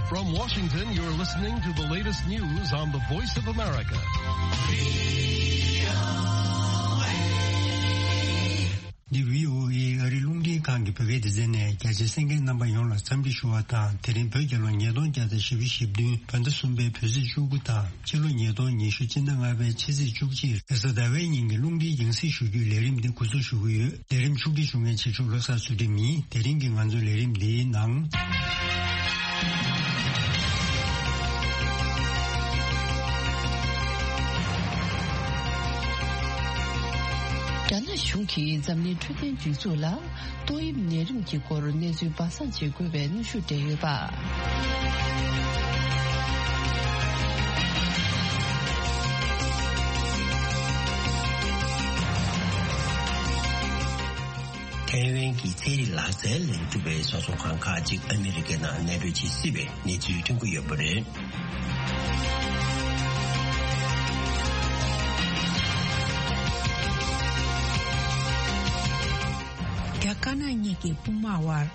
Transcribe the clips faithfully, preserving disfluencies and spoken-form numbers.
From Washington, you're listening to the latest news on the Voice of America. འདི་བྷི་ཨོ་ཨེ་ཨ་རིའི་རླུང་འཕྲིན་ཁང་གི་བོད་སྐད་སྡེ་ཚན་ནས། རྒྱ་ཆེའི་གསན་མཁན་རྣམ་པ་ཡོངས་ལ་འཚམས་འདྲི་ཞུ་བ་དང་། དེ་རིང་བོད་རྒྱལ་ལོ་ཉིས་སྟོང་བརྒྱ་དང་བཞི་བཅུ་ཞེ་བདུན་བོད་ཟླ་གསུམ་པའི་བོད་ཚེས་བཅུ་དགུ་དང་། ཕྱི་ལོ་ཉིས་སྟོང་ཉི་ཤུ་སྤྱི་ཟླ་ལྔ་པའི་ཕྱི་ཚེས་བཅུ་གཅིག་རེས་གཟའ་ཟླ་བའི་ཉིན་གྱི་རླུང་འཕྲིན་རྒྱང་སྲིང་ཞུ་རྒྱུའི་ལས་རིམ་འདི་འགོ་འཛུགས་ཞུ་གི་ཡོད། ལས་རིམ་ཕྱོགས་སྒྲིག་ཞུ་མཁན་ཕྱི་ཕྱོགས་ལྷག་བསམ་ཚུལ་ཁྲིམས་ཡིན། དེ་རིང་གི་ང་ཚོའི་ལས་རིམ་འདིའི་ནང་། རྒྱ་ནག་གཞུང་གིས་འཛམ་གླིང་འཕྲོད་བསྟེན་སྒྲིག་འཛུགས་ལ་ཏོག་དབྱིབས་ནད་རིམས་ཀྱི་སྐོར་གནས་ཚུལ་སྦ་གསང་བྱེད་དགོས་པའི་གནོན་ཤུགས་སྤྲད་ཡོད་པ། ཐའེ་ཝན་གྱི་ཚན་རིག་ལག་རྩལ་ལས་གྲུབ་པའི་བཟོ་ཚོང་ཁང་ཁག་ཅིག་ཨ་མི་རི་ཀའི་ནང་གནས་སྤོས་བྱེད་སྲིད་པའི་གནས་ཚུལ་ཐོན་གྱི་ཡོད་པ་རེད། རྒྱ་དཀར་ནག་གཉིས་ཀྱི་དཔུང་དམག་དབར་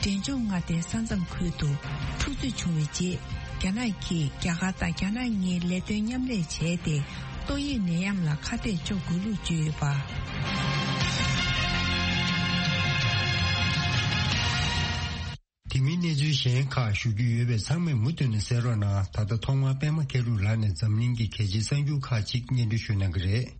འབྲས་ལྗོངས་མངའ་སྡེའི་ས་མཚམས་ཁུལ་དུ་འཁྲུག་རྩོད་བྱུང་བའི་རྗེས། རྒྱ་ནག་གིས་རྒྱ་གར་དང་རྒྱ་ནག་གཉིས་ལས་དོན་མཉམ་ལས་བྱས་ཏེ། ཏོག་དབྱིབས་ནད་ཡམས་ལ་ཁ་གཏད་གཅོག་དགོས་ལུགས་བརྗོད་ཡོད་པ། དེ་མིན་གནས་ཚུལ་གཞན་ཁག་ཞུ་རྒྱུ་ཡོད་པས་ཚང་མས་མུ་མཐུད་ནས་གསན་རོགས་གནང་། ད་ལྟ་ཐོག་མར་པད་མ་མཁས་གྲུབ་ལགས་ནས་འཛམ་གླིང་གི་གལ་ཆེའི་གསར་འགྱུར་ཁག་ཅིག་སྙན་སྒྲོན་ཞུ་གནང་གི་རེད།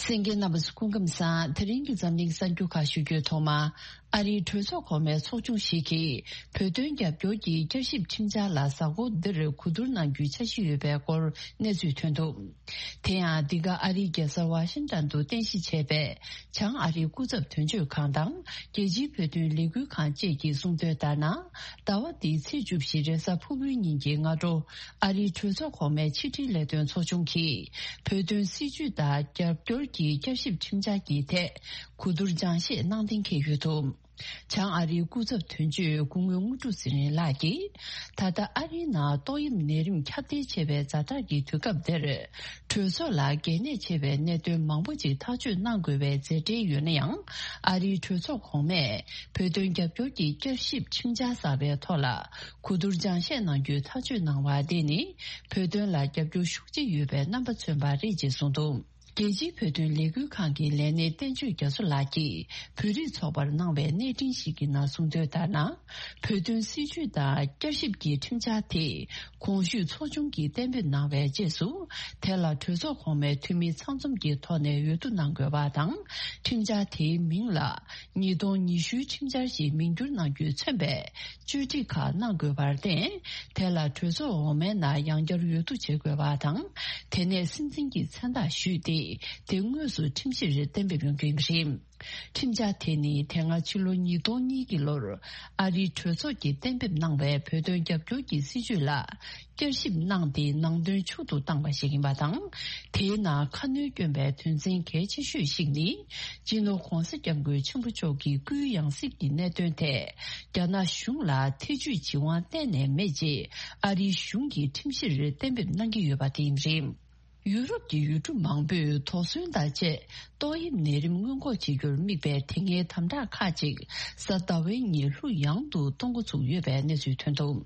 གསན་མཁན་རྣམ་པ་ཚོ་སྐུ་ཁམས་བཟང་། དེ་རིང་གི་འཛམ་གླིང་གསར་འགྱུར་ཁག་ཞུ་རྒྱུའི་ཐོག་མ། ཨ་རིའི་གྲོས་ཚོགས་གོང་མའི་ཚོགས་ཆུང་ཞིག་གིས་བོད་དོན་རྒྱབ་སྐྱོར་གྱི་བསྐྱར་ཞིབ་ཁྲིམས་འཆར་ལ་གཟའ་འཁོར་འདིར་གོ་བསྡུར་གནང་རྒྱུའི་འཆར་གཞི་ཡོད་པའི་སྐོར་གནས་ཚུལ་ཐོན་འདུག་དེ་ཡང་འདི་ག་ཨ་རིའི་རྒྱལ་ས་ཝ་ཤིང་ཏན་དུ་རྟེན་གཞི་བྱས་པའི་བྱང་ཨ་རིའི་སྐུ་ཚབ་དོན་གཅོད་ཁང་དང་རྒྱལ་སྤྱིའི་བོད་དོན་ལས་འགུལ་ཁང་བཅས་ཀྱིས་གསུངས་དོན་ལྟར་ན། ཟླ་བ་འདིའི་ཚེས་བཅུ་བཞི་རེས་གཟའ་ཕུར་བུའི་ཉིན་གྱི་སྔ་དྲོ། ཨ་རིའི་གྲོས་ཚོགས་གོང་མའི་ཕྱི་དྲིལ་ལས་དོན་ཚོགས་ཆུང་གིས་བོད་དོན་སྲིད་བྱུས་དང་རྒྱབ་སྐྱོར་གྱི་བསྐྱར་ཞིབ་ཁྲིམས་འཆར་གྱི་ཐད་གོ་བསྡུར་སྦྱང་བཤད་གནང་གཏན་འཁེལ་ཡོད་འདུག་བྱང་ཨ་རིའི་སྐུ་ཚབ་དོན་གཅོད་སྐུ་ངོ་དངོས་གྲུབ་ཚེ་རིང་ལགས་ཀྱིས། ད་ལྟ་ཨ་རིའི་ནང་ཏོག་དབྱིབས་ནད་རིམས་ཁྱབ་གདལ་ཆེ་བའི་ཛ་དྲག་གི་དུས་སྐབས་འདིར། གྲོས་ཚོགས་ལ་གལ་གནད་ཆེ་བའི་གནད་དོན་མང་པོ་ཅིག་ཐག་གཅོད་གནང་དགོས་པའི་མཛད་འཕྲིན་ཡོད་ན་ཡང་། ཨ་རིའི་གྲོས་ཚོགས་གོང་མས་བོད་དོན་རྒྱབ་སྐྱོར་གྱི་བསྐྱར་ཞིབ་ཁྲིམས་འཆར་གསར་པའི་ཐོག་ལ་གོ་བསྡུར་སྦྱང་བཤད་གནང་རྒྱུའི་ཐག་གཅོད་གནང་བ་དེ་ནི། བོད་དོན་ལ་རྒྱབ་སྐྱོར་ཤུགས་ཆེ་ཡོད་པའི་རྣམ་པ་མཚོན་པ་རེད་ཅེས་གསུངས་འདུག་རྒྱལ་སྤྱིའི་བོད་དོན་ལས་འགུལ་ཁང་གི་ལས་སྣེ་བསྟན་ཆོས་རྒྱ་མཚོ་ལགས་ཀྱིས་བོད་རིགས་ཚོགས་པར་གནང་བའི་གནས་འཕྲིན་ཞིག་གི་ནང་གསུངས་དོན་ལྟར་ན། བོད་དོན་སྲིད་བྱུས་དང་བསྐྱར་ཞིབ་ཀྱི་ཁྲིམས་འཆར་དེ་གོང་ཞུས་ཚོགས་ཆུང་གིས་གཏན་འབེབས་གནང་བའི་རྗེས་སུ། དེ་ལ་གྲོས་ཚོགས་གོང་མའི་འཐུས་མི་ཚང་འཛོམས་ཀྱི་ཐོག་ནས་འོས་བསྡུ་གནང་དགོས་པ་དང་། ཁྲིམས་འཆར་དེའི་མིང་ལ་ཉིས་སྟོང་ཉི་ཤུའི་ཁྲིམས་འཆར་ཞེས་མིང་བསྒྱུར་གནང་རྒྱུས་མཚོན་པའི་བཅོས་སྒྲིག་ཁག་གནང་དགོས་པར་བརྟེན། དེ་ལ་གྲོས་ཚོགས་འོག་མའི་ནང་ཡང་བསྐྱར་འོས་བསྡུ་བྱེད་དགོས་པ་དང་། དེ་ནས་སྲིད་འཛིན་གྱི་མཚན་རྟགས་ཞུས་ཏེ། དེ་དངོས་སུ་ཁྲིམས་གཞིར་གཏན་འབེབས་ཡོང་རྒྱུ་ཡིན་པ་རེད། ཁྲིམས་འཆར་དེ་ནི་དེ་སྔ་ཕྱི་ལོ་ཉིས་སྟོང་གཉིས་ཀྱི་ལོར་ཨ་རིའི་གྲོས་ཚོགས་ཀྱིས་གཏན་འབེབས་གནང་བའི་བོད་དོན་རྒྱབ་སྐྱོར་གྱི་སྲིད་བྱུས་ལ་བསྐྱར་ཞིབ་གནང་སྟེ་ནང་དོན་ཕྱོགས་སུ་བཏང་བ་ཞིག་ཡིན་པ་དང་། དེའི་ནང་ཁ་སྣོན་བསྐྱོན་པའི་དོན་ཚན་གལ་ཆེ་ཤོས་ཤིག་ནི། སྤྱི་ནོར་༧གོང་ས་༧སྐྱབས་མགོན་ཆེན་པོ་མཆོག་གི་སྐུའི་ཡང་སྲིད་ཀྱི་གནད་དོན་ཐད་རྒྱ་ནག་གཞུང་ལ་ཐེ་ཇུས་བྱེད་དབང་གཏན་ནས་མེད་ཅེས་ཨ་རིའི་གཞུང་གིས་ཁྲིམས་གཞིར་གཏན་འབེབས་གནང་གི་ཡོད་པ་དེ་ཡིན་པ་རེད། ཡུ་རོབ་ཀྱི་ཡུལ་གྲུ་མང་པོས་དོགས་ཟོན་དང་བཅས་ཏོག་དབྱིབས་ནད་རིམས་སྔོན་འགོག་བྱེད་རྒྱུར་དམིགས་པའི་དེ་སྔའི་དམ་དྲག་ཁག་ཅིག་གཟའ་ཟླ་བའི་ཉིན་ལྷུག་ཡངས་དུ་གཏོང་འགོ་ཚུགས་ཡོད་པའི་གནས་ཚུལ་ཐོན་འདུག་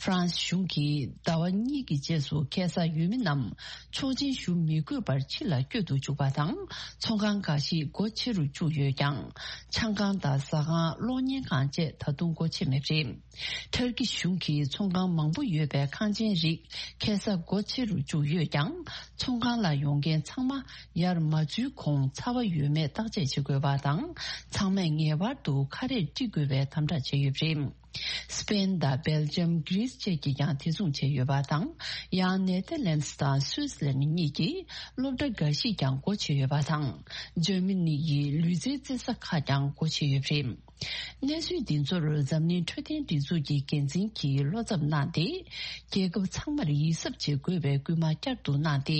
ཧྥ་རན་སི་གཞུང་གིས་ཟླ་བ་གཉིས་ཀྱི་རྗེས་སུ་ཁ་སང་ཡུལ་མི་རྣམས་ཚོགས་ཆེན་ཞུ་མི་དགོས་པར་ཕྱི་ལ་བསྐྱོད་དུ་འཇུག་པ་དང་། ཚོང་ཁང་འགའ་ཞིག་སྒོ་ཕྱེ་རུ་བཅུག་ཡོད་ཀྱང་། ཆང་ཁང་དང་ཟ་ཁང་། གློག་བརྙན་ཁང་བཅས་ད་དུང་སྒོ་ཕྱེ་མེད་པ་རེད། ཐར་ཀི་གཞུང་གིས་ཚོང་ཁང་མང་པོ་ཡོད་པའི་ཁང་ཆེན་རིགས་ཁ་སང་སྒོ་ཕྱེ་རུ་བཅུག་ཡོད་ཀྱང་། ཚོང་ཁང་ལ་ཡོང་མཁན་ཚང་མ་ཡར་མ་འཛུལ་གོང་ཚ་བ་ཡོད་མེད་བརྟག་དཔྱད་བྱེད་དགོས་པ་དང་། ཚང་མས་ངེས་པར་དུ་ཁ་རས་དཀྲི་དགོས་པའི་དམ་དྲག་བྱས་ཡོད་པ་རེད། སི་པེན་དང་སྦེལ་ཇམ། གྷི་རིས་བཅས་ཀྱིས་ཀྱང་དེ་མཚུངས་བྱས་ཡོད་པ་དང་། ཡང་ནེ་ཐར་ལན་སི་དང་སུད་སི་ལན་གཉིས་ཀྱིས་སློབ་གྲྭ་འགའ་ཞིག་ཀྱང་སྒོ་ཕྱེ་ཡོད་པ་དང་། འཇར་མ་ནི་ཡི་ལུས་རྩལ་རྩེད་ས་ཁག་ཀྱང་སྒོ་ཕྱེ་ཡོད་པ་རེད། གནས་ཚུལ་འདི་ཚོར་འཛམ་གླིང་འཕྲོད་བསྟེན་སྒྲིག་འཛུགས་ཀྱི་འགན་འཛིན་གྱིས་བློ་འཚབ་གནང་སྟེ། རྒྱལ་ཁབ་ཚང་མར་ཡིད་གཟབ་བྱེད་དགོས་པའི་སྐུལ་མ་བསྐྱར་དུ་གནང་སྟེ།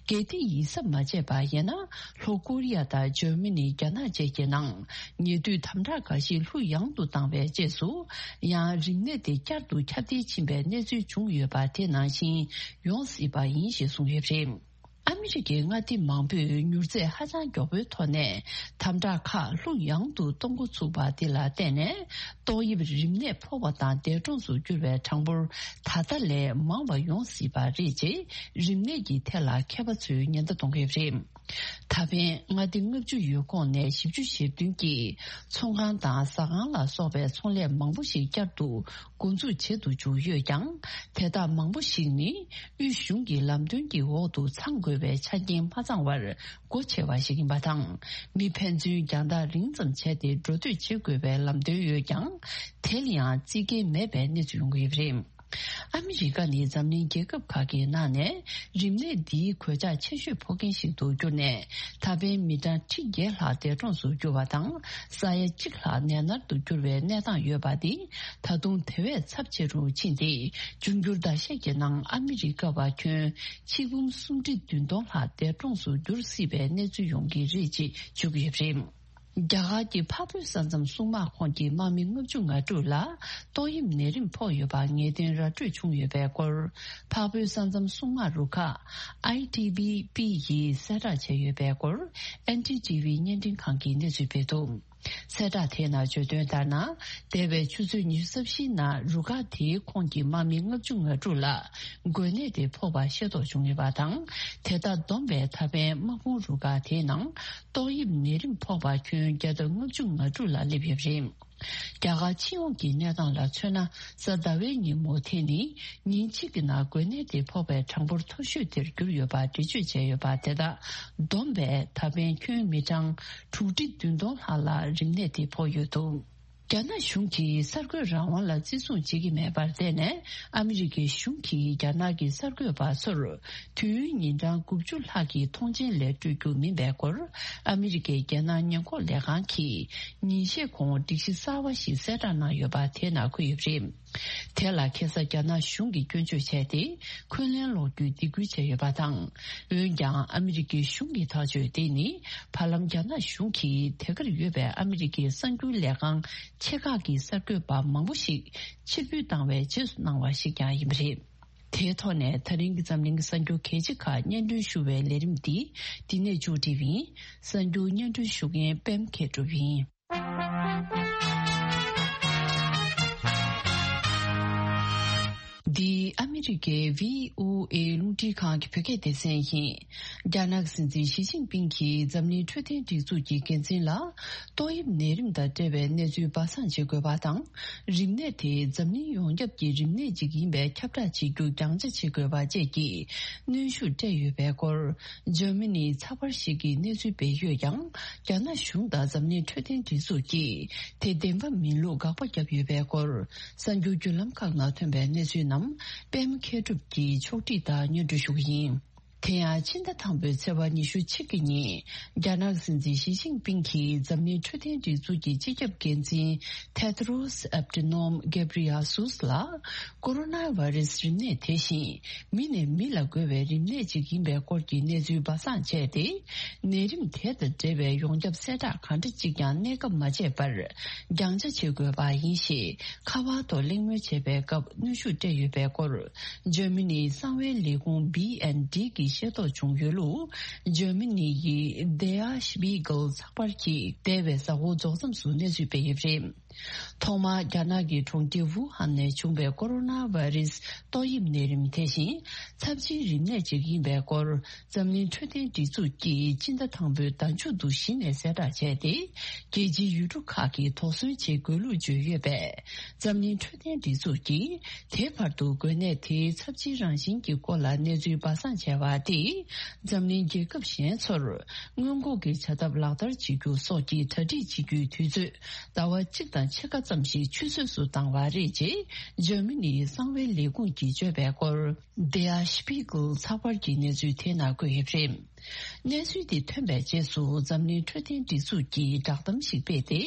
གལ་ཏེ་ཡིད་གཟབ་མ་བྱས་པ་ཡིན་ན། ལྷོ་ཀོ་རི་ཡ་དང་འཇར་མ་ནི། རྒྱ་ནག་བཅས་ཀྱི་ནང་ཉེ་དུས་དམ་དྲག་འགའ་ཞིག་ལྷུག་ཡངས་དུ་བཏང་བའི་རྗེས་སུ། ཡང་རིམས་ནད་དེ་བསྐྱར་དུ་ཁྱབ་གདལ་ཕྱིན་པའི་གནས་ཚུལ་བྱུང་ཡོད་པ་དེ་ནང་བཞིན་ཡོང་སྲིད་པ་ཡིན་ཞེས་གསུངས་ཡོད་པ་རེད། ཨ་མི་རི་ཀའི་མངའ་སྡེ་མང་པོས་མྱུར་ཚད་ཧ་ཅང་མགྱོགས་པོའི་ཐོག་ནས་དམ་དྲག་ཁག་ལྷུག་ཡངས་དུ་གཏོང་འགོ་ཚུགས་པ་འདི་ལ་བརྟེན་ནས། ཏོག་དབྱིབས་རིམས་ནད་ཕོག་པ་དང་འདས་གྲོངས་སུ་གྱུར་བའི་གྲངས་འབོར་ད་ལྟ་ལས་མང་བ་ཡོང་སྲིད་པ་རེད་ཅེས། རིམས་ནད་ཀྱི་ཐད་ལ་མཁས་པ་ཚོས་ཉེན་བརྡ་གཏོང་གི་ཡོད་པ་རེད། ད་ཕན་མངའ་སྡེ་ལྔ་བཅུ་ཡོད་ཁོངས་ནས་བཞི་བཅུ་ཞེ་བདུན་གྱིས་ཚོང་ཁང་དང་ཟ་ཁང་ལ་སོགས་པའི་ཚོང་ལས་མང་པོ་ཞིག་བསྐྱར་དུ་འགོ་འཛུགས་བྱེད་དུ་བཅུག་ཡོད་ཀྱང་། དེ་དག་མང་པོ་ཞིག་ནི་དབུས་གཞུང་གི་ལམ་སྟོན་གྱི་འོག་ཏུ་ཚང་དགོས་པའི་ཆ་རྐྱེན་མ་ཚང་བར་སྒོ་ཕྱེ་བ་ཞིག་ཡིན་པ་དང་། མི་ཕན་ཚུན་རྒྱང་ཐག་རིང་ཙམ་བྱས་ཏེ་འགྲོ་སྡོད་བྱེད་དགོས་པའི་ལམ་སྟོན་ཡོད་ཀྱང་། དེ་ལ་ཡང་རྩིས་འགལ་མེད་པའི་གནས་ཚུལ་ཡོང་གི་ཡོད་པ་རེད། ཨ་མི་རི་ཀ་ནི་འཛམ་གླིང་རྒྱལ་ཁབ་ཁག་གི་ནང་ནས་རིམས་ནད་འདིའི་གོད་ཆག་ཆེ་ཤོས་ཕོག་མཁན་ཞིག་ཏུ་གྱུར་ནས། ད་ཕན་མི་གྲངས་ཁྲི་བརྒྱད་ལྷག་འདས་གྲོངས་སུ་གྱུར་བ་དང་། ས་ཡ་གཅིག་ལྷག་ནད་མནར་དུ་གྱུར་བའི་གནས་སྟངས་ཡོད་པ་འདི་ད་དུང་དེ་བས་ཚབས་ཆེ་རུ་ཕྱིན་ཏེ། འབྱུང་འགྱུར་ཟླ་ཤས་ཀྱི་ནང་ཨ་མི་རི་ཀ་བ་ཁྱོན་ཆིག་འབུམ་སུམ་ཁྲི་བདུན་སྟོང་ལྷག་འདས་གྲོངས་སུ་གྱུར་སྲིད་པའི་གནས་ཚུལ་ཡོང་གི་རེད་ཅེས་བརྗོད་ཀྱི་ཡོད་པ་རེད། རྒྱ་གར་གྱི་འཕགས་བོད་ས་མཚམས་སྲུང་དམག་ཁོངས་ཀྱི་དམག་མི་ལྔ་བཅུ་ང་དྲུག་ལ་ཏོག་དབྱིབས་ནད་རིམས་ཕོག་ཡོད་པ་ངེས་གཏན་ར་སྤྲོད་བྱུང་ཡོད་པའི་སྐོར། འཕགས་བོད་ས་མཚམས་སྲུང་དམག་རུ་ཁག་ཨའི་ཊི་བི་པི་ཡིས་གསལ་བསྒྲགས་བྱས་ཡོད་པའི་སྐོར། ཨེན་ཌི་ཊི་ཝི་བརྙན་འཕྲིན་ཁང་གིས་གནས་ཚུལ་སྤེལ་འདུག། གསལ་བསྒྲགས་དེའི་ནང་བརྗོད་དོན་ལྟར་ན། འདས་པའི་ཆུ་ཚོད་ཉི་ཤུ་རྩ་བཞིའི་ནང་རུ་ཁག་དེའི་ཁོངས་ཀྱི་དམག་མི་ལྔ་བཅུ་ང་དྲུག་ལ་འགོས་ནད་དེ་ཕོག་པ་ཤེས་རྟོགས་བྱུང་ཡོད་པ་དང་། དེ་དག་བསྡོམས་པས་ད་ཕན་དམག་དཔུང་རུ་ཁག་དེའི་ནང་ཏོག་དབྱིབས་ནད་རིམས་ཕོག་པ་ཁྱོན་བརྒྱ་དང་ལྔ་བཅུ་ང་དྲུག་ལ་སླེབས་ཡོད་པ་རེད། རྒྱ་གར་སྤྱི་ཡོངས་ཀྱི་གནས་སྟངས་ལ་མཚོན་ན། གཟའ་ཟླ་བའི་ཉིན་མོ་དེ་ནི་ཉིན་གཅིག་གི་ནང་འགོས་ནད་དེ་ཕོག་པའི་གྲངས་འབོར་མཐོ་ཤོས་དེར་གྱུར་ཡོད་པ་འགྲེལ་བརྗོད་བྱས་ཡོད་པ། དེ་དག་བསྡོམས་པས་ད་ཕན་ཁྱོན་མི་གྲངས་དྲུག་ཁྲི་བདུན་སྟོང་ལྷག་ལ་རིམས་ནད་དེ་ཕོག་ཡོད་འདུག། རྒྱ་ནག་གཞུང་གིས་གསར་འགོད་རང་དབང་ལ་བརྩི་སྲུང་བྱེད་ཀྱི་མེད་པར་བརྟེན་ནས། ཨ་མི་རི་ཀའི་གཞུང་གིས་རྒྱ་ནག་གི་གསར་འགོད་པ་ཚོར་དུས་ཡུན་ཉིན་གྲངས་དགུ་བཅུ་ལྷག་གི་ཐོངས་མཆན་ལས་སྤྲོད་རྒྱུ་མིན་པའི་སྐོར། ཨ་མི་རི་ཀའི་རྒྱལ་ནང་ཉེན་འགོག་ལས་ཁང་གིས་ཉིན་ཤས་གོང་སྒྲིག་གཞི་གསར་བ་ཞིག་གསལ་བསྒྲགས་གནང་ཡོད་པ་དེའི་ནང་འཁོད་ཡོད་པ་རེད། དེ་ལ་ཁ་སང་རྒྱ་ནག་གཞུང་གིས་སྐྱོན་བརྗོད་བྱས་ཏེ། འཁོན་ལན་སློག་རྒྱུའི་སྡིགས་སྐུལ་བྱས་ཡོད་པ་དང་། འོན་ཀྱང་ཨ་མི་རི་ཀའི་གཞུང་གི་ཐག་གཅོད་དེ་ནི། བར་ལམ་རྒྱ་ནག་གཞུང་གིས་དེ་གར་ཡོད་པའི་ཨ་མི་རི་ཀའི་གསར་འགྱུར་ལས་ཁང་ཆེ་ཁག་གི་གསར་འགོད་པ་མང་པོ་ཞིག་ཕྱིར་འབུད་བཏང་བའི་རྗེས་སུ་གནང་བ་ཞིག་ཀྱང་ཡིན་པ་རེད། དེའི་ཐོག་ནས་ད་རིང་གི་འཛམ་གླིང་གི་གསར་འགྱུར་གལ་ཆེ་ཁག་སྙན་སྒྲོན་ཞུ་བའི་ལས་རིམ་འདི་འདི་ནས་མཇུག་སྒྲིལ་བ་ཡིན། གསར་འགྱུར་སྙན་སྒྲོན་ཞུ་མཁན་པད་མ་མཁས་གྲུབ་ཡིན། འདི་ཨ་མི་རི་ཀའི་བྷི་ཨོ་ཨེ་རླུང་འཕྲིན་ཁང་གི་བོད་སྐད་སྡེ་ཚན་ཡིན། རྒྱ་ནག་གི་སྲིད་འཛིན་ཞི་ཅིན་ཕིང་གིས་འཛམ་གླིང་འཕྲོད་བསྟེན་སྒྲིག་འཛུགས་ཀྱི་འགན་འཛིན་ལ། ཏོག་དབྱིབས་ནད་རིམས་དང་འབྲེལ་བའི་གནས་ཚུལ་སྦ་གསང་བྱེད་དགོས་པ་དང་། རིམས་ནད་དེ་འཛམ་གླིང་ཡོངས་ཁྱབ་ཀྱི་རིམས་ནད་ཅིག་ཡིན་པའི་ཁྱབ་བསྒྲགས་བྱེད་རྒྱུ་རྒྱང་ཆ་བྱེད་དགོས་པ་བཅས་ཀྱི་གནོན་ཤུགས་སྤྲད་ཡོད་པའི་སྐོར། འཇར་མ་ནིའི་ཚགས་པར་ཞིག་གིས་གནས་ཚུལ་སྤེལ་ཡོད་ཀྱང་། རྒྱ་ནག་གཞུང་དང་འཛམ་གླིང་འཕྲོད་བསྟེན་སྒྲིག་འཛུགས་ཀྱིས་དེ་བདེན་པ་མིན་ལུགས་དགག་པ་བརྒྱབ་ཡོད་པའི་སྐོར། གསར་འགྱུར་བརྒྱུད་ལམ་ཁག་ནང་ཐོན་པའི་གནས་ཚུལ་རྣམས་པད་མ་མཁས་གྲུབ་ཀྱིས་ཕྱོགས་སྒྲིག་དང་སྙན་སྒྲོན་ཞུ་གི་ཡིན། དེ་ཡང་ཕྱི་ཟླ་དང་པོའི་ཚེས་པ་ཉི་ཤུ་གཅིག་གི་ཉིན། རྒྱ་ནག་སྲིད་འཛིན་ཞི་ཅིན་ཕིང་གིས་འཛམ་གླིང་འཕྲོད་བསྟེན་སྒྲིག་འཛུགས་ཀྱི་སྤྱི་ཁྱབ་འགན་འཛིན་ཐེ་དྲོ་སི་ཨེབ་ཏི་ནོམ་གེབ་རི་ཡ་སུས་ལ། ཀོ་རོ་ན་བྷ་རེ་སི་རིམས་ནད་དེ་བཞིན་མི་ནས་མི་ལ་འགོས་པའི་རིམས་ནད་ཅིག་ཡིན་པའི་སྐོར་གྱི་གནས་ཚུལ་སྦ་གསང་བྱས་ཏེ། ནད་རིམས་དེ་དང་འབྲེལ་བའི་ཡོངས་ཁྱབ་གསལ་བསྒྲགས་གང་འདྲ་གཅིག་ཀྱང་གནས་སྐབས་མ་བྱས་པར་རྒྱང་ཆ་བྱེད་དགོས་པ་ཡིན་ཞེས། ཁ་པར་ཐོག་གླེང་མོལ་བྱེད་པའི་སྐབས་གནོན་ཤུགས་སྤྲད་ཡོད་པའི་སྐོར། འཇར་མ་ནིའི་གསང་བའི་ལས་ཁུངས་བྷི་ཨེན་ཌི་གིས་ཤེས་རྟོགས་བྱུང་ཡོད་ལུགས། འཇར་མ་ནི་ཡི་དེ་ཨ་ཤི་པི་གལ་ཚགས་པར་གྱིས་འདས་པའི་གཟའ་འཁོར་རྫོགས་མཚམས་སུ་གནས་ཚུལ་སྤེལ་ཡོད་པ་རེད། ཐོག་མར་རྒྱ་ནག་གི་གྲོང་ཁྱེར་ཝུ་ཧན་ནས་བྱུང་བའི་ཀོ་རོ་ན་བྷ་རེ་སི་ཏོག་དབྱིབས་ནད་རིམས་དེ་བཞིན་ཚབས་ཆེའི་རིམས་ནད་ཅིག་ཡིན་པའི་སྐོར། འཛམ་གླིང་འཕྲོད་བསྟེན་སྒྲིག་འཛུགས་ཀྱིས་སྤྱི་ཟླ་དང་པོའི་ཟླ་མཇུག་ཏུ་གཞི་ནས་གསལ་བསྒྲགས་བྱས་ཏེ། རྒྱལ་སྤྱིའི་ཡུལ་གྲུ་ཁག་གིས་དོགས་ཟོན་བྱེད་དགོས་ལུགས་བརྗོད་ཡོད་པས། འཛམ་གླིང་འཕྲོད་བསྟེན་སྒྲིག་འཛུགས་ཀྱིས་དེའི་བར་དུ་འགོས་ནད་དེའི་ཚབས་ཆེའི་རང་བཞིན་གྱི་སྐོར་ལ་གནས་ཚུལ་སྦ་གསང་བྱས་པ་དེས། འཛམ་གླིང་རྒྱལ་ཁབ་གཞན་ཚོར་སྔོན་འགོག་གི་བྱ་ཐབས་ལག་བསྟར་བྱེད་རྒྱུ་སོགས་ཀྱི་གྲ་སྒྲིག་བྱེད་རྒྱུའི་དུས་ཚོད་ཟླ་བ་གཅིག་དང་ཕྱེད་ཀ་ཙམ་ཞིག་ཆུད་ཟོས་སུ་བཏང་བ་རེད་ཅེས་འཇར་མ་ནིའི་གསང་བའི་ལས་ཁུངས་ཀྱིས་བརྗོད་པའི་སྐོར། དེ་ཡང་ཤི་པི་གལ་ཚགས་པར་གྱི་གནས་ཚུལ་དེའི་ནང་བཀོད་ཡོད་པ་རེད། གནས་ཚུལ་འདི་ཐོན་པའི་རྗེས་སུ་འཛམ་གླིང་འཕྲོད་བསྟེན་སྒྲིག་འཛུགས་ཀྱིས་བསྒྲགས་གཏམ་ཞིག་སྤེལ་ཏེ།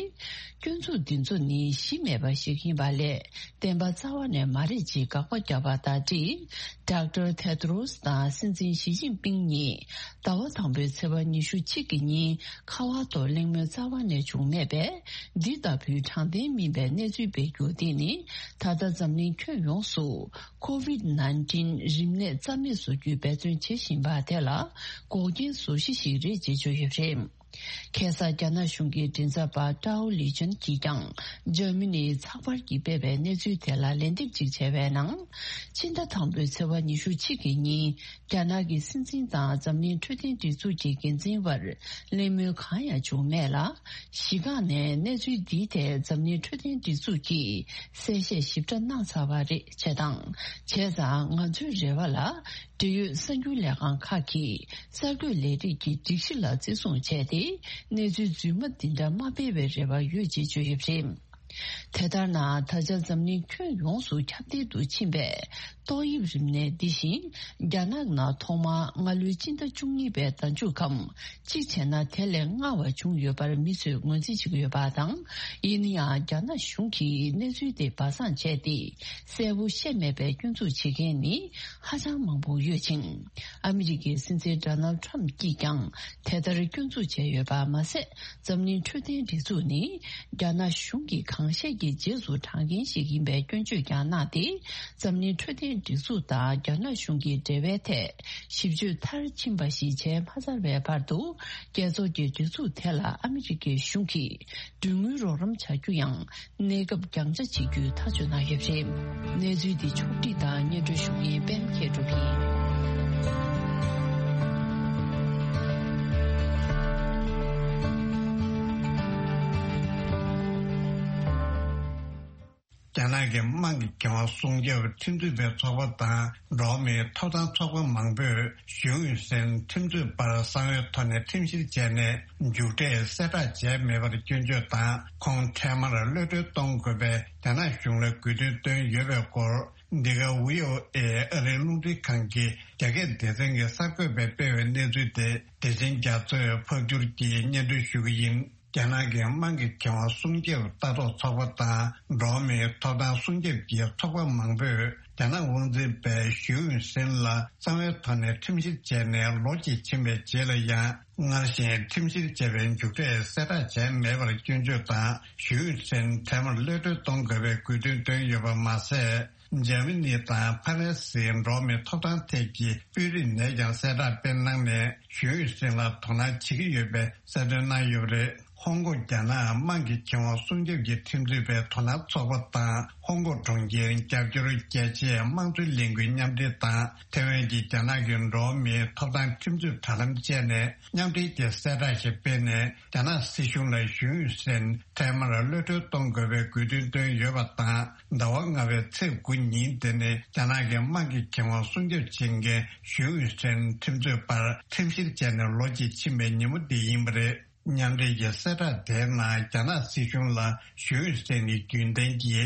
སྐྱོན་འཛུགས་འདི་ཚོ་ནི་གཞི་མེད་པ་ཞིག་ཡིན་པ་ལས་བདེན་པ་རྩ་བ་ནས་མ་རེད་ཅེས་དགག་པ་བརྒྱབ་པ་དང་འབྲེལ། ཌོག་ཊར་ཐེ་ཏྲོ་སི་དང་སྲིད་འཛིན་ཞི་ཅིན་ཕིང་གཉིས་ཟླ་བ་དང་པོའི་ཚེས་པ་ཉི་ཤུ་གཅིག་གི་ཉིན་ཁ་པར་ཐོག་གླེང་མོལ་རྩ་བ་ནས་བྱུང་མེད་པས། འདི་ལྟ་བུའི་དྲང་བདེན་མིན་པའི་གནས་ཚུལ་སྤེལ་རྒྱུ་འདི་ནི་ད་ལྟ་འཛམ་གླིང་ཁྱོན་ཡོངས་སུ། ཁོ་ཝིད་ནཱའིན་ཊིན་རིམས་ནད་རྩ་མེད་བཟོ་རྒྱུའི་འབད་བརྩོན་བྱེད་བཞིན་པ་དེ་ལ་འགོག་རྐྱེན་བཟོ་གཞི་ཞིག་རེད་ཅེས་བརྗོད་ཡོད་པ་རེད། ཁ་སང་རྒྱ་ནག་གཞུང་གི་མགྲིན་ཚབ་པ་ཀྲའོ་ལི་ཅན་གྱིས་ཀྱང་འཇར་མ་ནིའི་ཚགས་པར་གྱིས་སྤེལ་བའི་གནས་ཚུལ་དེ་ལ་ལན་འདེབས་ཅིག་བྱས་པའི་ནང་། ཕྱི་ཟླ་དང་པོའི་ཚེས་པ་ཉི་ཤུ་གཅིག་གི་ཉིན་རྒྱ་ནག་གི་སྲིད་འཛིན་དང་འཛམ་གླིང་འཕྲོད་བསྟེན་སྒྲིག་འཛུགས་ཀྱི་འགན་འཛིན་བར་གླེང་མོལ་གང་ཡང་བྱུང་མེད་ལ། གཞི་རྐང་ནས་གནས་ཚུལ་འདིའི་ཐད་འཛམ་གླིང་འཕྲོད་བསྟེན་སྒྲིག་འཛུགས་ཀྱིས་གསལ་བཤད་ཞིབ་ཕྲ་གནང་ཚར་བ་རེད་ཅེས་དང་། བྱས་ཙང་ང་ཚོའི་རེ་བ་ལ་འབྲེལ་ཡོད་གསར་འགྱུར་ལས་ཁང་ཁག་གིས་གསར་འགོད་ལས་རིགས་ཀྱི་སྒྲིག་གཞི་ལ་བརྩི་སྲུང་བྱས་ཏེ་གནས་ཚུལ་རྫུན་མ་འདི་འདྲ་མ་སྤེལ་བའི་རེ་བ་ཡོད་ཅེས་བརྗོད་ཡོད་པ་རེད། དེ་ལྟར་ན་ད་ཆ་འཛམ་གླིང་ཁྱོན་ཡོངས་སུ་ཁྱབ་གདལ་དུ་ཕྱིན་པའི་ཏོག་དབྱིབས་རིམས་ནད་འདི་བཞིན་རྒྱ་ནག་ནང་ཐོག་མར་སྔ་ལོའི་སྤྱི་ཟླ་བཅུ་གཉིས་པའི་ཟླ་མཇུག་གམ། གཅིག་བྱས་ན་དེ་ལས་སྔ་བ་བྱུང་ཡོད་པར་མི་ཚོས་ངོས་འཛིན་བྱེད་ཀྱི་ཡོད་པ་དང་། ཡིན་ན་ཡང་རྒྱ་ནག་གཞུང་གིས་གནས་ཚུལ་དེ་སྦ་གསང་བྱས་ཏེ་གསལ་པོ་བཤད་མེད་པའི་སྐྱོན་འཛུགས་བྱེད་མཁན་ནི་ཧ་ཅང་མང་པོ་ཡོད་ཅིང་། ཨ་མི་རི་ཀའི་སྲིད་འཛིན་ཌོ་ནལ་ཌི་ཊརམ་ཕི་གྱིས་ཀྱང་དེ་ལྟར་སྐྱོན་འཛུགས་བྱས་ཡོད་པ་མ་ཟད། འཛམ་གླིང་འཕྲོད་བསྟེན་སྒྲིག་འཛུགས་ནི་རྒྱ་ནག་གཞུང་གིས་གང་བཤད་ཀྱི་རྗེས་སུ་འབྲང་མཁན་ཞིག་ཡིན་པའི་སྐྱོན་བརྗོད་ཀྱང་གནང་སྟེ། འཛམ་གླིང་འཕྲོད་བསྟེན་སྒྲིག་འཛུགས་དང་རྒྱ་ནག་གཞུང་གི་འབྲེལ་བའི་ཐད་ཞིབ་དཔྱོད་མཐར་ཕྱིན་པ་ཞིག་བྱས་མ་ཚར་བའི་བར་དུ། རྒྱལ་ཚོགས་ཀྱི་སྒྲིག་འཛུགས་དེ་ལ་ཨ་མི་རི་ཀའི་གཞུང་གིས་གྲོས་མོལ་རོགས་རམ་བྱ་རྒྱུ་ཡང་གནས་སྐབས་རྒྱང་ཆ་བྱེད་རྒྱུའི་ཐག་གཅོད་གནང་ཡོད་པ་རེད། གནས་ཚུལ་འདི་ཕྱོགས་བསྒྲིགས་དང་སྙན་སྒྲོན་ཞུ་མཁན་པད་མ་མཁས་གྲུབ་ཡིན། རྒྱ་ནག་གི་དམངས་ཀྱི་ཁེ་དབང་སྲུང་སྐྱོབ་ཁྲིམས་རྩོད་པའི་ཚོགས་པ་དང་འགྲོ་བ་མིའི་ཐོབ་ཐང་ཚོགས་པ་མང་པོས་ཞུས་ཨུན་སན་ཁྲིམས་རྩོད་པར་གསང་བའི་ཐོག་ནས་ཁྲིམས་བཤེར་བྱས་ནས་མཇུག་འབྲས་གསལ་བསྒྲགས་བྱས་མེད་པར་སྐྱོན་བརྗོད་དང་ཁོང་འཕྲལ་མར་གློད་གྲོལ་གཏོང་དགོས་པའི་རྒྱ་ནག་གཞུང་ལ་དགོས་འདུན་བཏོན་ཡོད་པའི་སྐོར། འདི་ག་ཝི་ཨོ་ཨེ་ཨ་རིའི་རླུང་འཕྲིན་ཁང་གི་རྒྱ་སྐད་སྡེ་ཚན་གྱི་གསར་འགོད་པས་སྤེལ་བའི་གནས་ཚུལ་དེ་བདེ་ཆེན་རྒྱ་མཚོས་ཕབ་བསྒྱུར་གྱིས་སྙན་སྒྲོན་ཞུ་གི་ཡིན། རྒྱ་ནག་གི་དམངས་ཀྱི་ཁེ་དབང་སྲུང་སྐྱོབ་ལྟ་རྟོག་ཚོགས་པ་དང་འགྲོ་བ་མིའི་ཐོབ་ཐང་སྲུང་སྐྱོབ་ཀྱི་ཚོགས་པ་མང་པོས་རྒྱ་ནག་དབང་འཛིན་པས་ཞུས་ཨུན་སན་ལ་གསང་བའི་ཐོག་ནས་ཁྲིམས་བཤེར་བྱས་ནས་ལོ་གཅིག་ཕྱིན་པའི་རྗེས་ལ་ཡང་སྔར་བཞིན་ཁྲིམས་བཤེར་བྱས་པའི་མཇུག་འབྲས་གསལ་བསྒྲགས་བྱས་མེད་པར་སྐྱོན་བརྗོད་དང་ཞུས་ཨུན་སན་འཕྲལ་མར་གློད་གྲོལ་གཏོང་དགོས་པའི་དགོས་འདུན་བཏོན་ཡོད་པ་མ་ཟད། འཇར་མ་ནི་དང་ཕ་རན་སིའི་འགྲོ་བ་མིའི་ཐོབ་ཐང་ཐད་ཀྱི་དཔོན་རིགས་ནས་ཀྱང་གསལ་བསྒྲགས་སྤེལ་གནང་ནས་ཞུས་ཨུན་སན་ལ་དོ་སྣང་བྱེད་ཀྱི་ཡོད་པའི་གསལ་སྟོན་གནང་ཡོད་པ་རེད། ཧོང་ཀོང་རྒྱ་ནག་དམངས་ཀྱི་ཁེ་དབང་སྲུང་སྐྱོབ་ཀྱི་ཁྲིམས་རྩོད་པའི་དོ་སྣང་ཚོགས་པ་དང་ཧོང་ཀོང་གྲོང་ཁྱེར་རྒྱབ་སྐྱོར་རྒྱལ་སྤྱིའི་དམངས་གཙོའི་ལས་འགུལ་མཉམ་འབྲེལ་དང་ཐེ་ཝན་གྱི་རྒྱ་ནག་གི་འགྲོ་བ་མིའི་ཐོབ་ཐང་ཁྲིམས་རྩོད་དྲ་ལམ་བཅས་ནས་མཉམ་འབྲེལ་གྱི་གསལ་བསྒྲགས་ཤིག་སྤེལ་ནས། རྒྱ་ནག་སྲིད་གཞུང་ལ་ཞུས་ཨུན་སན་འཕྲལ་མར་གློད་གྲོལ་གཏོང་དགོས་པའི་དགོས་འདུན་བཏོན་ཡོད་པ་དང་། ཟླ་བ་ལྔ་པའི་ཚེས་དགུ་ཉིན་དེ་ནི་རྒྱ་ནག་གི་དམངས་ཀྱི་ཁེ་དབང་སྲུང་སྐྱོབ་བྱེད་མཁན་ཞུས་ཨུན་སན་ཁྲིམས་རྩོད་པར་ཁྲིམས་བཤེར་བྱས་ནས་ལོ་གཅིག་ཕྱིན་པའི་ཉིན་མོ་འདི་ཡིན་པ་རེད། མཉམ་འབྲེལ་གྱི་གསལ་བསྒྲགས་དེའི་ནང་རྒྱ་ནག་སྲིད་གཞུང་ལ་ཞུས་ཨུན་སན་ནི་རྒྱུན་ལྡན་གྱི་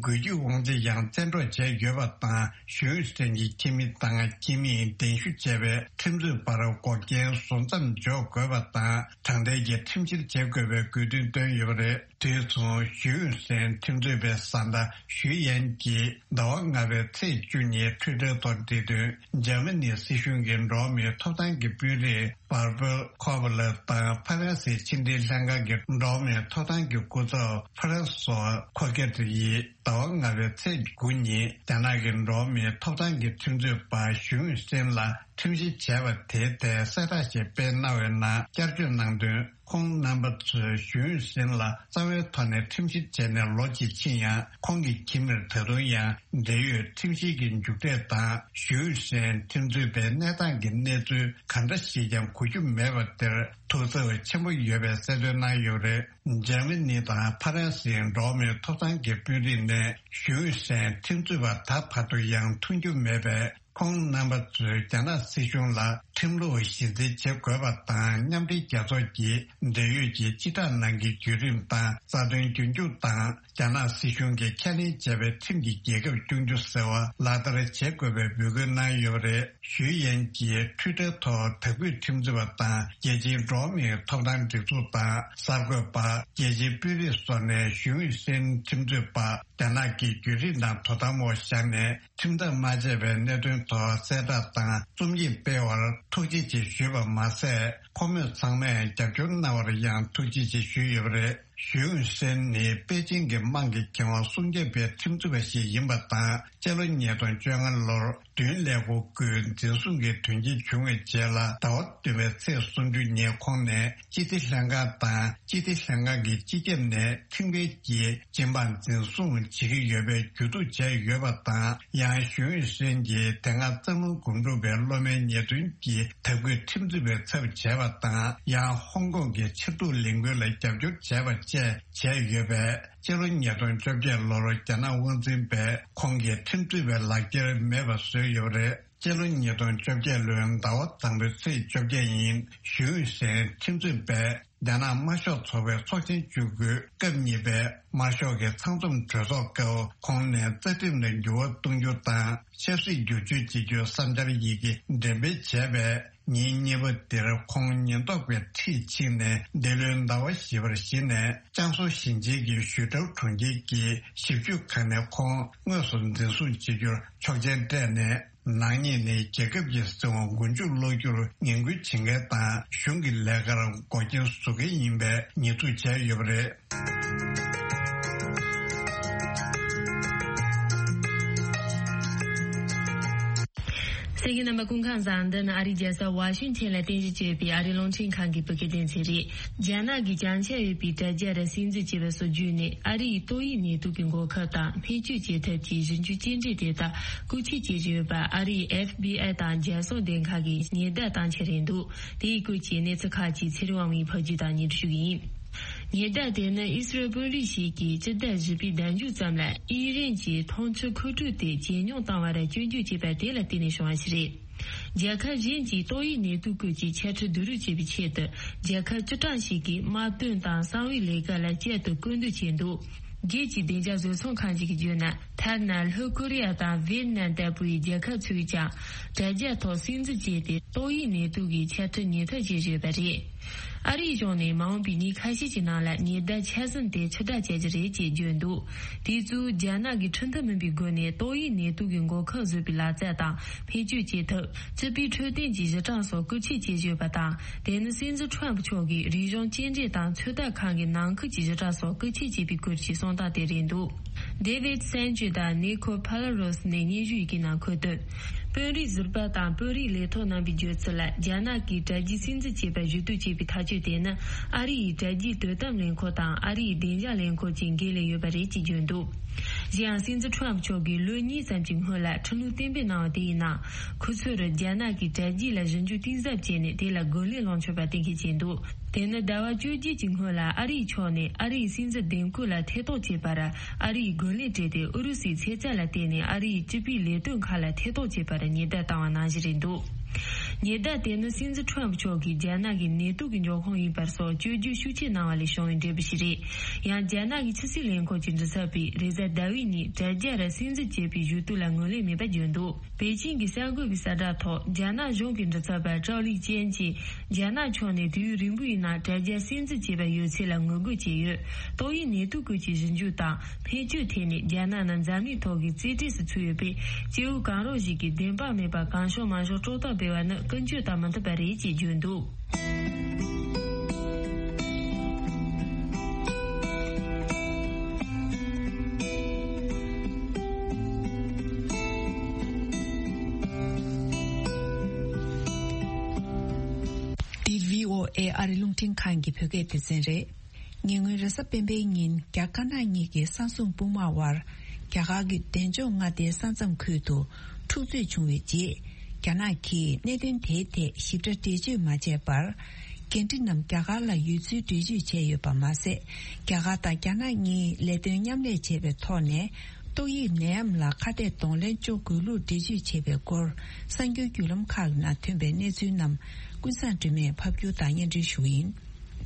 འགུལ་སྐྱོད་དབང་ཆ་ཡང་བཙན་འཕྲོག་བྱས་ཡོད་པ་དང་། ཞུས་ཨུན་སན་གྱི་ཁྱིམ་མི་དང་ཁྱིམ་མིས་གདན་ཞུ་བྱས་པའི་ཁྲིམས་རྩོད་པར་འགོག་རྐྱེན་བཟོ་མཚམས་འཇོག་དགོས་པ་དང་། དྲང་བདེན་གྱི་ཁྲིམས་བཤེར་བྱེད་དགོས་པའི་དགོས་འདུན་བཏོན་ཡོད་པ་རེད། དེ་མཚུངས་ཞུས་ཨུན་སན་ཁྲིམས་རྩོད་པའི་བཟའ་ཟླ་ཞུས་ཡན་གྱིས་ཟླ་བ་ལྔ་པའི་ཚེས་བཅུ་ཉིན་ཊུའི་ཊར་ཐོག་བྲིས་དོན། འཇར་མ་ནི་སྲིད་གཞུང་གི་འགྲོ་བ་མིའི་ཐོབ་ཐང་གི་དཔོན་རིགས་བར་པལ་ཁོ་བ་ལ་དང་ཕ་རན་སིའི་ཕྱི་འབྲེལ་ལྷན་ཁང་གི་འགྲོ་བ་མིའི་ཐོབ་ཐང་གི་སྐུ་ཚབ་ཕ་རན་སོ་ཁོ་ཀེ་ཏི་ཡིས་ཟླ་བ་ལྔ་པའི་ཚེས་དགུ་ཉིན་རྒྱ་ནག་གི་འགྲོ་བ་མིའི་ཐོབ་ཐང་གི་ཁྲིམས་རྩོད་པ་ཞུས་ཨུན་སན་ལ་ཁྲིམས་བཤེར་བྱས་པ་དེའི་ཐད་གསལ་བསྒྲགས་ཤིག་སྤེལ་གནང་བའི་ནང་བསྐྱར་བརྗོད་གནང་དོན། ཁོང་རྣམ་པ་ཚོས་ཞུས་ཨུན་སན་ལ་རྩ་བའི་ཐོག་ནས་ཁྲིམས་བཤེར་བྱས་ནས་ལོ་གཅིག་ཕྱིན་ཡང་། ཁོང་གི་ཁྱིམ་མིར་ད་དུང་ཡང་འབྲེལ་ཡོད་ཁྲིམས་བཤེར་གྱི་མཇུག་འབྲས་དང་། ཞུས་ཨུན་སན་ཁྲིམས་རྩོད་པའི་གནས་སྟངས་ཀྱི་གནས་ཚུལ་ག་འདྲ་ཞིག་ཀྱང་གོ་རྒྱུ་མེད་པ་དེར་ཐུགས་འཚབ་ཆེན་པོ་ཡོད་པའི་གསལ་སྟོན་གནང་ཡོད་པ་རེད། འཇར་མ་ནི་དང་ཕ་རན་སིའི་འགྲོ་བ་མིའི་ཐོབ་ཐང་གི་དཔོན་རིགས་ནས་ཞུས་ཨུན་སན་ཁྲིམས་རྩོད་པ་ད་བར་དུ་ཡང་མཐོང་རྒྱུ་མེད་པས། ཁོང་རྣམ་པ་ཚོས་རྒྱ་ནག་སྲིད་གཞུང་ལ་ཁྲིམས་ལུགས་གཞི་འཛིན་བྱེད་དགོས་པ་དང་། མཉམ་འབྲེལ་རྒྱལ་ཚོགས་ཀྱི་འབྲེལ་ཡོད་ཀྱི་སྤྱི་བསྒྲགས་ནང་གི་བརྒྱུད་རིམ་དང་རྩ་དོན་རྒྱུན་འཁྱོངས་དང་། རྒྱ་ནག་སྲིད་གཞུང་གིས་ཁས་ལེན་བྱས་པའི་ཁྲིམས་ཀྱི་རྒྱལ་ཁབ་སྐྱོང་རྒྱུ་ཟེར་བ་ལག་བསྟར་བྱེད་དགོས་པའི་འབོད་སྐུལ་གནང་ཡོད་པ་རེད། ཞུས་ཡན་གྱིས་ཊུའི་ཊར་ཐོག་དྭགས་པོའི་ཁྲིམས་རྩོད་པ་དང་རྒྱལ་སྤྱིའི་འགྲོ་བ་མིའི་ཐོབ་ཐང་སྒྲིག་འཛུགས་དང་གསར་འགོད་པ། རྒྱལ་སྤྱིའི་དཔོན་རིགས་སོགས་ནས་ཞུས་ཧུན་སན་ཁྲིམས་རྩོད་པ་རྒྱ་ནག་གི་བརྒྱུད་རིམ་དང་དོ་དམ་འོག་བཞག་ནས་ཁྲིམས་ཐག་མ་བཅད་པའི་གནད་དོན་ཐོག་གསལ་བསྒྲགས་དང་རྩོམ་ཡིག་སྤེལ་བར་ཐུགས་རྗེ་ཆེ་ཞུས་པ་མ་ཟད། ཁོ་མོས་ཚང་མས་རྒྱབ་སྐྱོར་གནང་བར་ཡང་ཐུགས་རྗེ་ཆེ་ཞུས་ཡོད་པ་རེད། ཞུས་ཧུན་སན་ནི་པེ་ཅིང་གི་དམངས་ཀྱི་ཁེ་དབང་སྲུང་སྐྱོབ་པའི་ཁྲིམས་རྩོད་པ་ཞིག་ཡིན་པ་དང་། སྤྱི་ལོ་ཉིས་སྟོང་བཅོ་ལྔ་ལོར་བདུན་ཀླད་ཀོར་སྐུའི་འཛིན་བཟུང་གི་དོན་རྐྱེན་བྱུང་བའི་རྗེས་ལ། ཟླ་བ་བདུན་པའི་ཚེས་སུམ་ཅུ་ཉིན་ཁོང་ནས་སྤྱི་བདེ་ལྷན་ཁང་དང་། སྤྱི་བདེ་ལྷན་ཁང་གི་སྤྱི་ཁྱབ་ནས་ཁྲིམས་འགལ་གྱིས་སྦྱིན་པ་འཛིན་བཟུང་བྱེད་ཀྱི་ཡོད་པའི་ཇུས་གཏོགས་བྱས་ཡོད་པ་དང་། ཡང་ཞུས་ཧུན་སན་གྱིས་དེ་སྔ་གཙང་ལུང་སྒོམ་སྒྲུབ་པའི་སློབ་མའི་ཉེས་དོན་གྱིས་དྭགས་པོའི་ཁྲིམས་རྩོད་པའི་ཚབ་བྱས་པ་དང་། ཡང་ཧོང་ཀོང་གི་ཕྱིར་བསྡུ་ལས་འགུལ་ལ་རྒྱབ་སྐྱོར་བྱས་པ་བཅས་བྱས་ཡོད་པས། སྤྱི་ལོ་ཉིས་སྟོང་བཅོ་བརྒྱད་ལོར་རྒྱ་ནག་དབང་འཛིན་པས་ཁོང་གི་ཁྲིམས་རྩོད་པའི་ལག་འཁྱེར་མེད་པ་བཟོས་ཡོད་པ་རེད། སྤྱི་ལོ་ཉིས་སྟོང་བཅོ་བརྒྱད་ལོའི་ཟླ་བ་དང་པོའི་ཚེས་བཅོ་བརྒྱད་ཉིན་ཞུས་ཧུན་སན་ཁྲིམས་རྩོད་པས་རྒྱ་ནག་དམར་ཤོག་ཚོགས་པའི་ཚོགས་ཆེན་བཅུ་དགུའི་སྐབས་གཉིས་པའི་དམར་ཤོག་གི་ཚང་འཛོམས་གྲོས་ཚོགས་སྐབས་ཁོང་ནས་རྩ་ཁྲིམས་ལ་འགྱུར་བ་གཏོང་རྒྱུ་དང་། ཆབ་སྲིད་བསྒྱུར་བཅོས་བྱེད་རྒྱུའི་བསམ་འཆར་ཡི་གེ་འགྲེམས་སྤེལ་བྱས་པས། ཉིན་གཉིས་པ་འདིར་ཁོང་ཉེན་རྟོག་པས་འཁྲིད་ཕྱིན་ནས། འདི་ལོའི་ཟླ་བ་བཞི་པར་གཞི་ནས་ཅང་སུའུ་ཞིང་ཆེན་གྱི་ཞུས་ཀྲའོ་གྲོང་ཁྱེར་གྱི་ཞིབ་དཔྱོད་ཁང་ནས་ཁོང་དངོས་སུ་འཛིན་བཟུང་བྱེད་རྒྱུར་ཆོག་མཆན་སྤྲད་ནས། ནག་ཉེས་ནི་རྒྱལ་ཁབ་ཀྱི་སྲིད་དབང་མགོ་མཇུག་སློག་རྒྱུར་ངན་སྐུལ་བྱེད་མཁན་དང་། གཞུང་གི་ལས་ཀར་འགོག་རྐྱེན་བཟོ་མཁན་ཡིན་པའི་ཉེས་འཛུགས་བྱས་ཡོད་པ་རེད། གསན་མཁན་རྣམ་པ་སྐུ་ཁམས་བཟང་། འདི་ནི་ཨ་རིའི་རྒྱལ་ས་ཝ་ཤིང་ཊོན་ལ་རྟེན་གཞི་བྱས་པའི་ཨ་རིའི་རླུང་འཕྲིན་ཁང་གི་བོད་སྐད་སྡེ་ཚན་རེད། རྒྱ་ནག་གིས་བྱང་ཆ་ཡོད་པའི་དྲ་རྒྱ་རུ་སིམ་འཛུལ་བྱས་པ་སོགས་བརྒྱུད་ནས། ཨ་རི་ཡི་ཏོག་དབྱིབས་ནད་དུག་གི་འགོག་ཁབ་དང་སྨན་བཅོས་བྱེད་ཐབས་ཀྱི་ཞིབ་འཇུག་སྐྱེལ་འདྲེན་དེ་དག་བཀོལ་སྤྱོད་བྱེད་བཞིན་ཡོད་པ། ཨ་རིའི་ཨེཕ་བི་ཨའི་དང་རྒྱལ་སྲུང་སྡེ་ཁག་གིས་ཉེན་བརྡ་བཏང་འཆར་ཡིན་འདུག་དེའི་སྐོར་གྱི་གནས་ཚུལ་ཁག་ཅིག་ཚེ་རིང་དབང་མོས་ཕབ་སྒྱུར་དང་སྙན་སྒྲོན་ཞུ་གི་ཡིན། ཉེན་བརྡ་དེ་ནི་ཨི་སི་རལ་དཔོན་རིགས་ཤིག་གིས་སྤྱི་ཟླ་བཞི་པའི་ཟླ་མཇུག་ཙམ་ལ་ཨི་རན་གྱི་འཐུང་ཆུ་མཁོ་སྤྲོད་དེ་ཇེ་ཉུང་བཏང་བར་སྐྱོན་བརྗོད་བྱས་པ་དེ་ལ་བརྟེན་ནས་བྱུང་བ་ཞིག་རེད། རྒྱལ་ཁབ་གཞན་གྱིས་ཏོག་དབྱིབས་ནད་དུག་སྐོར་གྱི་འཆད་ཁྲིད་བསྡུ་རུབ་བྱེད་པའི་ཆེད་དུ། རྒྱལ་ཁབ་བཅུ་གྲངས་ཤིག་གིས་དམག་དོན་དང་གསང་བའི་ལས་ཀ་ལ་བསྐྱར་དུ་སྐུལ་འདེད་བྱས་འདུག་རྒྱལ་སྤྱིའི་བདེ་འཇགས་བཟོ་ཚོང་ཁང་ཞིག་གིས་བརྗོད་ན། ཐ་ན་ལྷོ་ཀོ་རི་ཡ་དང་ཝེད་ནམ་ལྟ་བུའི་རྒྱལ་ཁབ་ཚོས་ཀྱང་དྲ་རྒྱ་ཐོག་སིམ་འཛུལ་བྱས་ཏེ། ཏོག་དབྱིབས་ནད་དུག་གི་འཆད་ཁྲིད་ཉུང་མཐའ་བྱེད་བཞིན་ཡོད་པ་རེད། ཨ་རིའི་གཞུང་ནས་མ་འོངས་པའི་ཉིན་ཁ་ཤས་ཀྱི་ནང་ལ་ཉེན་བརྡ་ཆ་ཚང་དེ་ཕྱིར་བསྒྲགས་བྱ་རྒྱུ་རེད་ཅེས་བརྗོད་འདུག་དེ་ཚོས་རྒྱ་ནག་གིས་ཁྲིམས་མཐུན་མིན་པའི་སྒོ་ནས་ཏོག་དབྱིབས་ནད་དུག་གི་འགོག་ཁབ་བཟོ་བའི་ལག་རྩལ་དང་། བེད་སྤྱོད་བྱེད་ཐབས། སྤྱི་པའི་འཕྲོད་བསྟེན་གྱི་གཞི་གྲངས་སོགས་བཀོལ་སྤྱོད་བྱེད་བཞིན་ཡོད་པ་དང་། དེ་ནི་སྲིད་འཛིན་ཁྲོམ་ཕུ་མཆོག་གིས་རིག་གཞུང་སྐྱེལ་འདྲེན་དང་ཚོད་ལྟ་ཁང་གི་ནང་ཁུལ་གྱི་གཞི་གྲངས་སོགས་བཀོལ་སྤྱོད་བྱས་པའི་སྐོར་གྱི་གསུང་སྟངས་དེ་རེད་འདུག David Sanchez དང་Nico Palaros ནས་སྙན་ཞུ་ཡི་གེ་ནང་འཁོད་དོན། དཔོན་རིགས་ཟུར་པ་དང་དཔོན་རིགས་ལས་ཐོག་རྣམ་པའི་བརྗོད་ཚུལ་ལ། རྒྱ་ནག་གིས་དྲ་རྒྱའི་སིམ་འཛུལ་བྱས་པར་ཞུ་གཏུག་བྱས་པའི་ཐག་གཅོད་དེ་ནི། ཨ་རི་ཡི་དྲ་རྒྱའི་དོ་དམ་ལས་ཁུངས་དང་ཨ་རི་ཡི་བདེ་འཇགས་ལས་ཁུངས་བཅས་འགན་ལེན་ཡོད་པ་རེད་ཅེས་བརྗོད་འདུག་གཞན་ཡང་། སྲིད་འཛིན་ཁྲོམ་མཆོག་གིས་ལོ་གཉིས་ཙམ་གྱི་སྔོན་ལ་ཁྲིམས་ལུགས་གཏན་འབེབས་གནང་བ་དེ་ཡི་ནང་། ཁོ་ཚོར་རྒྱ་ནག་གིས་དྲ་རྒྱ་ལ་ཞིབ་འཇུག་གཏིང་ཟབ་བྱས་ནས་དེ་ལ་རྒོལ་ལན་སློང་ཆོག་པ་གཏན་འཁེལ་བྱས་འདུག་དེ་ནི་ཟླ་བ་བཅོ་བརྒྱད་ཀྱི་སྔོན་ལ་ཨ་རིའི་ཕྱོགས་ནས་ཨ་རིའི་སྲིད་འཛིན་འདེམས་བསྐོ་ལ་ཐེ་གཏོགས་བྱས་པར་ཨ་རིས་རྒོལ་ལན་སྤྲད་དེ། ཨུ་རུ་སུའི་ཚེ་ཚད་ལ་བརྟེན་ནས་ཨ་རིའི་སྤྱི་པའི་ལས་དོན་ཁག་ལ་ཐེ་གཏོགས་བྱས་པར་ཉེན་བརྡ་བཏང་བ་ནང་བཞིན་རེད་འདུག་ཉེན་བརྡ་དེ་ནི་སྲིད་འཛིན་ཁྲོམ་མཆོག་གིས་རྒྱ་ནག་གི་ནད་དུག་གི་འབྱུང་ཁུངས་ཡིན་པ་སོགས་བཅོས་བསྒྱུར་ཤུགས་ཆེ་གནང་བ་ལས་བྱུང་བའི་འབྲས་བུ་ཞིག་རེད། ཡང་། རྒྱ་ནག་གི་ཕྱི་སྲིད་ལས་ཁུངས་ཀྱི་མགྲིན་ཚབ་པས་རེས་གཟའ་ཟླ་བའི་ཉིན་དྲ་རྒྱ་ར་སིམ་འཛུལ་བྱས་པའི་ཞུ་གཏུག་ལ་ངོས་ལེན་མེད་པ་བརྗོད་འདུག་པེ་ཅིང་གི་གསར་འགོད་པའི་གསལ་བསྒྲགས་ཐོག་རྒྱ་ནག་གཞུང་གི་མགྲིན་ཚབ་པ་ཀྲའོ་ལི་ཅན་གྱིས། རྒྱ་ནག་ཕྱོགས་ནས་དུས་ཡུན་རིང་པོའི་ནང་དྲ་རྒྱ་སིམ་འཛུལ་བྱས་པ་ཡོད་ཚུལ་ལ་ངོ་རྒོལ་བྱས་ཡོད། ཏོག་དབྱིབས་ནད་དུག་སྐོར་གྱི་ཞིབ་འཇུག་དང་། སྨན་བཅོས་ཐད་ནས་རྒྱ་ནག་ནི་འཛམ་གླིང་ཐོག་གི་རྩེ་གྲས་སུ་ཚུད་ཡོད་པས། སྐྱེ་བོ་གང་རུང་ཞིག་གིས་བདེན་དཔང་མེད་པར་གང་བྱུང་མང་བྱུང་སྐྲག་ཐག་འབད་བ་ནི་ཀུན་སྤྱོད་དང་མི་མཐུན་པ་རེད་ཅེས་བརྗོད་འདུག་འདི་བྷི་ཨོ་ཨེ་ཨ་རི་རླུང་འཕྲིན་ཁང་གི་བོད་སྐད་སྡེ་ཚན་རེད། ཉེ་སྔོན་རེས་གཟའ་སྤེན་པའི་ཉིན་རྒྱ་དཀར་ནག་གཉིས་ཀྱི་ས་མཚམས་དཔུང་དམག་དབར་རྒྱ་གར་གྱི་འབྲས་ལྗོངས་མངའ་སྡེའི་ས་མཚམས་ཁུལ་དུ་འཁྲུག་རྩོད་བྱུང་བའི་རྗེས། རྒྱ་ནག་གིས་གནད་དོན་དེའི་ཐད་ཞིབ་ཕྲ་འགྲེལ་བརྗོད་མ་བྱས་པར། འགན་འཁྲི་རྣམས་རྒྱ་གར་ལ་ཡོད་ཚུལ་འགྲེལ་བརྗོད་བྱས་ཡོད་པ་མ་ཟད། རྒྱ་གར་དང་རྒྱ་ནག་གཉིས་ལས་དོན་མཉམ་ལས་བྱས་པའི་ཐོག་ནས། ཏོག་དབྱིབས་ནད་ཡམས་ལ་ཁ་གཏད་གདོང་ལེན་གཅོག་དགོས་ལུགས་འགྲེལ་བརྗོད་བྱས་པའི་སྐོར། གསར་འགྱུར་བརྒྱུད་ལམ་ཁག་ནང་ཐོན་པའི་གནས་ཚུལ་རྣམས་ཀུན་བཟང་སྒྲོལ་མས་ཕབ་སྒྱུར་དང་སྙན་སྒྲོན་ཞུ་གི་ཡིན།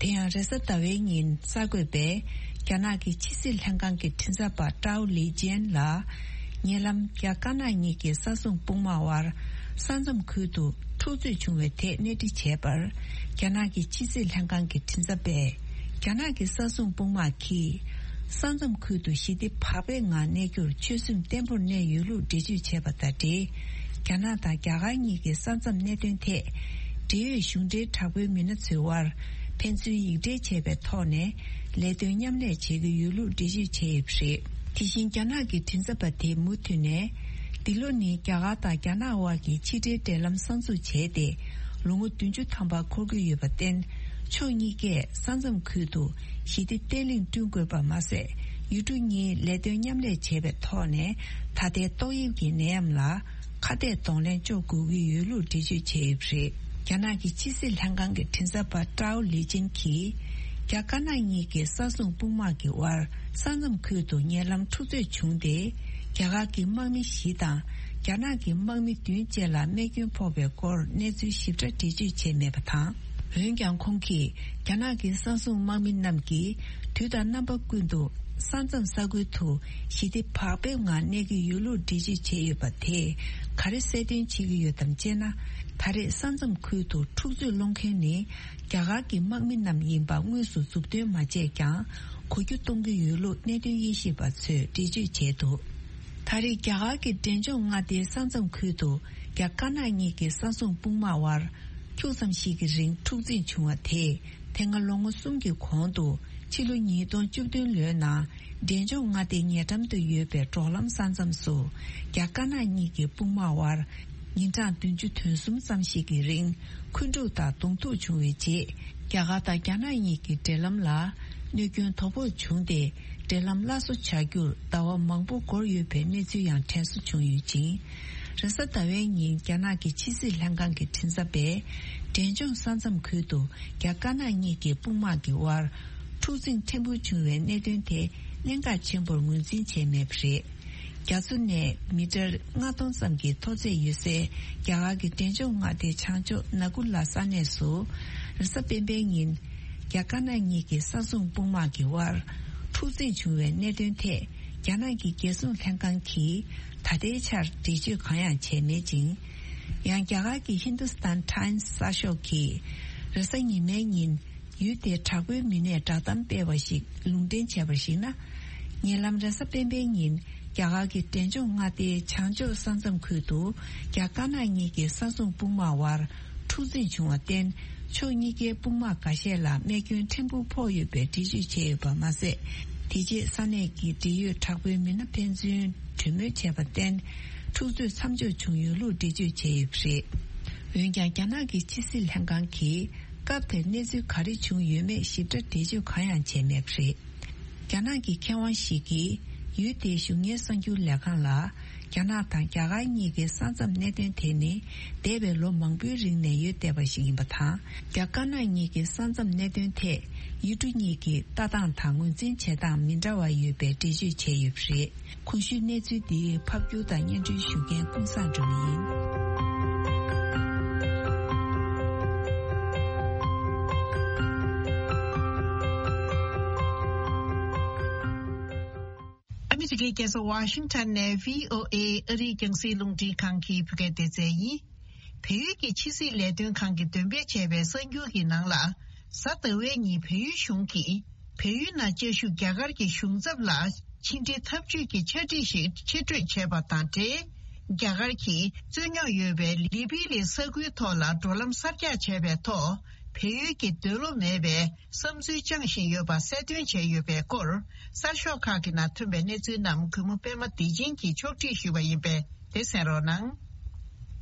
དེ་ཡང་རེས་གཟའ་ཟླ་བའི་ཉིན་གསར་འགོད་པས་རྒྱ་ནག་གི་ཕྱི་སྲིད་ལྷན་ཁང་གི་མགྲིན་ཚབ་པ་ཀྲའོ་ལི་ཅན་ལ། ཉེ་ལམ་རྒྱ་དཀར་ནག་གཉིས་ཀྱི་ས་མཚམས་དཔུང་དམག་དབར་ས་མཚམས་ཁུལ་དུ་འཁྲུག་རྩོད་བྱུང་བའི་ཐད་གནས་འདྲི་བྱས་པར། རྒྱ་ནག་གི་ཕྱི་སྲིད་ལྷན་ཁང་གི་མགྲིན་ཚབ་པས། རྒྱ་ནག་གི་ས་མཚམས་དཔུང་དམག་གིས་ས་མཚམས་ཁུལ་དུ་ཞི་བདེ་བག་ཕེབས་ངང་གནས་རྒྱུར་ཆོད་སེམས་བརྟན་པོར་གནས་ཡོད་ལུགས་འགྲེལ་བརྗོད་བྱས་པ་དང་འབྲེལ། རྒྱ་ནག་དང་རྒྱ་གར་གཉིས་ཀྱི་ས་མཚམས་གནད་དོན་ཐད། འབྲེལ་ཡོད་གཞུང་འབྲེལ་དྲག་པོའི་མི་སྣ་ཚོའི་དབར་ཕན་ཚུན་ཡིག་འབྲེལ་བྱས་པའི་ཐོག་ནས་ལས་དོན་མཉམ་ལས་བྱེད་ཀྱི་ཡོད་ལུགས་འགྲེལ་བརྗོད་བྱས་ཡོད་པ་རེད། དེ་བཞིན་རྒྱ་ནག་གི་མགྲིན་ཚབ་པ་དེས་མུ་མཐུད་ནས། འདི་ལོ་ནི་རྒྱ་གར་དང་རྒྱ་ནག་དབར་གྱི་ཕྱི་འབྲེལ་འབྲེལ་ལམ་གསར་འཛུགས་བྱས་ཏེ། ལོ་ངོ་བདུན་ཅུ་ཐམ་པ་འཁོར་གྱི་ཡོད་པར་བརྟེན། ཕྱོགས་གཉིས་ཀས་ས་མཚམས་ཁུལ་དུ་ཞི་བདེ་བརྟན་ལྷིང་བསྐྲུན་དགོས་པ་མ་ཟད། ཡུལ་གྲུ་གཉིས་ལས་དོན་མཉམ་ལས་བྱས་པའི་ཐོག་ནས་ད་ལྟའི་ཏོག་དབྱིབས་ཀྱི་ནད་ཡམས་ལ་ཁ་གཏད་གདོང་ལེན་གཅོག་དགོས་ཀྱི་ཡོད་ལུགས་འགྲེལ་བརྗོད་བྱས་ཡོད་པ་རེད། རྒྱ་ནག་གི་ཕྱི་སྲིད་ལྷན་ཁང་གི་མགྲིན་ཚབ་པ་ཀྲའོ་ལི་ཅན་གྱིས། རྒྱ་དཀར་ནག་གཉིས་ཀྱི་ས་མཚམས་དཔུང་དམག་གི་དབར་ས་མཚམས་ཁུལ་དུ་ཉེ་ལམ་འཁྲུག་རྩོད་བྱུང་སྟེ། རྒྱ་གར་གྱི་དམག་མི་བཞི་དང་རྒྱ་ནག་གི་དམག་མི་བདུན་བཅས་ལ་རྨས་སྐྱོན་ཕོག་པའི་སྐོར་གནས་ཚུལ་ཞིབ་ཕྲ་འགྲེལ་བརྗོད་བྱས་མེད་པ་དང་། འོན་ཀྱང་ཁོང་གིས་རྒྱ་ནག་གི་ས་སྲུང་དམག་མི་རྣམས་ཀྱིས་དུས་དང་རྣམ་པ་ཀུན་ཏུ་ས་མཚམས་ས་ཁུལ་དུ་ཞི་བདེ་བག་ཕེབས་ངང་གནས་ཀྱི་ཡོད་ལུགས་འགྲེལ་བརྗོད་བྱས་ཡོད་པ་དེས་ག་རེ་གསལ་སྟོན་བྱེད་ཀྱི་ཡོད་དམ་ཅེ་ན། ད་རེས་ས་མཚམས་ཁུལ་དུ་འཁྲུག་རྩོད་སློང་མཁན་ནི། རྒྱ་གར་གྱི་དམག་མི་རྣམས་ཡིན་པ་དངོས་སུ་མཛུབ་སྟོན་མ་བྱས་ཀྱང་གོ་རྒྱུ་གཏོང་གི་ཡོད་ལུགས་གནད་དོན་དབྱེ་ཞིབ་པ་ཚོས་འགྲེལ་བརྗོད་བྱས་འདུག་ད་རེས་རྒྱ་གར་གྱི་འབྲས་ལྗོངས་མངའ་སྡེའི་ས་མཚམས་ཁུལ་དུ་རྒྱ་དཀར་ནག་གཉིས་ཀྱི་ས་སྲུང་དཔུང་དམག་དབར་ཁྱུག་ཙམ་ཞིག་གི་རིང་འཁྲུག་འཛིང་བྱུང་བ་དེས་དེ་སྔ་ལོ་ངོ་གསུམ་གྱི་གོང་དུ་ཕྱི་ལོ་ཉིས་སྟོང་བཅུ་བདུན་ལོའི་ནང་འབྲས་ལྗོངས་མངའ་སྡེའི་ཉེ་འགྲམ་དུ་ཡོད་པའི་འབྲོག་ལམ་ས་མཚམས་སུ་རྒྱ་དཀར་ནག་གཉིས་ཀྱི་དཔུང་དམག་དབར། ཉིན་གྲངས་བདུན་ཅུ་དོན་གསུམ་ཙམ་ཞིག་གི་རིང་འཁོན་འཁྲུག་དང་གདོང་ཐུག་བྱུང་བའི་རྗེས། རྒྱ་གར་དང་རྒྱ་ནག་གཉིས་ཀྱི་འབྲེལ་ལམ་ལ་གནོད་སྐྱོན་དོ་ཕོག་བྱུང་སྟེ། འབྲེལ་ལམ་སླར་གསོ་བྱ་རྒྱུར་ཟླ་བ་མང་པོ་འགོར་ཡོད་པའི་གནས་ཚུལ་ཡང་དྲན་གསོ་བྱུང་ཡོད་ཅིང་། རེས་གཟའ་ཟླ་བའི་ཉིན་རྒྱ་ནག་གི་ཕྱི་སྲིད་ལྷན་ཁང་གི་མགྲིན་ཚབ་པས། འབྲས་ལྗོངས་ས་མཚམས་ཁུལ་དུ་རྒྱ་དཀར་ནག་གཉིས་ཀྱི་དཔུང་དམག་གི་དབར་འཁྲུག་འཛིང་ཕྲན་བུ་བྱུང་བའི་གནད་དོན་དེ་གནད་འགག་ཆེན་པོར་ངོས་འཛིན་བྱས་མེད་པ་རེད། རྒྱ་མཚོ་ནས་མི་ཊར་ལྔ་སྟོང་ཙམ་གྱི་མཐོ་ཚད་ཡོད་སའི་རྒྱ་གར་གྱི་འབྲས་ལྗོངས་མངའ་སྡེའི་བྱང་ཕྱོགས་ནཱ་གུ་ལ་ས་གནས་སུ། རེས་གཟའ་སྤེན་པའི་ཉིན། རྒྱ་དཀར་ནག་གཉིས་ཀྱི་ས་སྲུང་དཔུང་དམག་གི་དབར་འཁྲུག་འཛིང་བྱུང་བའི་གནད་དོན་ཐད། རྒྱ་ནག་གི་རྒྱལ་སྲུང་ལྷན་ཁང་གིས་ད་ལྟའི་ཆར་འགྲེལ་བརྗོད་གང་ཡང་བྱས་མེད་ཅིང་། ཡང་རྒྱ་གར་གྱི་ཧིན་དུ་སི་ཐན་ཊའེམ་སི་གསར་ཤོག་གིས། རེས་གཟའ་ཉི་མའི་ཉིན། ཡུལ་དེའི་དྲག་པོའི་མི་སྣས་བསྒྲགས་གཏམ་སྤེལ་བ་ཞིག་ལུང་འདྲེན་བྱས་པར་གཞིགས་ན། ཉེ་ལམ་རེས་གཟའ་སྤེན་པའི་ཉིན། རྒྱ་གར་གྱི་འབྲས་ལྗོངས་མངའ་སྡེའི་བྱང་ཕྱོགས་ས་མཚམས་ཁུལ་དུ། རྒྱ་དཀར་ནག་གཉིས་ཀྱི་ས་སྲུང་དཔུང་དམག་དབར་འཁྲུག་འཛིང་བྱུང་བར་བརྟེན། ཕྱོགས་གཉིས་ཀའི་དཔུང་དམག་འགའ་ཤས་ལ་རྨས་སྐྱོན་ཕྲན་བུ་ཕོག་ཡོད་པའི་འགྲེལ་བརྗོད་བྱས་ཡོད་པ་མ་ཟད། དེ་རྗེས་ས་གནས་ཀྱི་འབྲེལ་ཡོད་དྲག་པོའི་མི་སྣ་ཕན་ཚུན་གྲོས་མོལ་བྱས་པར་བརྟེན། འཁྲུག་རྩོད་མཚམས་འཇོག་བྱུང་ཡོད་ལུགས་འགྲེལ་བརྗོད་བྱས་ཡོད་པ་རེད། འོན་ཀྱང་། རྒྱ་ནག་གི་ཕྱི་སྲིད་ལྷན་ཁང་གིས། སྐབས་དེར་གནས་ཚུལ་ག་རེ་བྱུང་ཡོད་མེད་ཞིབ་ཕྲ་འགྲེལ་བརྗོད་གང་ཡང་བྱས་མེད་པ་རེད། རྒྱ་ནག་གི་མཁས་དབང་ཞིག་གིས། ཡུལ་དེའི་གཞུང་གཉེར་གསར་འགྱུར་ལས་ཁང་ལ། རྒྱ་ནག་དང་རྒྱ་གར་གཉིས་ཀྱི་ས་མཚམས་གནད་དོན་དེ་ནི། འདས་པའི་ལོ་མང་པོའི་རིང་ནས་ཡོད་བསྡད་པ་ཞིག་ཡིན་པ་དང་། རྒྱ་དཀར་ནག་གཉིས་ཀྱི་ས་མཚམས་གནད་དོན་ཐད། ཡུལ་གྲུ་གཉིས་ཀྱི་ལྟ་སྟངས་དང་ངོས་འཛིན་བྱེད་སྟངས་མི་འདྲ་བ་ཡོད་པའི་འགྲེལ་བརྗོད་བྱས་ཡོད་པ་རེད། གོང་ཞུས་གནས་ཚུལ་འདི་ཕབ་སྒྱུར་དང་སྙན་སྒྲོན་ཞུ་མཁན་ཀུན་བཟང་སྒྲོལ་མ་ཡིན། ཨ་མི་རི་ཀའི་རྒྱལ་ས་ཝ་ཤིང་ཊོན་ནས་བྷི་ཨོ་ཨེ་ཨ་རིའི་རྒྱང་སྲིང་རླུང་འཕྲིན་ཁང་གི་བོད་སྐད་སྡེ་ཚན་ཡིན། བལ་ཡུལ་གྱི་ཕྱི་སྲིད་ལས་དོན་ཁང་གིས་འདོན་སྤེལ་བྱས་པའི་གསར་འགྱུར་གྱི་ནང་ལ། གཟའ་ཟླ་བའི་ཉིན་བལ་ཡུལ་གཞུང་གིས། བལ་ཡུལ་ནང་བཅའ་བཞུགས་རྒྱ་གར་གྱི་གཞུང་ཚབ་ལ་ཕྱི་འབྲེལ་འཐབ་ཇུས་ཀྱི་ཕྱག་བྲིས་ཤིག་ཕྱིར་སྤྲོད་བྱས་པ་དང་འབྲེལ། རྒྱ་གར་གྱིས་རྩོད་རྙོག་ཡོད་པའི་ལི་པི་ལི་ས་ཁུལ་ཐོག་ལ་འགྲོ་ལམ་གསར་རྒྱག་བྱས་པའི་ཐོག་བལ་ཡུལ་གྱི་འདོད་བློ་མེད་པའི་བསམ་ཚུལ་བཅངས་བཞིན་ཡོད་པ་གསལ་སྟོན་བྱས་ཡོད་པའི་སྐོར། གསར་ཤོག་ཁག་གི་ནང་ཐོན་པའི་གནས་ཚུལ་རྣམས་གུས་མོ་པད་མ་བདེ་ཆེན་གྱིས་ཕྱོགས་སྒྲིག་ཞུས་པ་ཡིན་པས་དེ་གསན་རོགས་གནང་།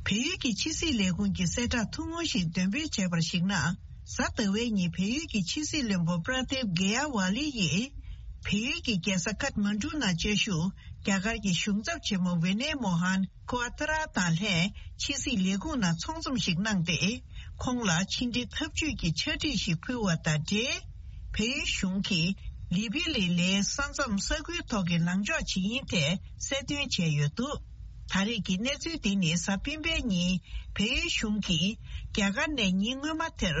བལ་ཡུལ་གྱི་ཕྱི་སྲིད་ལས་ཁུངས་ཀྱི་གསལ་བསྒྲགས་ཐུང་ངུ་ཞིག་འདོན་སྤེལ་བྱས་པར་གཞིགས་ན། གཟའ་ཟླ་བའི་ཉིན་བལ་ཡུལ་གྱི་ཕྱི་སྲིད་བློན་པོ་པྲ་དེབ་གེ་ཡ་ཝ་ལི་ཡིས། བལ་ཡུལ་གྱི་རྒྱལ་ས་ཀཏ་མན་གྲུ་ནང་བཅའ་བཞུགས་རྒྱ་གར་གྱི་གཞུང་ཚབ་ཆེན་མོ་ཝི་ནེ་མོ་ཧན་ཀུ་ཨ་ཏ་ར་དང་ལྷན་ཕྱི་སྲིད་ལས་ཁུངས་ནང་ཚོགས་འཛོམས་ཤིག་གནང་སྟེ། ཁོང་ལ་ཕྱི་འབྲེལ་འཐབ་ཇུས་ཀྱི་ཕྱག་བྲིས་ཤིག་ཕུལ་བ་དང་འབྲེལ། བལ་ཡུལ་གཞུང་གིས། ལི་པི་ལི་ལའི་ས་མཚམས་ས་ཁུལ་ཐོག་གི་ལངས་ཕྱོགས་ཇི་ཡིན་ཐད་གསལ་སྟོན་བྱས་ཡོད་འདུག་ད་རེས་ཀྱི་གནས་ཚུལ་འདི་ནི་གཟའ་སྤེན་པའི་ཉིན་བལ་ཡུལ་གཞུང་གིས་རྒྱ་གར་ནས་ཉིན་སྔོན་མ་དེར་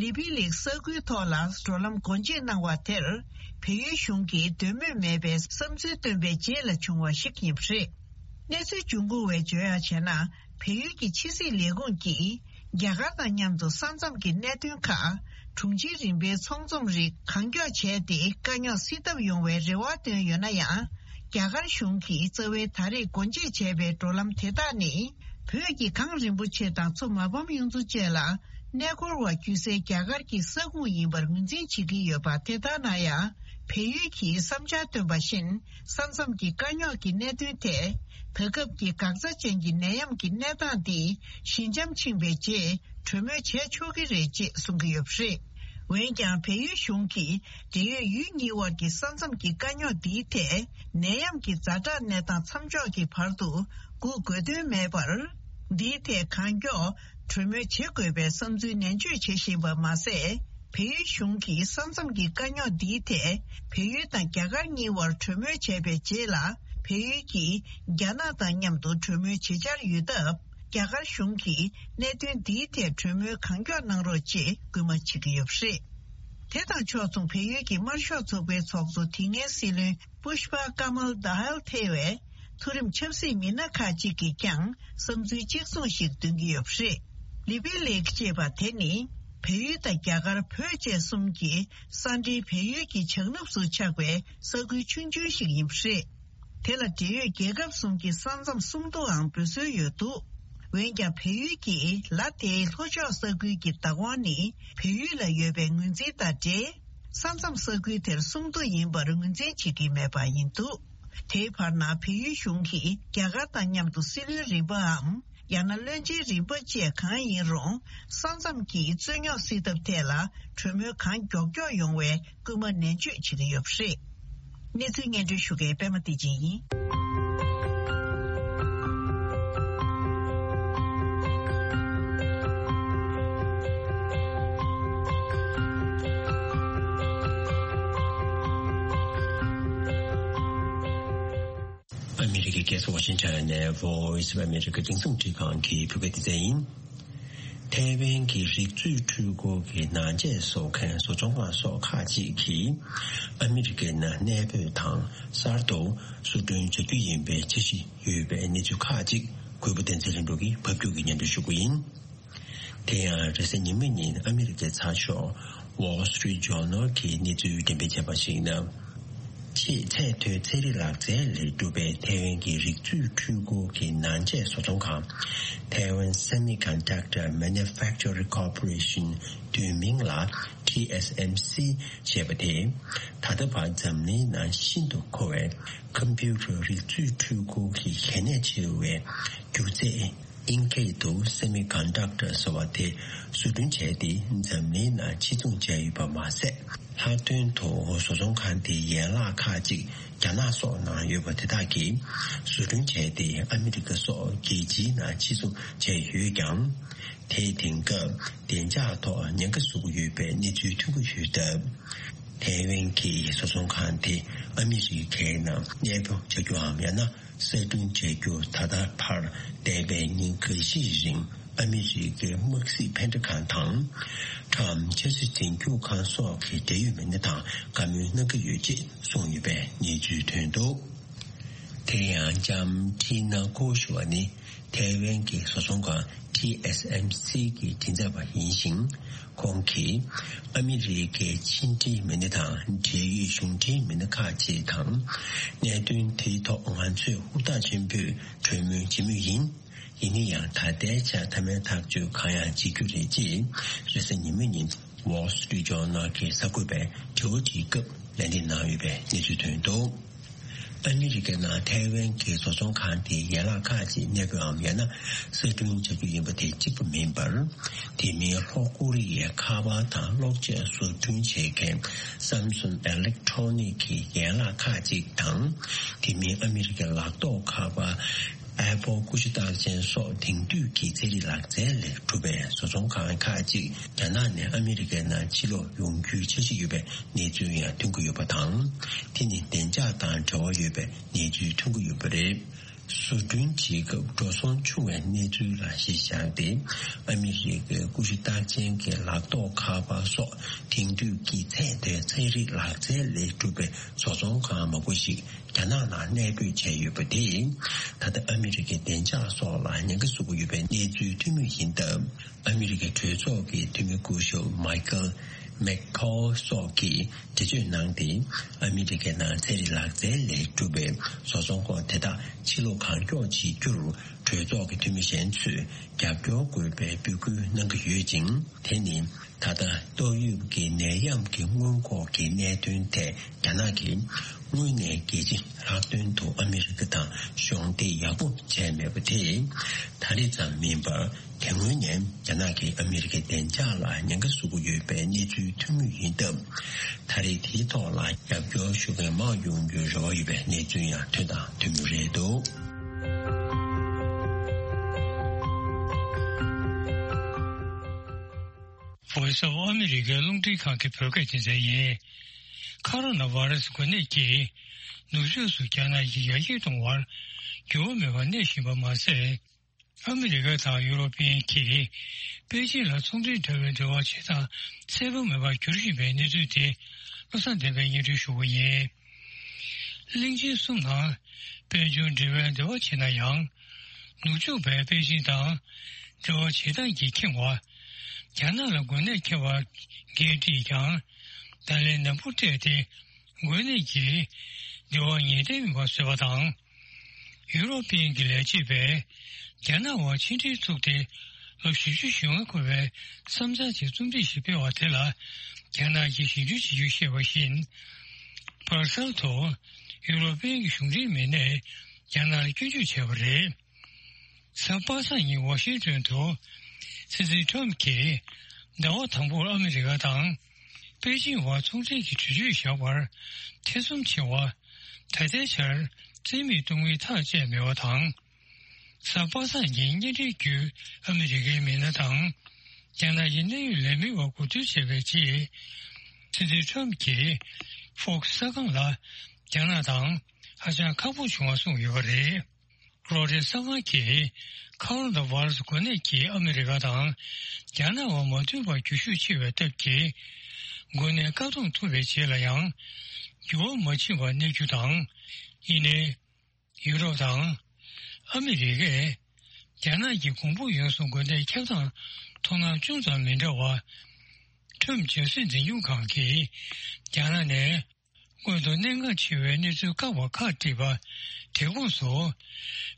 ལི་པི་ལིག་ས་ཁུལ་ཐོག་ལ་འགྲོ་ལམ་སྒོ་འབྱེད་གནང་བ་དེར་བལ་ཡུལ་གཞུང་གིས་འདོད་མོས་མེད་པའི་བསམ་ཚུལ་བཏོན་པའི་རྗེས་ལ་བྱུང་བ་ཞིག་ཡིན་པ་རེད། གནས་ཚུལ་འབྱུང་ཁུངས་བས་བརྗོད་ཡག་བྱས་ན། བལ་ཡུལ་གྱི་ཕྱི་སྲིད་ལས་ཁུངས་ཀྱིས་རྒྱ་གར་དང་མཉམ་དུ་ས་མཚམས་ཀྱི་གནད་དོན་ཁག་དྲུང་ཆེ་རིམ་པའི་ཚོགས་འཛོམས་རིགས་གང་མགྱོགས་བྱས་ཏེ་དཀའ་རྙོག་སེལ་ཐབས་ཡོང་བའི་རེ་བ་བཏོན་ཡོད་ན་ཡང་། རྒྱ་གར་གཞུང་གིས་རྩ་བའི་ད་རེས་སྒོ་འབྱེད་བྱས་པའི་འགྲོ་ལམ་དེ་དག་ནི། བོད་ཀྱི་གངས་རིན་པོ་ཆེ་དང་མཚོ་མ་ཕམ་གཡུ་མཚོ་བཅས་ལ་གནས་སྐོར་བ་བརྒྱུད་སའི་རྒྱ་གར་གྱི་ས་ཁུངས་ཡིན་པར་ངོས་འཛིན་བྱེད་ཀྱི་ཡོད་པ། དེ་ལྟར་ན་ཡང་། བལ་ཡུལ་གྱིས་བསམ་འཆར་བཏོན་པ་བཞིན། ས་མཚམས་ཀྱི་དཀའ་རྙོག་གི་གནད་དོན་ཐད། ད་སྐབས་ཀྱི་འགག་རྩ་ཅན་གྱི་ནད་ཡམས་ཀྱི་གནས་སྟངས་འདི་ཞི་འཇམ་ཕྱིན་པའི་རྗེས་གྲོས་མོལ་བྱས་ཆོག་གི་རེད་ཅེས་གསུང་གི་ཡོད་པ་རེད། འོན་ཀྱང་། བལ་ཡུལ་གཞུང་གིས་འབྲེལ་ཡོད་ཡུལ་གཉིས་དབར་གྱི་ས་མཚམས་ཀྱི་དཀའ་རྙོག་འདིའི་ཐད་ནད་ཡམས་ཀྱི་ཛ་དྲག་གནས་སྟངས་མཚམས་འཇོག་གི་བར་དུ་སྒུག་དགོས་དོན་མེད་པར། འདིའི་ཐད་གང་མགྱོགས་གྲོས་མོལ་བྱེད་དགོས་པའི་བསམ་ཚུལ་ནན་བརྗོད་བྱེད་བཞིན་པ་མ་ཟད། བལ་ཡུལ་གཞུང་གིས་ས་མཚམས་ཀྱི་དཀའ་རྙོག་འདིའི་ཐད་བལ་ཡུལ་དང་རྒྱ་གར་གཉིས་དབར་གྲོས་མོལ་བྱས་པའི་རྗེས་ལ། བལ་ཡུལ་གྱིས་རྒྱ་ནག་དང་མཉམ་དུ་གྲོས་མོལ་བྱེད་འཆར་ཡོད་སྟབས། རྒྱ་གར་གཞུང་གིས་གནད་དོན་འདིའི་ཐད་གྲོས་མོལ་གང་མགྱོགས་གནང་རོགས་ཅེས་སྐུལ་མ་བྱེད་ཀྱི་ཡོད་པ་རེད། དེ་དང་ཕྱོགས་མཚུངས། བལ་ཡུལ་གྱི་དམར་ཤོག་ཚོགས་པའི་ཚོགས་གཙོ་དེ་སྔའི་སྲིད་བློན་པུཤ་པ་ཀ་མལ་དཱ་ཧལ་ཐེ་བའི་མཐོ་རིམ་ཆབ་སྲིད་མི་སྣ་ཁག་ཅིག་གིས་ཀྱང་བསམ་ཚུལ་གཅིག་མཚུངས་ཤིག་འདོན་གྱི་ཡོད་པ་རེད། ལི་པི་ལེག་ཅེས་པ་དེ་ནི་བལ་ཡུལ་དང་རྒྱ་གར་བོད་བཅས་གསུམ་གྱི་ས་འབྲེལ་བལ་ཡུལ་གྱི་བྱང་ནུབ་སུ་ཆགས་པའི་ས་ཁུལ་ཆུང་ཆུང་ཞིག་ཡིན་པ་རེད། དེ་ལ་འབྲེལ་ཡོད་རྒྱལ་ཁབ་གསུམ་གྱི་ས་མཚམས་སུམ་མདོའང་འབོད་སྲོལ་ཡོད་འདུག་འོན་ཀྱང་། བལ་ཡུལ་གྱིས་ལ་དེའི་ལྷོ་ཕྱོགས་ས་ཁུལ་གྱི་བདག་དབང་ནི་བལ་ཡུལ་ལ་ཡོད་པའི་ངོས་འཛིན་དང་འབྲེལ། ས་མཚམས་ས་ཁུལ་དེར་སུམ་མདོ་ཡིན་པར་ངོས་འཛིན་བྱེད་ཀྱི་མེད་པ་ཡིན་འདུག་དེའི་བར་ན། བལ་ཡུལ་གཞུང་གིས་རྒྱ་གར་དང་མཉམ་དུ་སྲིད་བློན་རིམ་པའམ། ཡང་ན་བློན་ཆེན་རིམ་པ་བཅས་གང་ཡིན་རུང་། ས་མཚམས་ཀྱི་རྩོད་རྙོག་སེལ་ཐབས་ཐད་ལ་གྲོས་མོལ་གང་མགྱོགས་མགྱོགས་ཡོང་བའི་སྐུལ་མ་ནན་བརྗོད་བྱེད་ཀྱི་ཡོད་པ་རེད། གནས་ཚུལ་སྙན་སྒྲོན་ཞུ་མཁན་པད་མ་བདེ་ཆེན་ཡིན། ཨ་མི་རི་ཀའི་རྒྱལ་ས་ཝ་ཤིང་ཊོན་ནས་Voice of America་རྒྱང་སྲིང་འཕྲིན་ཁང་གི་བོད་སྐད་སྡེ་ཚན་ཡིན། ཐའེ་ཝན་གྱི་རིག་མཛོད་འཕྲུལ་འཁོར་གྱི་ནང་ཆས་བཟོ་མཁན་བཟོ་ཚོང་ཁང་སོགས་ཁག་ཅིག་གིས་ཨ་མི་རི་ཀའི་ནང་གནས་སྤོས་དང་གསར་དུ་བཟོ་སྐྲུན་བྱ་རྒྱུ་ཡིན་པའི་འཆར་གཞི་ཡོད་པའི་གནས་ཚུལ་ཁག་ཅིག་གུས་པ་བསྟན་འཛིན་ལྷུན་གྲུབ་ཀྱིས་ཕབ་སྒྱུར་གྱིས་སྙན་སྒྲོན་ཞུ་རྒྱུ་ཡིན། དེ་ཡང་རེས་གཟའ་ཉི་མ་ཉིན་ཨ་མི་རི་ཀའི་ཚགས་ཤོག་Wall Street Journal་གྱིས་གནས་ཚུལ་འགྲེམས་སྤེལ་བྱས་པར་གཞིགས་ན། ཆེས་ཚད་མཐོའི་ཚན་རིག་ལག་རྩལ་ལས་གྲུབ་པའི་ཐའེ་ཝན་གྱི་རིག་མཛོད་འཕྲུལ་འཁོར་གྱི་ནང་ཆས་བཟོ་ཚོང་ཁང་Taiwan Semiconductor Manufacturing Corporation་བསྡུས་མིང་ལ་ཊི་ཨེས་ཨེམ་སི་ཞེས་པ་དེ། ད་ལྟ་བར་འཛམ་གླིང་ནང་ཤིན་ཏུ་མཁོ་བའི་ཁམ་པུ་ཊར་རིག་མཛོད་འཕྲུལ་འཁོར་གྱི་གལ་གནད་ཆེ་བའི་རྒྱུ་རྫས། ཨིན་སྐད་དུ་Semiconductor་ཟེར་བ་དེ་བཟོ་སྐྲུན་བྱས་ཏེ་འཛམ་གླིང་ནང་ཕྱིར་ཚོང་བྱས་ཡོད་པ་མ་ཟད། ལྷག་དོན་དུ་བཟོ་ཚོང་ཁང་དེའི་ཡན་ལག་ཁག་ཅིག་རྒྱ་ནག་སོགས་ནང་ཡོད་པ་དེ་དག་གིས་བཟོ་སྐྲུན་བྱས་ཏེ་ཨ་མི་རི་ཀ་སོགས་རྒྱལ་སྤྱིའི་ནང་ཕྱིར་ཚོང་བྱས་ཡོད་ཀྱང་། དེས་དེང་སྐབས་བདེ་འཇགས་ཐོག་ཉེན་ཁ་བཟོ་གི་ཡོད་པའི་གནས་ཚུལ་ཐོན་གྱི་ཡོད་སྟབས། ཐའེ་ཝན་གྱི་བཟོ་ཚོང་ཁང་དེ་ཨ་མི་རི་ཀའི་ནང་གནས་སྤོ་བྱ་རྒྱུའམ་ཡང་ན། གསར་སྐྲུན་བྱ་རྒྱུ་ད་ལྟ་བར་འདས་པའི་ཉིན་འགའ་ཤས་རིང་ཨ་མི་རི་ཀའི་དམག་སྲིད་འཕེན་སྒྲ་ཁང་དང་། ཊམ་ཆབ་སྲིད་འཛིན་སྐྱོང་ཁང་སོགས་ཀྱི་འབྲེལ་ཡོད་མི་སྣ་དང་བཀའ་མོལ་གནང་གི་ཡོད་ཅེས་གསུངས་ཡོད་པའི་གནས་ཚུལ་ཐོན་འདུག་དེ་ཡང་ལྕམ་ཁྲི་ན་ཀོ་ཞུ་བ་ནི་ཐའེ་ཝན་གྱི་བཟོ་ཚོང་ཁང་ཊི་ཨེས་ཨེམ་སི་གི་མགྲིན་ཚབ་པ་ཡིན་ཞིང་། ཁོང་གིས་ཨ་མི་རི་ཀའི་ཕྱི་འབྲེལ་མི་སྣ་དང་འབྲེལ་ཡོད་གཞུང་འབྲེལ་མི་སྣ་ཁག་ཅིག་དང་། གནད་དོན་དེའི་ཐོག་ང་ཚོས་ཧུར་ཐག་ཆེན་པོས་གྲོས་མོལ་བྱེད་མུས་ཡིན། ཡིན་ན་ཡང་ད་ལྟའི་ཆར་མཐའ་མའི་ཐག་གཅོད་གང་ཡང་བྱེད་རྒྱུ་རེད་ཅེས་རེས་གཟའ་ཉི་མ་ཉིན་Wall Street Journal་གྱི་གསར་འགོད་པས་དྲི་བ་དྲིས་སྐབས་ལན་འདེབས་གནང་ཡོད་པའི་གནས་ཚུལ་ཐོན་འདུག་ཨ་མི་རི་ཀའི་ནང་ཐའེ་ཝན་གྱི་བཟོ་ཚོང་ཁང་དེའི་ཡན་ལག་ཁག་ཅིག་གནས་སྤོའམ་ཡང་ན་གསར་སྐྲུན་བྱ་རྒྱུ་ཡིན་པ་དེ་གཅིག་པ་མིན་པར། དེ་མིན་ལྷོ་ཀོ་རི་ཡའི་ཁ་པར་དང་གློག་ཆས་བཟོ་སྐྲུན་བྱེད་མཁན་Samsung Electronics་གི་ཡན་ལག་ཁག་ཅིག་དང་། དེ་མིན་ཨ་མི་རི་ཀའི་ལག་ཐོགས་ཁ་པར་ ཨེ་པོ་ཀུ་ཤུ་རྟགས་ཅན་སོགས་དེང་དུས་ཀྱི་ཚན་རིག་ལག་རྩལ་ལས་གྲུབ་པའི་བཟོ་ཚོང་ཁང་ཁག་ཅིག་རྒྱ་ནག་ནས་ཨ་མི་རི་ཀའི་ནང་ཕྱིར་ལོག་ཡོང་རྒྱུའི་འཆར་གཞི་ཡོད་པའི་གནས་ཚུལ་ཡང་ཐོན་གྱི་ཡོད་པ་དང་། དེ་ནི་བདེ་འཇགས་དང་འབྲེལ་བ་ཡོད་པའི་གནས་ཚུལ་ཐོན་གྱི་ཡོད་པ་རེད། བཟོ་སྐྲུན་བྱེད་སྐབས་འགྲོ་སོང་བྱུང་བའི་གནས་ཚུལ་ལ་གཞི་བཞག་སྟེ། ཨ་མི་རི་ཀའི་ཀུ་ཤུ་རྟགས་ཅན་གྱི་ལག་ཐོགས་ཁ་པར་སོགས་དེང་དུས་ཀྱི་ཚད་མཐོའི་ཚན་རིག་ལག་རྩལ་ལས་གྲུབ་པའི་བཟོ་ཚོང་ཁང་མང་པོ་ཞིག་རྒྱ་ནག་ནང་གནས་སྤོས་བྱས་ཡོད་པ་དེས། ད་ལྟ་ཨ་མི་རི་ཀའི་བདེ་འཇགས་སོགས་ལ་ཉེན་ཁ་བཟོ་གི་ཡོད་པའི་གནས་ཚུལ་ཐོན་མུས་ཡིན་སྟབས། ཨ་མི་རི་ཀའི་གྲོས་ཚོགས་ཀྱི་འཐུས་མི་སྐུ་ཞབས་མའི་ཁལ་མེག་ཁོལ་སོགས་ཀྱིས་འགྲེལ་བརྗོད་གནང་སྟེ། ཨ་མི་རི་ཀའི་ནང་ཚན་རིག་ལག་རྩལ་ལས་གྲུབ་པའི་བཟོ་ཚོང་ཁང་དེ་དག་ཕྱིར་ལོག་གང་མགྱོགས་བྱེད་རྒྱུར་གྲོས་ཚོགས་ཀྱི་འཐུས་མི་གཞན་ཚོས་རྒྱབ་སྐྱོར་དགོས་པའི་འབོད་སྐུལ་གནང་གི་ཡོད་ཅིང་། དེ་ནི་ད་ལྟ་ཏོག་དབྱིབས་ཀྱི་ནད་ཡམས་ཀྱི་སྔོན་འགོག་གི་གནད་དོན་ཐད་རྒྱ་ནག་གིས་དངོས་གནས་རྒྱལ་སྤྱི་ལྷག་དོན་དུ་ཨ་མི་རི་ཀ་དང་གཞོགས་འདེགས་ཡག་པོ་བྱས་མེད་པ་དེས། ད་རེས་ཙམ་མིན་པར། དེ་སྔོན་ནས་རྒྱ་ནག་གིས་ཨ་མི་རི་ཀའི་བདེ་འཇགས་ལ་ཉེན་ཁ་བཟོ་གི་ཡོད་པའི་གནས་ཚུལ་ཐོན་མུས་ཡིན་སྟབས། ད་རེས་དེའི་ཐོག་ལ་རྒྱབ་སྐྱོར་ཞུ་མཁན་མང་ཡོང་རྒྱུའི་རེ་བ་ཡོད་པའི་གནས་ཚུལ་ཡང་ཐོན་དང་ཐོན་མུས་རེད་འདུག། Voice of America རླུང་འཕྲིན་ཁང་གི་བོད་སྐད་སྡེ་ཚན་ཡིན། ཁ་རོ་ན་བྷ་ར་སི་འགོས་ནད་ཀྱིས་ནུབ་ཕྱོགས་སུ་རྒྱ་ནག་གིས་ཡར་རྒྱས་གཏོང་བར་འགྱུར་བ་མེད་པར་གནས་བཞིན་པ་མ་ཟད། ཨ་མི་རི་ཀ་དང་ཡུ་རོ་པི་ཡན་གྱིས་པེ་ཅིང་ལ་ཚོང་འབྲེལ་འབྲེལ་བའི་འབྲེལ་བ་བྱེད་སྟངས་གསལ་པོ་མེད་པར་འགྱུར་བཞིན་པའི་གནས་ཚུལ་དེ་བློ་བཟང་བསྟན་པས་སྙན་སྒྲོན་ཞུ་བ་ཡིན། གླིང་ཆེན་གསུམ་ནང་དཔལ་འབྱོར་འབྲེལ་བའི་འབྲེལ་བ་བྱེད་ན་ཡང་། ནུབ་ཕྱོགས་པས་པེ་ཅིང་དང་འབྲེལ་བ་བྱེད་སྟངས་ཀྱིས་ཁེངས་པ། རྒྱ་ནག་ལ་འགོས་ནད་ཁྱབ་པར་འགན་དཀྲིས་ཀྱང་། བརྡ་ལན་ནན་པོ་སྤྲད་དེ། འགོས་ནད་ཀྱིས་འབྲེལ་བ་ངེས་གཏན་མིན་པ་བཟོས་པ་དང་། ཡུ་རོ་པི་ཡན་གྱི་ལས་བྱེད་པས་རྒྱ་ནག་དབར་ཕྱི་འབྲེལ་བཙུགས་ཏེ་ལོ་བཞི་བཅུ་ཞེ་ལྔ་འཁོར་བའི་བསམ་འཆར་གྱི་རྩོམ་སྒྲིག་ཞིག་སྤེལ་བ་དེ་ལ་རྒྱ་ནག་གིས་ཞིབ་འཇུག་བྱེད་རྒྱུ་བཤད་པ་བཞིན། བར་གསར་དུ་ཡུ་རོ་པི་ཡན་གྱི་གཞུང་འབྲེལ་མི་སྣས་རྒྱ་ནག་ལ་སྐྱོན་བརྗོད་བྱས་པ་རེད། གཟའ་པ་སངས་ཉིན་ཝ་ཤིང་ཏོན་དུ་སྲིད་འཛིན་ཁྲོམ་གྱིས་ཟླ་བ་དང་པོར་ཨ་མི་རི་ཀ་དང་པེ་ཅིང་བར་ཚོང་འབྲེལ་གྱི་གྲོས་ཆོད་བཞག་པར་ཐེ་ཚོམ་ཆེ་བ། ད་ལྟའི་ཆར་རྩིས་མེད་གཏོང་མིན་ཐག་བཅད་མེད་པ་དང་། གཟའ་པ་སངས་ཉིན་གཉེན་འབྲེལ་བརྒྱུད་ཨ་མི་རི་ཀའི་མི་སྣ་དང་རྒྱ་ནག་གི་གནད་ཡོད་ལས་མི་བར་གོ་བསྡུར་བྱས་པའི་རྗེས། སྲིད་འཛིན་ཁྲོམ་གྱིས་ཧྥོག་སི་གསར་ཁང་ལ་རྒྱ་ནག་དང་ཧ་ཅང་ཁག་པོ་བྱུང་བ་གསུངས་ཡོད་པ་རེད། རོའི་ཊར་གསར་ཁང་གིས་ཁ་རོ་ན་བྷ་ར་སི་འགོས་ནད་ཀྱིས་ཨ་མི་རི་ཀ་དང་རྒྱ་ནག་དབར་མ་མཐུན་པ་འགྱུར་ཤུགས་ཆེ་བའི་སྟབས་ཀྱིས། འགོས་ནད་བཀག་སྡོམ་ཐུབ་པའི་རྗེས་ལ་ཡང་འགྱུར་བ་མ་ཕྱིན་པར་གནས་རྒྱུ་དང་། ཡིན་ནའི། ཡུ་རོབ་དང་ཨ་མི་རི་ཀས་རྒྱ་ནག་གི་གོང་བུ་ཡོངས་སུ་འགོས་ནད་ཁྱབ་སྟངས་མཐོང་སྣང་ཅུང་ཙམ་མི་འདྲ་བ། ཁྲོམ་རྒྱབ་སྲིད་འཛིན་སྐྱོང་ཁང་གིས་རྒྱ་ནག་ནས། སྔོན་དུ་གནད་འགག་ཆེ་བའི་གནས་ཚུལ་བཀག་པ་ཁག་བྲིས་པ། དེ་ཁོངས་སུ།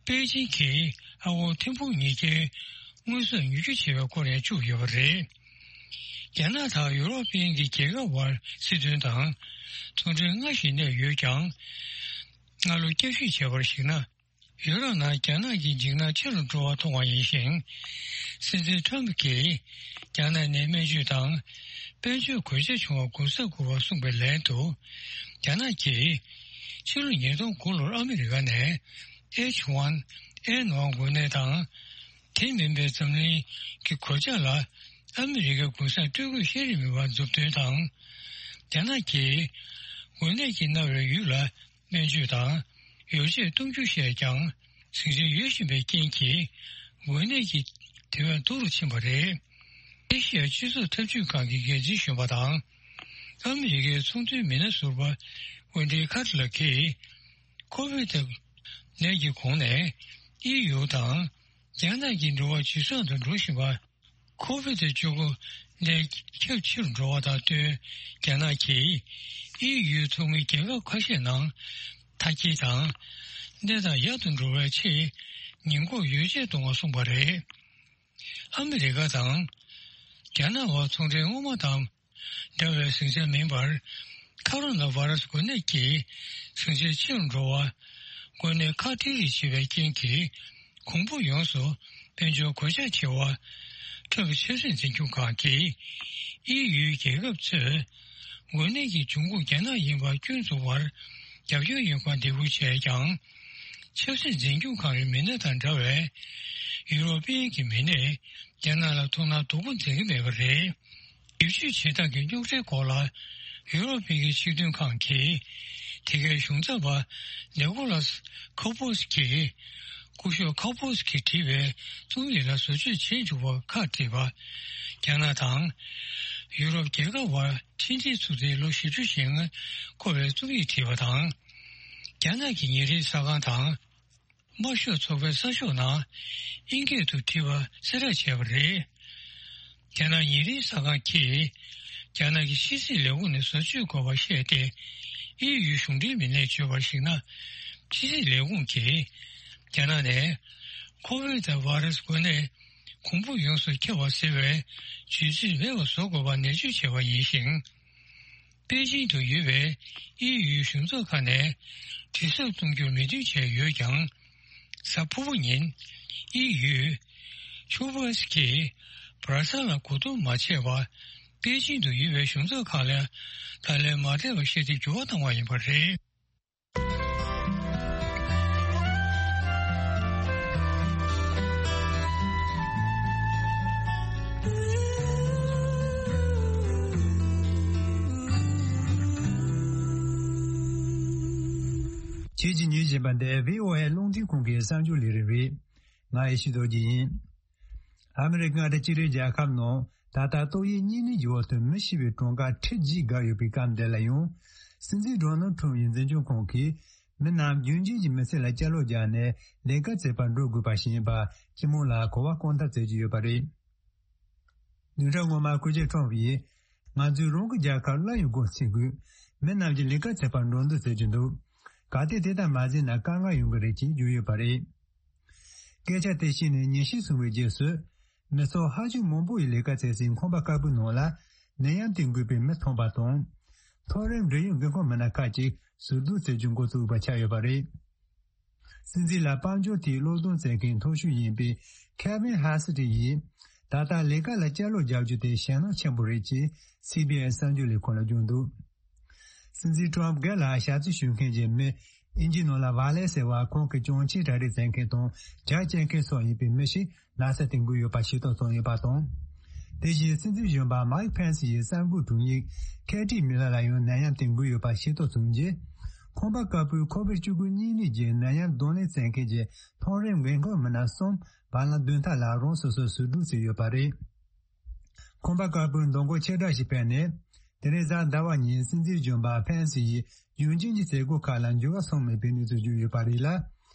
པེ་ཅིང་གིས་ཨ་འོ་ཐིམ་ཕུག་གཉིས་ཀའི་དངོས་ཟོག་ཉོ་རྒྱུ་བྱས་པའི་སྐོར་ཡང་བཅུག་ཡོད་པ་རེད། རྒྱ་ནག་དང་ཡུ་རོབ་པའི་གི་རྒྱལ་ཁབ་དབར་སྲིད་དོན་དང་ཚོང་འབྲེལ་སྔར་བཞིན་གནས་ཡོད་ཀྱང་། སྔ་ལོ་བསྐྱར་ཞིབ་བྱས་པར་གཞིགས་ན། ཡུ་རོབ་ནང་རྒྱ་ནག་གི་འཇིགས་སྣང་ཆེ་རུ་འགྲོ་བ་མཐོང་བ་ཡིན་ཞིང་། སྲིད་འཛིན་ཁྲོམ་གྱིས་རྒྱ་ནག་ནས་སྨན་བཅོས་དང་དཔལ་འབྱོར་གོད་ཆག་བྱུང་བ་གོ་ས་དགོས་པ་གསུངས་པའི་ལན་དུ། རྒྱ་ནག་གིས་ཕྱི་ལོ་ཉིས་སྟོང་དགུ་ལོར་ཨ་མི་རི་ཀ་ནས་ཨེཆ་ཝན་ཨེན་ཝན་འགོས་ནད་དང་། དེ་མིན་པའི་འཛམ་གླིང་གི་གོད་ཆག་ལ་ཨ་མི་རི་ཀའི་གུན་གསབ་སྤྲོད་དགོས་བཤད་རིན་མེད་པར་མཛུབ་སྟོན་དང་། རྒྱ་ནག་གིས་འགོས་ནད་ཀྱིས་མནར་བའི་ཡུལ་ལ། སྨན་བཅོས་དང་ཡོ་བྱད་གཏོང་རྒྱུ་བཤད་ཀྱང་ཟིང་ཆ་ཡོད་བཞིན་པའི་རྐྱེན་གྱིས་འགོས་ནད་ཀྱི་དེ་བས་སྡུག་རུ་ཕྱིན་པ་རེད། ཨེ་ཤི་ཡ་སྤྱི་ཚོགས་འཐབ་ཇུས་ཁང་གི་འགན་འཛིན་གཞོན་པ་དང་ཨ་མི་རི་ཀའི་ཚོང་དོན་མི་སྣ་ཟུར་པ་ཝེན་ཌི་ཁ་ཏི་ལགས་ཀྱིས་ཁོ་བིད་ནད་ཀྱི་གོང་ནས་ཨི་ཡུ་དང་རྒྱ་ནག་གི་འགྲོ་བ་ཇེ་བཟང་དུ་འགྲོ་བཞིན་པ། ཁོ་བིད་བཅུ་དགུ་ནད་ཁྱབ་ཆེ་རུ་འགྲོ་བ་དང་བསྟུན། རྒྱ་ནག་གིས་ཨི་ཡུའི་ཚོགས་མི་རྒྱལ་ཁབ་ཁ་ཤས་ནང་མཐའ་སྐྱེལ་དང་། གནས་སྟངས་ཡག་ཏུ་འགྲོ་བའི་ཆེད་ཉེན་འགོག་ཡོ་བྱད་གཏོང་བ་གསུངས་པ་རེད། ཨ་མི་རི་ཀ་དང་རྒྱ་ནག་དབར་ཚོང་འབྲེལ་སྔོན་མ་དང་འདྲ་བའི་ཟིང་ཆ་མིན་པར། ཁ་རོ་ན་བྷ་ར་སི་འགོས་ནད་ཀྱིས་ཟིང་ཆ་ཆེ་རུ་འགྲོ་བ། འགོས་ནད་ཁག་ཏིག་རིགས་བྱེད་པའི་རྐྱེན་གྱིས། གོང་བུ་ཡོངས་སུ་དཔལ་འབྱོར་གོད་ཆག་ཆེ་བ། ཁྲོམ་ཆབ་སྲིད་འཛིན་སྐྱོང་ཁང་གིས་ཨི་ཡུའི་རྒྱལ་ཁབ་ཚོས་འགོས་ནད་ཀྱི་འབྱུང་ཁུངས་རྒྱ་ནག་ཡིན་པ་སྐྱོན་འཛུགས་པར་རྒྱབ་སྐྱོར་ཡོད་པར་འདེད་སྐུལ་བྱས་ཀྱང་། ཆབ་སྲིད་འཛིན་སྐྱོང་ཁང་གི་མི་སྣ་དང་འདྲ་བའི་ཡུ་རོབ་པའི་གི་མི་སྣས་རྒྱ་ནག་ལ་ཐུགས་སྣང་དོ་ཁུར་མཛད་ཀྱི་མེད་པ་རེད། བེད་སྤྱོད་བྱེད་སྟངས་ཀྱི་རྙོག་དྲའི་སྐོར་ལ་ཡུ་རོབ་པའི་གི་སྤྱི་མཐུན་ཁང་གིས་དེ་གའི་གཞུང་ཚབ་པ་ནེ་ཀོ་ལཱས་ཁོ་པོ་སི་ཀི་སྐུ་ཞབས་ཁོ་པོ་སི་ཀིས་བྲིས་པའི་རྩོམ་ཡིག་ལ་བཟོ་བཅོས་བྱེད་འཇུག་པར་ཁག་དཀྲིས་པ། རྒྱ་ནག་དང་ཡུ་རོབ་རྒྱལ་ཁབ་བར་མཐུན་སྒྲིལ་ཚུགས་ཏེ་ལོ་བཞི་བཅུ་ཞེ་ལྔ་འཁོར་བའི་རྩོམ་ཡིག་བྲིས་པ་དང་། རྒྱ་ནག་གི་ཉིན་རེའི་གསར་ཁང་དང་། དམར་ཤོག་ཚོགས་པའི་གསར་ཤོག་ནང་དབྱིན་སྐད་དུ་བྲིས་པ་གསལ་བསྒྲགས་བྱས་པ་རེད། རྒྱ་ནག་ཉིན་རེའི་གསར་ཁང་གིས་རྒྱ་ནག་གི་ཕྱི་སྲིད་ལས་ཁུངས་ནས་བཟོ་བཅོས་དགོས་པ་བཤད་དེ། ཨི་ཡུའི་གཞུང་འབྲེལ་མི་སྣས་བརྗོད་པར་གཞིགས་ན། ཕྱི་སྲིད་ལས་ཁུངས་ཀྱིས་རྒྱ་ནག་ནས་ཁོ་ཝིཌ་བྷ་རུ་སི་འགོས་ནད་གོང་འཕེལ་ཡོངས་སུ་ཁྱབ་པ་ཟེར་བའི་བརྗོད་ཚིག་མེད་པ་བཟོ་དགོས་པ་ནན་བརྗོད་བྱས་པ་ཡིན་ཞིང་། པེ་ཅིང་དུ་ཡོད་པའི་ཨི་ཡུའི་གཞུང་ཚབ་ཁང་ནས་དྲི་ཟབ་གཏོང་རྒྱུར་མོས་མཐུན་བྱས་ཡོད་ཀྱང་། གཟའ་ཕུར་བུ་ཉིན་ཨི་ཡུས་ཆོ་པོ་སི་ཀིས་བྷ་ར་སལ་ལ་གོ་བསྡུར་མ་བྱས་པར་པེ་ཅིང་དུ་ཡོད་པའི་གཞུང་ཚབ་ཁང་ལ་བརྡ་ལན་མ་སྤྲད་པ་བཤད་དེ་འགྱུར་བ་བཏང་བ་ཡིན་པ་རེད། ཁྱེད་ཀྱིས་ཉན་བཞིན་པ་འདི་བྷི་ཨོ་ཨེ་རླུང་འཕྲིན་ཁང་གི་གསར་འགྱུར་ལས་རིམ་རེད། ང་ཡེ་ཤེས་རྡོ་རྗེ་ཡིན། ཨ་མི་རི་ཀ་མངའ་སྡེ་སྤྱི་ཟླའི་རྒྱལ་ཁབ་ནང་ད་ལྟ་ཏོག་དབྱིབས་གཉན་ནད་ཀྱི་འོག་ཏུ་མི་ཤི་བའི་གྲངས་ཀ་ཁྲི་བརྒྱད་བརྒལ་ཡོད་པའི་སྐབས་འདི་ལ་ཡང་། སྲིད་འཛིན་ཌོ་ནལ་ཁྲོམ་ཡི་འཛིན་སྐྱོང་ཁང་གིས་མི་རྣམས་རྒྱུན་གཅན་གྱི་མི་ཚེ་ལ་བསྐྱར་ལོག་བརྒྱབ་ནས་ལས་ཀ་བྱེད་པར་འགྲོ་དགོས་པ་ཞིག་ཡིན་པ་སྤྱི་དམངས་ལ་གོ་བ་བསྐོར་ཐབས་བྱེད་ཀྱི་ཡོད་པ་རེད། བདུན་ཕྲག་སྔོན་མ་སྐུ་ཞབས་ཁྲོམ་ཡིས། ང་ཚོས་རང་གི་རྒྱལ་ཁབ་སླར་ཡང་སྒོ་ཕྱེ་དགོས། མི་རྣམས་ཀྱིས་ལས་ཀ་བྱེད་པར་འགྲོ་འདོད་བྱེད་ཀྱི་འདུག། གལ་ཏེ་དེ་ལྟར་མ་བྱས་ན་དཀའ་ངལ་ཡོང་གི་རེད་ཅེས་བརྗོད་ཡོད་པ་རེད། སྐད་ཆ་དེ་བཤད་ནས་ཉིན་ཤས་སོང་བའི་རྗེས་སུ། མི་ཚོགས་ཧ་ཅང་མང་པོ་ཡིས་ལས་ཀ་བྱེད་སའི་ཁང་པ་དཀར་པོའི་ནང་ལ་ནད་ཡམས་དེ་འགོས་པའི་མི་ཐོན་པ་དང་། མཐོ་རིམ་འབྲེལ་ཡོད་འགན་ཁུར་མི་སྣ་ཁག་ཅིག་ཟུར་འདུག་བྱེད་རྒྱུ་འགོ་བཙུགས་པ་ཆགས་ཡོད་པ་རེད། སྲིད་འཛིན་ལ་དཔལ་འབྱོར་ཐད་སློབ་སྟོན་བྱེད་མཁན་མཐོ་ཤོས་ཡིན་པའི་Kevin Hassett་ཡིས། ད་ལྟ་ལས་ཀ་ལ་བསྐྱར་ལོག་རྒྱག་རྒྱུ་དེ་ཞེད་སྣང་ཆེན་པོ་རེད་ཅེས་སི་བྷི་ཨེན་གསར་འགྱུར་ལས་ཁུངས་ལ་བརྗོད་འདུག། སྲིད་འཛིན་ཊམ་སྒེར་ལ་ཞབས་ཕྱི་ཞུ་མཁན་གྱི་མི་ཨིན་ཇི་ནང་ལ་ཝ་ལེ་ཟེར་བ་ཁོང་གི་གྱོན་ཆས་གྲ་སྒྲིག་མཛད་མཁན་དང་ཇ་བཅར་མཁན་སོགས་ཡིན་པའི་མི་ཞིག་ན་ཚ་དེ་འགོས་ཡོད་པ་ཤེས་རྟོགས་བྱུང་ཡོད་པ་དང་། དེ་བཞིན་སྲིད་འཛིན་གཞོན་པ་Mike Pence་ཡི་གསར་འགོད་དྲུང་ཡིག་Katie Miller་ལ་ཡང་ནད་ཡམས་དེ་འགོས་ཡོད་པ་ཤེས་རྟོགས་བྱུང་རྗེས། ཁང་པ་དཀར་པོའི་ཁོ་ཝིཌ་བཅུ་དགུ་གཉན་ནད་ཀྱི་ནད་ཡམས་གདོང་ལེན་མཛད་མཁན་གྱི་མཐོ་རིམ་འགན་ཁུར་མི་སྣ་གསུམ་བར་ལམ་བདུན་ཐ་ལ་རང་སོ་སོར་ཟུར་འདུག་བྱས་ཡོད་པ་རེད། ཁང་པ་དཀར་པོའི་མདུན་སྒོ་ཆེ་དྲགས་ཤིག་ཕེབས་ནས། དེ་རིང་གཟའ་ཟླ་བ་ཉིན་སྲིད་འཛིན་གཞོན་པ་ཕན་སི་ཡིས་རྒྱུན་གཅན་གྱི་མཛད་སྒོ་ཁག་ལ་འགྱུར་བ་སོང་མེད་པའི་གནས་ཚུལ་བརྗོད་ཡོད་པ་རེད་ལ།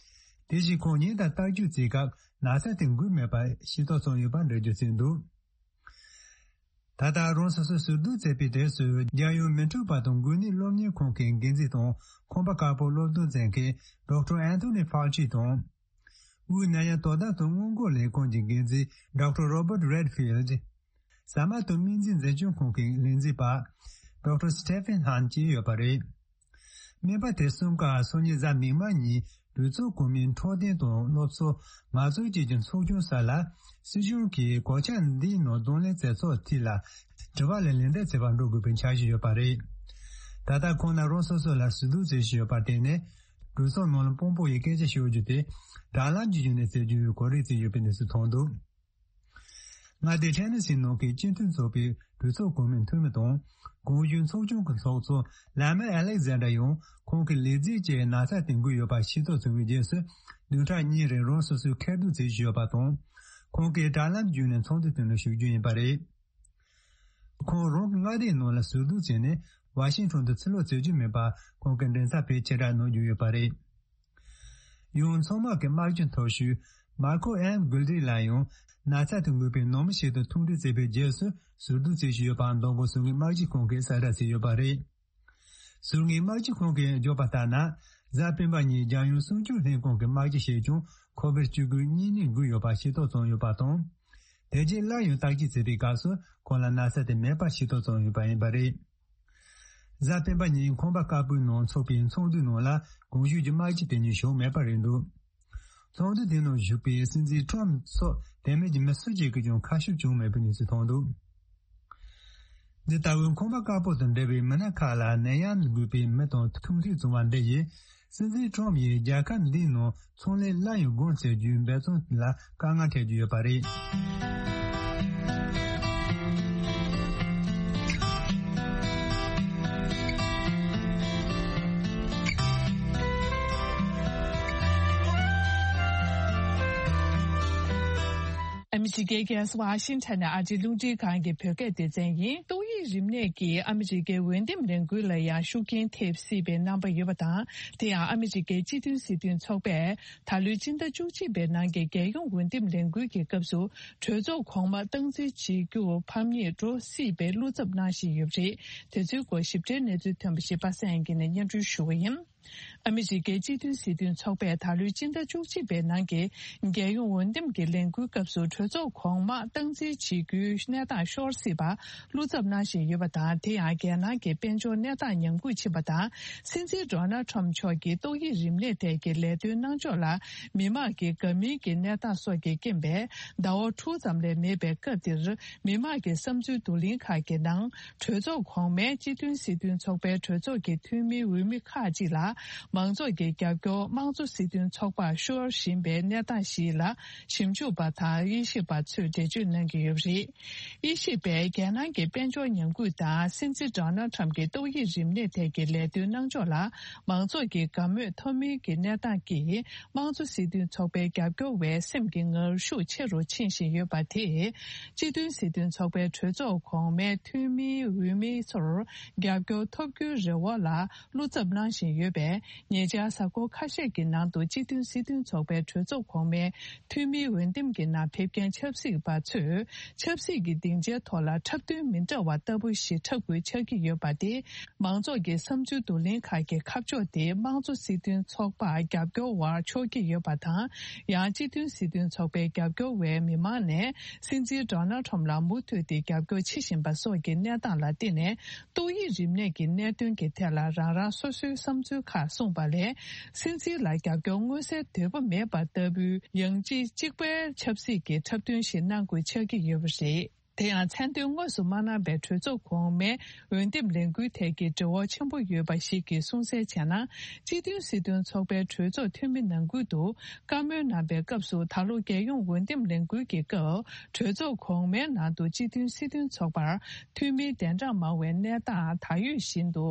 དེ་བཞིན་ཁོང་ཉིན་ལྟར་བརྟག་དཔྱད་བྱེད་སྐབས་ན་ཚ་དེ་འགོས་མེད་པ་ཤེས་རྟོགས་སོང་ཡོད་པ་འགྲེལ་བརྗོད་བྱས་འདུག། ད་ལྟ་རང་སོ་སོ་ཟུར་འདུག་བྱས་པའི་དུས་སུ་རྒྱལ་ཡོངས་མི་འཁྲུག་པ་དང་འགོས་ནད་སློབ་གཉེར་ཁང་གི་འགན་འཛིན་དང་ཁང་པ་དཀར་པོ་སློབ་སྟོན་མཛད་མཁན་Doctor Anthony Fauci་དང་། དབུས་ནད་ཡམས་དོ་དམ་དང་སྔོན་འགོག་ལས་ཁུངས་ཀྱི་འགན་འཛིན་Doctor Robert Redfield། ཟ་མ་ཏོག་སྨན་རྫས་འཛིན་སྐྱོང་ཁང་གི་ལས་འཛིན་པ་Doctor Stephen Hahn་བཅས་ཡོད་པ་རེད། སྨན་པ་དེ་གསུམ་ཀ་སང་ཉིན་གཟའ་མིག་དམར་ཉིན་གྲོས་ཚོགས་གོང་མའི་འཕྲོད་བསྟེན་དང་སློབ་གསོ་ངལ་རྩོལ་བཅས་ཀྱི་ཚོགས་ཆུང་སོགས་ལ་སྲིད་གཞུང་གིས་གོད་ཆག་འདིའི་ནང་གདོང་ལེན་བྱེད་ཕྱོགས་ཐད་ལ་དྲི་བ་ལ་ལན་འདེབས་བྱེད་པར་འགྲོ་དགོས་པའི་འཆར་གཞི་ཡོད་པ་རེད། ད་ལྟ་ཁོང་རྣམས་རང་སོ་སོ་ལ་ཟུར་འདུག་བྱེད་བཞིན་ཡོད་པར་བརྟེན་ནས། གྲོས་ཚོགས་ནང་ལ་དཔང་པོ་ཡིས་སྐད་ཆ་ཤོད་རྒྱུ་དེ་དྲ་ལམ་གྱི་བརྒྱུད་ནས་བྱེད་རྒྱུའི་གོ་སྒྲིག་བྱས་ཡོད་པའི་གནས་ཚུལ་ཐོན་འདུག། མངའ་སྡེ་ཐེ་ནེ་སི་ནང་གི་སྤྱི་འཐུས་ཚོགས་པའི་གྲོས་ཚོགས་གོང་མའི་འཐུས་མི་དང་གོང་ཞུས་ཚོགས་ཆུང་གི་ཚོགས་གཙོ་ལ་མེ་ཨ་ལེག་ཟན་ཌར་ཡང་ཁོང་གི་ལས་བྱེད་ཀྱིས་ན་ཚ་དེ་འགོས་ཡོད་པ་ཤེས་རྟོགས་བྱུང་བའི་རྗེས་སུ་བདུན་ཕྲག་གཉིས་རིང་རང་སོ་སོའི་ཁེར་འདུག་བྱེད་བཞིན་ཡོད་པ་དང་། ཁོང་གིས་དྲ་ལམ་བརྒྱུད་ནས་ཚོགས་འདུ་དེ་ནང་ཞུགས་རྒྱུ་ཡིན་པ་རེད། ཁོང་རང་གི་མངའ་སྡེའི་ནང་ལ་ཟུར་འདུག་བྱས་ནས་ཝ་ཤིང་ཊོན་དུ་ཕྱིར་ལོག་བྱེད་རྒྱུ་མེད་པ་ཁོང་གི་མགྲིན་ཚབ་པས་ཕྱིར་བསྒྲགས་གནང་རྒྱུ་ཡོད་པ་རེད། ཡང་ཚང་མ་གི་དམག་སྤྱི་མཐོ་ཤོས་Marco M Goldrick་ལ་ཡང་ན་ཚ་དེ་འགོས་པའི་ནང་མི་ཞིག་ཏུ་ཐུག་འཕྲད་བྱས་པའི་རྗེས་སུ་ཟུར་འདུག་བྱེད་བཞིན་ཡོད་པ་མདང་དགོང་ཟུར་ངོས་དམག་སྤྱི་ཁང་གིས་གསལ་བསྒྲགས་བྱས་ཡོད་པ་རེད། ཟུར་ངོས་དམག་སྤྱི་ཁང་གིས་བརྗོད་པ་ལྟར་ན། གཟའ་སྤེན་པ་ཉིན་རྒྱལ་ཡོངས་སྲུང་སྐྱོབ་ལྷན་ཁང་གི་དམག་སྤྱི་ཞིག་ཀྱང་ཁོ་ཝིཌ་བཅུ་དགུ་གཉན་ནད་འགོས་ཡོད་པ་ཤེས་རྟོགས་བྱུང་ཡོད་པ་དང་། དེ་རྗེས་སླར་ཡང་བརྟག་དཔྱད་བྱས་པའི་སྐབས་སུ་ཁོང་ལ་ན་ཚ་དེ་མེད་པ་ཤེས་རྟོགས་བྱུང་ཡོད་པ་ཡིན་པ་རེད། གཟའ་སྤེན་པ་ཉིན་ཁང་པ་དཀར་པོའི་ནང་འཚོགས་པའི་ཚོགས་འདུའི་ནང་ལ་གོང་ཞུས་ཀྱི་དམག་སྤྱི་དེ་གཉིས་ཞུགས་མེད་པ་རེད་འདུག། ཚོགས་འདུ་དེ་ནང་ཞུགས་པའི་སྲིད་འཛིན་ཊམ་སོགས་དེ་མིན་གྱི་མི་སུ་གཅིག་གིས་ཀྱང་ཁ་ཤུབས་བྱུང་མེད་པའི་གནས་ཚུལ་ཐོན་འདུག། འདི་ལྟ་བུའི་ཁང་པ་དཀར་པོ་དང་འབྲེལ་བའི་མི་སྣ་ཁག་ལ་ནད་ཡམས་ལས་འགོས་པའི་མི་དང་ཐུག་འཕྲད་བྱུང་བ་འདི་ཡིས། སྲིད་འཛིན་ཊམ་ཡིས་རྒྱལ་ཁབ་འདིའི་ནང་ཚོང་ལས་སླར་ཡང་སྒོ་འབྱེད་རྒྱུའི་འབད་བརྩོན་ལ་དཀའ་ངལ་འཕྲད་ཀྱི་ཡོད་པ་རེད། ཨ་མི་རི་ཀའི་རྒྱལ་ས་ཝ་ཤིང་ཊོན་ནས་ཨ་རིའི་རླུང་འཕྲིན་ཁང་གི་བོད་སྐད་སྡེ་ཚན་ཡིན། ཏོག་དབྱིབས་རིམས་ནད་ཀྱིས་ཨ་མི་རི་ཀའི་འོས་འདེམས་ལས་འགུལ་ལ་ཡང་ཤུགས་རྐྱེན་ཐེབས་སྲིད་པའི་རྣམ་པ་ཡོད་པ་དང་། དེ་ཡང་ཨ་མི་རི་ཀའི་སྤྱི་མཐུན་སྲིད་དོན་ཚོགས་པས་ད་ལོའི་སྤྱི་ཟླ་བཅུ་གཅིག་པའི་ནང་གི་རྒྱལ་ཡོངས་འོས་འདེམས་ལས་འགུལ་གྱི་སྐབས་སུ་གྲོས་ཚོགས་གོང་མ་སྟངས་འཛིན་བྱེད་རྒྱུར་ཕམ་ཉེས་འགྲོ་སྲིད་པའི་བློ་འཚབ་གནང་བཞིན་ཡོད་པ་རེད། དེ་ཚོའི་སྐོར་ཞིབ་ཕྲའི་གནས་ཚུལ་ཐོན་པ་ཞིག་པ་སངས་དབྱངས་སྐྱིད་ནས་སྙན་སྒྲོན་ཞུ་བ་ཡིན། ཨ་མི་རི་ཀའི་སྤྱི་མཐུན་སྲིད་དོན་ཚོགས་པས་ད་ལོའི་སྤྱི་ཟླ་བཅུ་གཅིག་པའི་ནང་གི་རྒྱལ་ཡོངས་འོས་འདེམས་ཀྱི་ལས་འགུལ་སྐབས་སུ་གྲོས་ཚོགས་གོང་མ་སྟངས་འཛིན་བྱེད་རྒྱུའི་གནས་སྟངས་ཤོར་སྲིད་པ་བློ་འཚབ་གནང་བཞིན་ཡོད་པ་དང་། དེ་ཡང་རྒྱལ་ནང་གི་དཔལ་འབྱོར་གནས་སྟངས་ཉམས་རྒུད་ཕྱིན་པ་དང་། སྲིད་འཛིན་ཌོ་ནལ་ཊམ་མཆོག་གིས་ཏོག་དབྱིབས་རིམས་ནད་ཐད་ཀྱི་ལས་དོན་གནང་ཕྱོགས་ལ་མི་མང་གི་དགའ་མིན་གྱི་གནས་སྟངས་སོགས་ཀྱི་རྐྱེན་པས་ཟླ་བ་དྲུག་ཙམ་ལས་མེད་པའི་སྐབས་འདིར། མི་མང་གི་བསམ་ཚུལ་བསྡུ་ལེན་ཁག་གི་ནང་། གྲོས་ཚོགས་གོང་མའི་སྤྱི་མཐུན་སྲིད་དོན་ཚོགས་པའི་གྲོས་ཚོགས་ཀྱི་འཐུས་མིའི་འོས་མི་ཁག་ཅིག་ལ་མང་ཚོགས་ཀྱི་རྒྱབ་སྐྱོར་དམངས་གཙོ་སྲིད་དོན་ཚོགས་པར་ཤོར་བཞིན་པའི་གནས་སྟངས་ཤིག་ལ་ཞིབ་འཇུག་པ་དང་དབྱེ་ཞིབ་པ་ཚོས་འགྲེལ་བརྗོད་གནང་གི་ཡོད་པ་རེད། དབྱེ་ཞིབ་པས་རྒྱལ་ནང་གི་དཔལ་འབྱོར་ཉམས་རྒུད་དང་སྲིད་འཛིན་ཌོ་ནལ་ཊམ་གྱི་ཏོག་དབྱིབས་རིམས་ནད་ཐད་ཀྱི་ལས་དོན་གནང་ཕྱོགས་ལ་མང་ཚོགས་ཀྱི་དགའ་མོས་ཐོབ་མིན་གྱི་གནས་སྟངས་ཀྱིས། དམངས་གཙོ་སྲིད་དོན་ཚོགས་པའི་རྒྱབ་སྐྱོར་བས་སེམས་ཀྱི་ངར་ཤུགས་ཆེ་རུ་ཕྱིན་བཞིན་ཡོད་པ་དེས། སྤྱི་མཐུན་སྲིད་དོན་ཚོགས་པའི་གྲོས་ཚོགས་གོང་མའི་འཐུས་མིའི་འོས་མི་ཚོར་རྒྱབ་སྐྱོར་ཐོབ་རྒྱུའི་རེ་བ་ལ་བློ་འཚབ་གནང་བཞིན་ཡོད་པས། ཉེ་ཆར་གཟའ་འཁོར་ཁ་ཤས་ཀྱི་ནང་དུ་སྤྱི་མཐུན་སྲིད་དོན་ཚོགས་པའི་གྲོས་ཚོགས་གོང་མའི་འཐུས་མིའི་འོས་འདེམས་ཀྱི་ནང་ཕེབས་མཁན་ཆབ་སྲིད་པ་ཚོས་ཆབ་སྲིད་ཀྱི་སྡིངས་ཆའི་ཐོག་ལ་འཁྲབ་སྟོན་མི་འདྲ་བ་ལྟ་བུ་ཞིག་འཁྲབ་དགོས་ཆགས་ཀྱི་ཡོད་པ་དེ། མང་ཚོགས་ཀྱི་བསམ་ཚུལ་བསྡུ་ལེན་ཁག་གི་ཁ་ཕྱོགས་དེ་དམངས་གཙོ་སྲིད་དོན་ཚོགས་པར་རྒྱབ་སྐྱོར་བར་ཕྱོགས་ཀྱི་ཡོད་པ་དང་། ཡང་སྤྱི་མཐུན་སྲིད་དོན་ཚོགས་པའི་རྒྱབ་སྐྱོར་བས་མི་མང་ནས་སྲིད་འཛིན་ཌོ་ནལ་ཊམ་ལ་མུ་མཐུད་དེ་རྒྱབ་སྐྱོར་བྱེད་བཞིན་པ་སོགས་ཀྱི་གནས་སྟངས་ལ་བརྟེན་ནས། ཏོག་དབྱིབས་རིམས་ནད་ཀྱི་གནད་དོན་གྱི་ཐད་ལ་རང་རང་སོ་སོའི་བསམ་ཚུལ་ཁག་གསུངས་པ་ལས། སྲིད་འཛིན་ལ་རྒྱབ་སྐྱོར་མངོན་གསལ་དོད་པོ་མེད་པ་ལྟ་བུའི་ཡང་ཅིག་གཅིག་པའི་ཆབ་སྲིད་ཀྱི་འཁྲབ་སྟོན་ཞིག་གནང་དགོས་ཆགས་ཀྱི་ཡོད་པ་རེད། དེ་ཡང་མཚན་འདོན་དངོས་སུ་མ་གནང་པའི་གྲོས་ཚོགས་གོང་མའི་འོས་འདེམས་ལས་འགུལ་ཐད་ཀྱི་འབྲེལ་བ་ཆེན་པོ་ཡོད་པ་ཞིག་གིས་གསུངས་གསལ་བྱས་ན། སྤྱི་མཐུན་སྲིད་དོན་ཚོགས་པའི་གྲོས་ཚོགས་འཐུས་མི་ནང་ཁུལ་དུ་བཀའ་མོལ་གནང་པའི་སྐབས་སུ། ད་ལོ་རྒྱལ་ཡོངས་འོས་འདེམས་ལས་འགུལ་གྱི་སྐབས་གྲོས་ཚོགས་གོང་མའི་ནང་དུ་སྤྱི་མཐུན་སྲིད་དོན་ཚོགས་པར་འཐུས་མི་དན་གྲངས་མང་བའི་གནས་སྟངས་ད་ཡོད་བཞིན་དུ་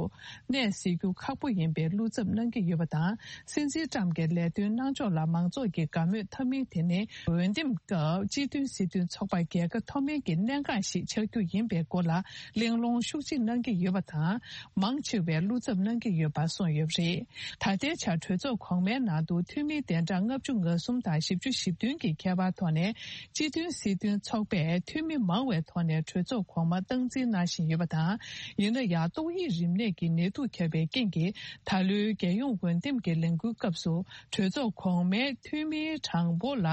གནས་སྲིད་རྒྱུ་ཁག་པོ་ཡིན་པའི་བློ་འཚབ་གནང་གི་ཡོད་པ་དང་། སྲིད་འཛིན་ཊམ་གྱི་ལས་དོན་གནང་ཕྱོགས་ལ་མང་ཚོགས་ཀྱི་དགའ་མོས་ཐོབ་མིན་དེ་ནི་འོས་འདེམས་སྐབས་སྤྱི་མཐུན་སྲིད་དོན་ཚོགས་པ་རྒྱལ་ཁ་ཐོབ་མིན་གྱི་གནད་འགག་ཞིག་ཆགས་རྒྱུ་ཡིན་པའི་སྐོར་ལ་གླེང་སློང་ཤུགས་ཆེ་གནང་གི་ཡོད་པ་དང་། མང་ཆེ་བས་བློ་འཚབ་གནང་གི་ཡོད་པ་གསུངས་ཡོད་པ་རེད། ད་ལྟའི་ཆར་གྲོས་ཚོགས་གོང་མའི་ནང་དུ་འཐུས་མི་གདན་གྲངས་ལྔ་བཅུ་ང་གསུམ་དང་བཞི་བཅུ་ཞེ་བདུན་གྱི་ཁྱད་པར་ཐོག་ནས། སྤྱི་མཐུན་སྲིད་དོན་ཚོགས་པས་འཐུས་མི་མང་བའི་ཐོག་ནས་གྲོས་ཚོགས་གོང་མ་སྟངས་འཛིན་གནང་བཞིན་ཡོད་པ་དང་། ཡིན་ན་ཡང་ཏོག་དབྱིབས་རིམས་ནད་ཀྱི་ནད་དུག་ཁྱབ་པའི་རྐྱེན་གྱིས། ད་ལོའི་རྒྱལ་ཡོངས་འོས་འདེམས་ཀྱི་ལས་འགུལ་སྐབས་སུ་གྲོས་ཚོགས་གོང་མའི་འཐུས་མིའི་གྲངས་འབོར་ལ་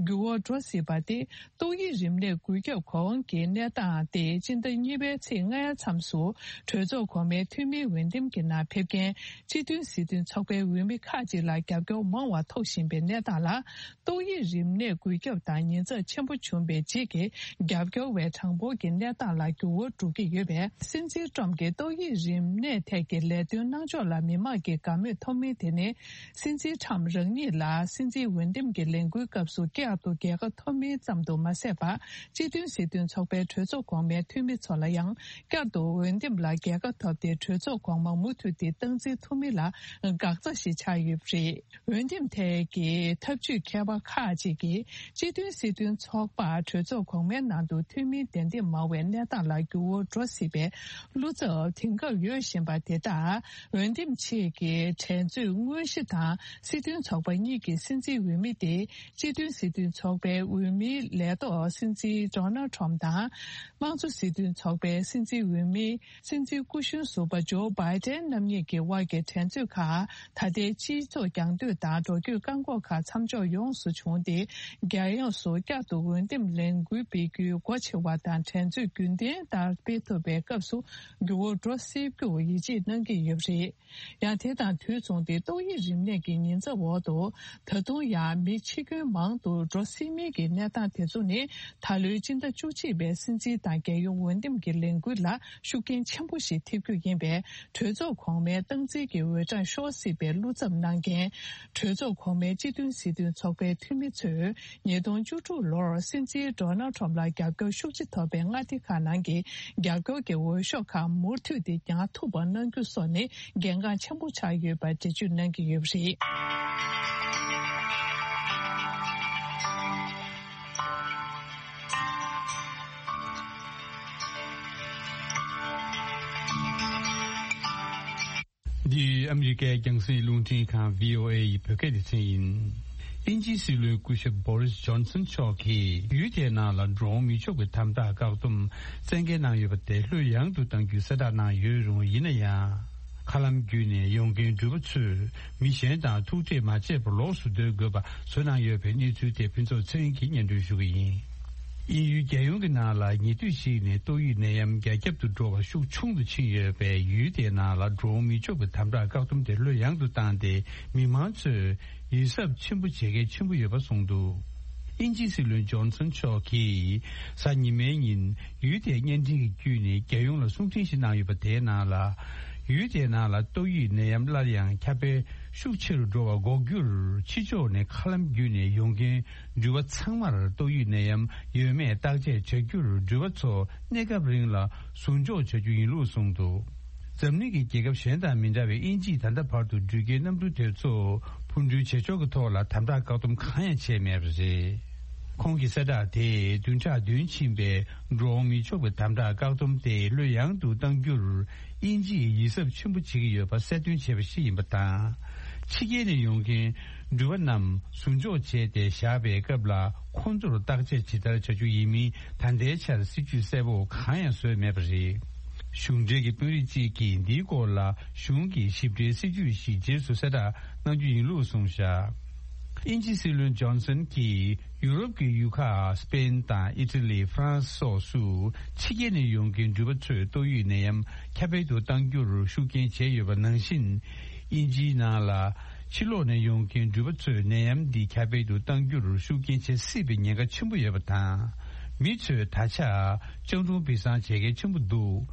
འགྱུར་བ་འགྲོ་སྲིད་པ་སྟེ། ཏོག་དབྱིབས་རིམས་ནད་འགོས་ཁྱབ་གོ་འོང་གི་གནས་སྟངས་དེ་སྤྱི་ཟླ་གཉིས་པའི་ཚེས་ལྔའི་མཚམས་སུ་གྲོས་ཚོགས་གོང་མའི་འཐུས་མིའི་འོས་འདེམས་ཀྱི་ནང་ཕེབས་མཁན་སྤྱི་མཐུན་སྲིད་དོན་ཚོགས་པའི་འོས་མི་ཁག་ཅིག་ལ་རྒྱབ་སྐྱོར་མང་བ་ཐོབ་བཞིན་པའི་གནས་སྟངས་ལ། ཏོག་དབྱིབས་རིམས་ནད་འགོས་ཁྱབ་དང་ཉེན་ཚབས་ཆེན་པོ་བྱུང་བའི་རྗེས་ཀྱི་རྒྱབ་སྐྱོར་བའི་གྲངས་འབོར་གྱི་གནས་སྟངས་ལ་འགྱུར་བ་འགྲོ་གི་ཡོད་པས། སྲིད་འཛིན་ཊམ་གྱིས་ཏོག་དབྱིབས་རིམས་ནད་ཐད་ཀྱི་ལས་དོན་གནང་ཕྱོགས་ལ་མི་མང་གི་དགའ་མོས་ཐོབ་མིན་དེ་ནི། སྲིད་འཛིན་ཊམ་རང་ཉིད་ལ་སྲིད་འཛིན་འོས་འདེམས་ཀྱི་ལས་འགུལ་སྐབས་སུ་བསྐྱར་དུ་རྒྱལ་ཁ་ཐོབ་མིན་ཙམ་དུ་མ་ཟད་པར། སྤྱི་མཐུན་སྲིད་དོན་ཚོགས་པའི་གྲོས་ཚོགས་གོང་མའི་འཐུས་མི་ཚོ་ལ་ཡང་བསྐྱར་དུ་འོས་འདེམས་ལ་རྒྱལ་ཁ་ཐོབ་སྟེ། གྲོས་ཚོགས་གོང་མ་མུ་མཐུད་དེ་སྟངས་འཛིན་ཐུབ་མིན་ལ་འགག་རྩ་ཞིག་ཆགས་ཡོད་པ་རེད། འོས་འདེམས་ཐད་ཀྱི་ཐབས་ཇུས་མཁས་པ་ཁག་ཅིག་གིས། སྤྱི་མཐུན་སྲིད་དོན་ཚོགས་པར་གྲོས་ཚོགས་གོང་མའི་ནང་དུ་འཐུས་མི་གདན་འདེམས་མང་བའི་གནས་སྟངས་ལ་འགྱུར་བ་འགྲོ་སྲིད་པའི་བློ་འཚབ་དེང་སྐབས་ཡོད་བཞིན་པ་དེ་དག་འོས་འདེམས་ཆེད་ཀྱི་འགྲན་རྩོད་དངོས་གཞི་དང་། སྲིད་དོན་ཚོགས་པ་གཉིས་ཀྱི་སྲིད་འཛིན་འོས་མི་དེ། སྤྱི་མཐུན་སྲིད་དོན་ཚོགས་པའི་འོས་མིའི་ལས་ཐོག་སྲིད་འཛིན་ཌོ་ནལ་ཊམ་དང་། དམངས་གཙོ་སྲིད་དོན་ཚོགས་པའི་སྲིད་འཛིན་འོས་མི། སྲིད་འཛིན་སྐུ་གཞོན་ཟུར་པ་ཇོ་བྷའི་ཏན་རྣམ་གཉིས་ཀྱི་དབར་གྱི་འགྲན་རྩོད་ཁག་ད་ལྟའི་སྤྱི་ཚོགས་རྒྱང་སྡོད་དང་འགྲོ་སྐྱོད་བཀག་འགོག་ཁག་མཚམས་འཇོག་ཡོངས་སུ་བྱུང་སྟེ། རྒྱལ་ཡོངས་སུ་བསྐྱར་དུ་འོས་འདེམས་ལས་འགུལ་སྤེལ་རྒྱུའི་སྒོ་ཕྱེ་བ་དང་། འགྲན་རྩོད་རྒྱུན་ལྡན་ལྟར་སྤེལ་ཐུབ་པའི་སྐབས་སུ་འགྱུར་བ་འགྲོ་སྲིད་རྒྱུར་ཡིད་ཆེས་གནང་གི་ཡོད་པ་རེད། ཡང་དེ་དང་དུས་མཚུངས་ཏེ། ཏོག་དབྱིབས་རིམས་ནད་ཀྱི་ཉེན་ཚབས་འོག་ཏུ་ད་དུང་ཡང་མི་འཆི་སྐྱོན་མང་དུ་འགྲོ་སྲིད་མིན་གྱི་གནས་སྟངས་དེ་ཚོ་ནི། ད་ལོའི་སྤྱི་ཟླ་བཅུ་གཅིག་ པའི་སྲིད་འཛིན་དང་རྒྱལ་ཡོངས་འོས་འདེམས་ཀྱི་ལས་འགུལ་ལ་ཤུགས་རྐྱེན་ཆེན་པོ་ཞིག་ཐེབས་རྒྱུ་ཡིན་པས། གྲོས་ཚོགས་གོང་མའི་སྟངས་འཛིན་གྱི་འོས་གྲངས་ཤོར་སྲིད་པའི་བློ་འཚབ་གནང་མཁན། གྲོས་ཚོགས་གོང་མའི་སྤྱི་མཐུན་སྲིད་དོན་ཚོགས་པའི་འཐུས་མི་ཚོས། ཉིས་སྟོང་བཅུ་དྲུག་ལོར་སྲིད་འཛིན་ཌོ་ནལ་ཁྲོམ་ལ་རྒྱབ་སྐྱོར་ཤུགས་ཆེ་ཐོབ་པའི་མངའ་སྡེ་ཁག་ནང་གི་རྒྱབ་སྐྱོར་གྱི་འོས་ཤོག་ཁག་མུ་མཐུད་དེ་རྒྱག་ཐུབ་པ་གནང་རྒྱུ་སོགས་ནི་གལ་འགངས་ཆེན་པོ་ཆགས་ཡོད་པ་འགྲེལ་བརྗོད་གནང་གི་ཡོད་པ་རེད། འདི་ཨ་མི་རི་ཀའི་རྒྱང་སྲིང་རླུང་འཕྲིན་ཁང་བྷི་ཨོ་ཨེ་ཡི་བོད་སྐད་སྡེ་ཚན་ཡིན། དབྱིན་ཇིའི་སྲིད་བློན་སྐུ་ཞབས་བྷོ་རིས་ཇོན་སན་མཆོག་གིས་ཡུལ་དེའི་ནང་ལ་འགྲོ་འོང་མི་ཆོག་པའི་དམ་དྲག་བཀག་སྡོམ་གསལ་འགེལ་གནང་ཡོད་པ་དེ་ལྷོད་ཡངས་དུ་གཏང་རྒྱུའི་གསལ་བསྒྲགས་གནང་ཡོད་རུང་། ཡིན་ན་ཡང་། མཁའ་ལམ་བརྒྱུད་ནས་ཡོང་མཁན་འགྲུལ་པ་ཚོས་མི་གཞན་དང་ཐུག་འཕྲད་མ་བྱས་པར་ལོགས་སུ་སྡོད་དགོས་པ་བཟོས་གནང་ཡོད་པའི་གནས་ཚུལ་དེ་ཕུན་ཚོགས་ཚེ་རིང་གིས་སྙན་སྒྲོན་ཞུ་གི་ཡིན། དབྱིན་ཡུལ་རྒྱལ་ཡོངས་ཀྱི་ནང་ལ་ཉེ་དུས་ཤིག་ནས་ཏོག་དབྱིབས་ནད་ཡམས་རྒྱ་ཁྱབ་ཏུ་འགྲོ་བ་ཤུགས་ཆུང་དུ་ཕྱིན་ཡོད་པས། ཡུལ་དེའི་ནང་ལ་འགྲོ་འོང་མི་ཆོག་པའི་དམ་དྲག་བཀག་སྡོམ་དེ་ལྷོད་ཡངས་དུ་བཏང་སྟེ། མི་མང་ཚོས་ཡིད་གཟབ་ཆེན་པོ་བྱེད་གལ་ཆེན་པོ་ཡོད་པ་གསུངས་འདུག་དབྱིན་ཇིའི་སྲིད་བློན་ཇོན་སན་མཆོག་གིས་གཟའ་ཉི་མའི་ཉིན་ཡུལ་དེའི་བརྙན་འཕྲིན་གྱི་བརྒྱུད་ནས་རྒྱལ་ཡོངས་ལ་གསུང་འཕྲིན་ཞིག་གནང་ཡོད་པ། དེའི་ནང་ལ། ཡུལ་དེའི་ནང་ལ་ཏོག་དབྱིབས་ནད་ཡམས་སླར་ཡང་ཁྱབ་སྤེལ་ཤུགས་ཆེ་རུ་འགྲོ་བ་འགོག་རྒྱུར། ཕྱི་ཕྱོགས་ནས་མཁའ་ལམ་བརྒྱུད་ནས་ཡོང་མཁན་འགྲུལ་པ་ཚང་མར་ཏོག་དབྱིབས་ནད་ཡམས་ཡོད་མེད་བརྟག་དཔྱད་བྱ་རྒྱུར། འགྲུལ་པ་ཚོ་གནས་སྐབས་རིང་ལ་ཟུར་འཇོག་བྱ་རྒྱུ་ཡིན་ལུགས་གསུངས་འདུག་འཛམ་གླིང་གི་རྒྱལ་ཁབ་གཞན་དང་མི་འདྲ་བའི་དབྱིན་ཇིས་ད་ལྟ་བར་དུ་འགྲུལ་སྐྱེལ་གནམ་གྲུ་དེ་ཚོ་འཕུར་འགྲུལ་བྱེད་ཕྱོགས་ཀྱི་ཐོག་ལ་དམ་དྲག་བཀག་སྡོམ་གང་ཡང་བྱས་མེད་པ་རེད། ཁོང་གི་གསལ་བསྒྲགས་དེས་བདུན་ཕྲག་བདུན་ཕྱིན་པའི་འགྲོ་འོང་མི་ཆོག་པའི་དམ་དྲག་བཀག་སྡོམ་དེ་ལྷོད་ཡངས་དུ་གཏང་རྒྱུར། དབྱིན་ཇིས་ཡིད་གཟབ་ཆེན་པོ་བྱེད་ཀྱི་ཡོད་པ་གསལ་སྟོན་བྱས་པ་ཞིག་ཡིན་པ་དང་། ཕྱི་རྒྱལ་ནས་ཡོང་མཁན་འགྲུལ་པ་རྣམས་ཟུར་འཇོག་བྱས་ཏེ་བཞག་པའི་སྐབས་ལ། ཁོང་ཚོར་བརྟག་དཔྱད་ཇི་ལྟར་བྱ་རྒྱུ་ཡིན་མིན་ད་ལྟའི་ཆར་སྲིད་ཇུས་གསལ་པོ་གང་ཡང་བཟོས་མེད་པ་རེད། གཞུང་འབྲེལ་གྱི་དཔོན་རིགས་གཅིག་གིས་འདིའི་སྐོར་ལ་གཞུང་གི་ཞིབ་ཕྲའི་སྲིད་ཇུས་ཤིག་རྗེས་སུ་གསལ་བསྒྲགས་གནང་རྒྱུ་ཡིན་ལུགས་གསུངས་བཞག་དབྱིན་ཇིའི་སྲིད་བློན་ཇོན་སན་གྱིས་ཡུ་རོབ་ཀྱི་ཡུལ་ཁག་སི་པེན་དང་ཨི་ཊ་ལི། ཧྥ་རན་སི་སོགས་སུ་ཕྱི་རྒྱལ་ནས་ཡོང་མཁན་འགྲུལ་པ་ཚོས་ཏོག་དབྱིབས་ནད་ཡམས་ཁྱབ་སྤེལ་དུ་གཏང་རྒྱུར་ཤུགས་རྐྱེན་བྱས་ཡོད་པ་ནང་བཞིན། དབྱིན་ཇིའི་ནང་ལ་ཕྱི་ལོགས་ནས་ཡོང་མཁན་འགྲུལ་པ་ཚོས་ནད་ཡམས་འདི་ཁྱབ་སྤེལ་དུ་གཏང་རྒྱུར་ཤུགས་རྐྱེན་བྱེད་སྲིད་པའི་ཉེན་ཁ་ཆེན་པོ་ཡོད་པ་དང་། མི་ཚོས་ད་ཆ་སྤྱང་གྲུང་སྦིར་སང་བྱེད་མཁན་ཆེན་པོ་འདུག་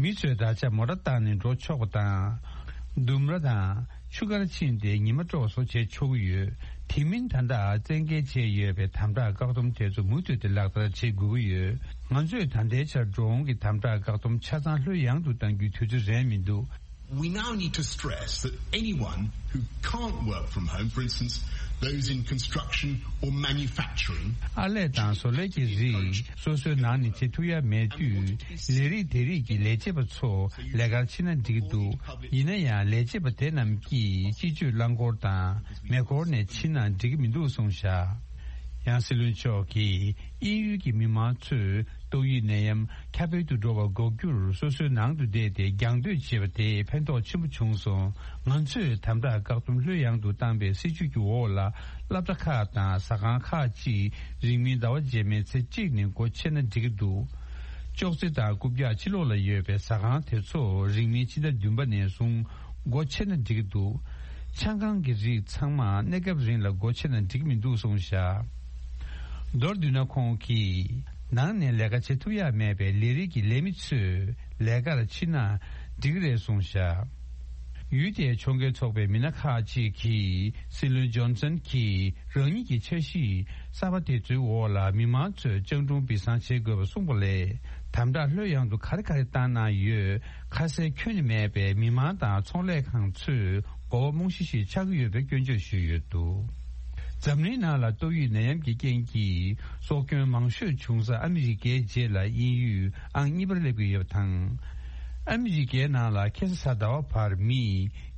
མི་ཚོས་ད་ཆ་མོ་ཊ་བཏང་ནས་འགྲོ་ཆོག་པ་དང་། ལྡུམ་ར་དང་ཆུ་ཁར་ཕྱིན་ཏེ་ཉི་མ་དཀྲོག་སོགས་བྱེད་ཆོག་གི་ཡོད། དེ་མིན་ད་ལྟ་བཙན་འགེལ་བྱས་ཡོད་པའི་དམ་དྲག་བཀག་སྡོམ་དེ་ཚོ་མུ་མཐུད་དེ་ལག་བསྟར་བྱེད་དགོས་ཀྱི་ཡོད། ང་ཚོས་ད་ལྟའི་ཆར་འགྲོ་འོང་གི་དམ་དྲག་བཀག་སྡོམ་ཆ་ཚང་ལྷོད་ཡངས་དུ་གཏང་རྒྱུའི་དུས་ཚོད་རན་མི་འདུག We now need to stress that anyone who can't work from home, for instance, those in construction or manufacturing, ཨར་ལས་དང་བཟོ་ལས་ཀྱི་རིགས། སོ་སོའི་ནང་ནས་བྱེད་ཐུབ་ཡ་མེད་དུས། ལས་རིགས་དེ་རིགས་ཀྱི་ལས་བྱེད་པ་ཚོ་ལས་ཀར་ཕྱིན་ན་འགྲིག་གི་འདུག་ཡིན་ན་ཡང་ལས་བྱེད་པ་དེ་རྣམས་ཀྱིས་སྤྱི་སྤྱོད་རླངས་འཁོར་དང་མེ་འཁོར་ནས་ཕྱིན་ན་འགྲིག་གི་མི་འདུག་གསུངས་བཞག་ཡང་སྲིད་བློན་མཆོག་གིས་དབྱིན་ཡུལ་གྱི་མི་མང་ཚོས་ཏོག་དབྱིབས་ནད་ཡམས་ཁྱབ་སྤེལ་དུ་འགྲོ་བ་འགོག་རྒྱུར་སོ་སོའི་ནང་དུ་བསྡད་དེ་རྒྱང་སྡོད་བྱེད་པ་དེས་ཕན་ཐོགས་ཆེན་པོ་བྱུང་སོང་། ང་ཚོས་དམ་དྲག་བཀག་སྡོམ་ལྷོད་ཡངས་དུ་བཏང་པའི་སྲིད་ཇུས་ཀྱི་འོག་ལ། སློབ་གྲྭ་ཁག་དང་ཟ་ཁང་ཁག་ཅིག་རིང་མིན་ཟླ་བ་རྗེས་མའི་ཚེས་གཅིག་ནས་སྒོ་ཕྱེ་ན་འགྲིག་གི་འདུག་ཅོག་ཙེ་དང་རྐུབ་བཀྱག་ཕྱི་ལོགས་ལ་ཡོད་པའི་ཟ་ཁང་དེ་ཚོ་རིང་མིན་ཕྱི་ཟླ་བདུན་པ་ནས་བཟུང་སྒོ་ཕྱེ་ན་འགྲིག་གི་འདུག་ཆང་ཁང་གི་རིགས་ཚང་མ་གནས་སྐབས་རིང་ལ་སྒོ་ཕྱེ་ན་འགྲིག་མི་འདུག་གསུངས་བཞག་མདོར་བསྡུས་ན། ཁོང་གིས་ནང་ནས་ལས་ཀ་བྱེད་ཐུབ་ཡ་མེད་པའི་ལས་རིགས་ཀྱི་ལས་མི་ཚོས་ལས་ཀར་ཕྱིན་ན་འགྲིག་གི་རེད་གསུངས་བཞག་ཡུལ་དེའི་ཕྱོགས་འགལ་ཚོགས་པའི་མི་སྣ་ཁག་ཅིག་གིས་སྲིད་བློན་ཇོན་སན་གྱིས་རང་ཉིད་ཀྱི་འཆར་གཞི་གསར་པ་དེ་ཚོའི་འོག་ལ་མི་མང་ཚོས་སྤྱང་གྲུང་སྦིར་སང་བྱེད་དགོས་པ་གསུངས་པ་ལས། དམ་དྲག་ལྷོད་ཡངས་དུ་ག་རེ་ག་རེ་བཏང་གནང་ཡོད། ཁ་གསལ་ཁྱོན་ནས་མེད་པས་མི་མང་དང་ཚོང་ལས་ཁང་ཚོས་མགོ་བ་རྨོངས་གཞི་ཞིག་ཆགས་ཀྱི་ཡོད་པའི་སྐྱོན་བརྗོད་ཞུས་ཡོད་འདུག་འཛམ་གླིང་ནང་ལ་ཏོག་དབྱིབས་ནད་ཡམས་ཀྱི་རྐྱེན་གྱིས་སྲོག་སྐྱོན་མང་ཤོས་བྱུང་ས་ཨ་མི་རི་ཀའི་རྗེས་ལ་དབྱིན་ཡུལ་ཨང་གཉིས་པར་སླེབས་ཀྱི་ཡོད་པ་དང་། ཨ་མི་རི་ཀའི་ནང་ལ་ཁ་སང་གཟའ་ཟླ་བ་བར་མི་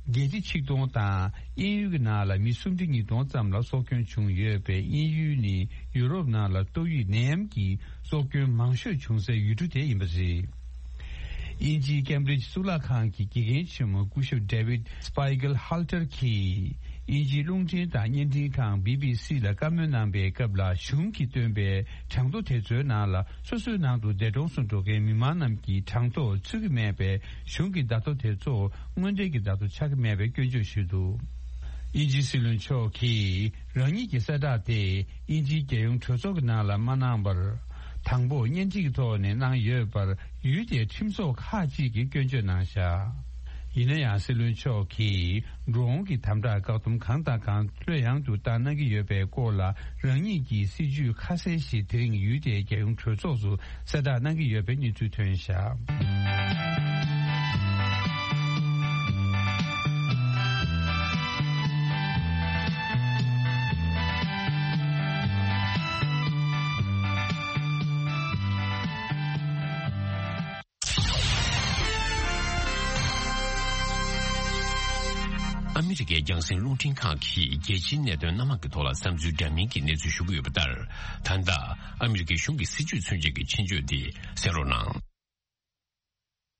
བརྒྱད་ཁྲི་ཆིག་སྟོང་དང་། དབྱིན་ཡུལ་གྱི་ནང་ལ་མི་སུམ་ཁྲི་ཉིས་སྟོང་ཙམ་ལ་སྲོག་སྐྱོན་བྱུང་ཡོད་པས། དབྱིན་ཡུལ་ནི་ཡུ་རོབ་ནང་ལ་ཏོག་དབྱིབས་ནད་ཡམས་ཀྱི་སྲོག་སྐྱོན་མང་ཤོས་བྱུང་སའི་ཡུལ་གྲུ་དེ་ཡིན་པ་རེད། དབྱིན་ཇིའི་ཀེམ་བྷྲིཇ་གཙུག་ལག་ཁང་གི་དགེ་རྒན་ཆེན་མོ་སྐུ་ཞབས་David Spiegel Halter གྱིས། དབྱིན་ཇིའི་རླུང་འཕྲིན་དང་བརྙན་འཕྲིན་ཁང་B B C ལ་བཀའ་མོལ་གནང་པའི་སྐབས་ལ། གཞུང་གིས་བཏོན་པའི་གྲངས་ཐོ་དེ་ཚོའི་ནང་ལ། སོ་སོའི་ནང་དུ་འདས་གྲོངས་སུ་འགྲོ་མཁན་མི་མང་རྣམས་ཀྱི་གྲངས་ཐོ་ཚུད་ཀྱི་མེད་པས། གཞུང་གི་བརྡ་ཐོ་དེ་ཚོ་དངོས་འབྲེལ་གྱི་བརྡ་ཐོ་ཆགས་ཀྱི་མེད་པའི་སྐྱོན་བརྗོད་ཞུས་འདུག་དབྱིན་ཇིའི་སྲིད་བློན་མཆོག་གིས་རང་ཉིད་ཀྱི་གསལ་བསྒྲགས་དེ་དབྱིན་ཇིའི་རྒྱལ་ཡོངས་གྲོས་ཚོགས་ཀྱི་ནང་ལ་མ་གནང་བར། དང་པོ་གཉེན་སྒྲིག་གི་ཐོག་ནས་གནང་ཡོད་པར་ཡུལ་དེའི་ཁྲིམས་ཚོགས་ཁག་ཅིག་གིས་སྐྱོན་བརྗོད་གནང་བཞག། ཡིན་ན་ཡང་སྲིད་བློན་མཆོག་གིས་འགྲོ་འོང་གི་དམ་དྲག་བཀག་སྡོམ་གང་དང་གང་ལྷོད་ཡངས་དུ་བཏང་གནང་གི་ཡོད་པའི་སྐོར་ལ། རང་ཉིད་ཀྱི་སྲིད་ཇུས་ཁ་གསལ་ཞིག་དེ་རིང་ཡུལ་དེའི་རྒྱལ་ཡོངས་གྲོས་ཚོགས་སུ་གསལ་བསྒྲགས་གནང་གི་ཡོད་པའི་གནས་ཚུལ་ཐོན་བཞག། ཨ་མི་རི་ཀའི་རྒྱང་སྲིང་རླུང་འཕྲིན་ཁང་གིས་རྒྱལ་སྤྱིའི་གནད་དོན་སྣ་མང་གི་ཐོག་ལ་བསམ་ཚུལ་འདྲ་མིན་གྱི་གནས་ཚུལ་ཞུ་གི་ཡོད་པ་ལྟར། ད་ལྟ་ཨ་མི་རི་ཀའི་གཞུང་གི་སྲིད་བྱུས་མཚོན་བྱེད་ཀྱི་ཆེད་བརྗོད་འདི་གསན་རོགས་གནང་།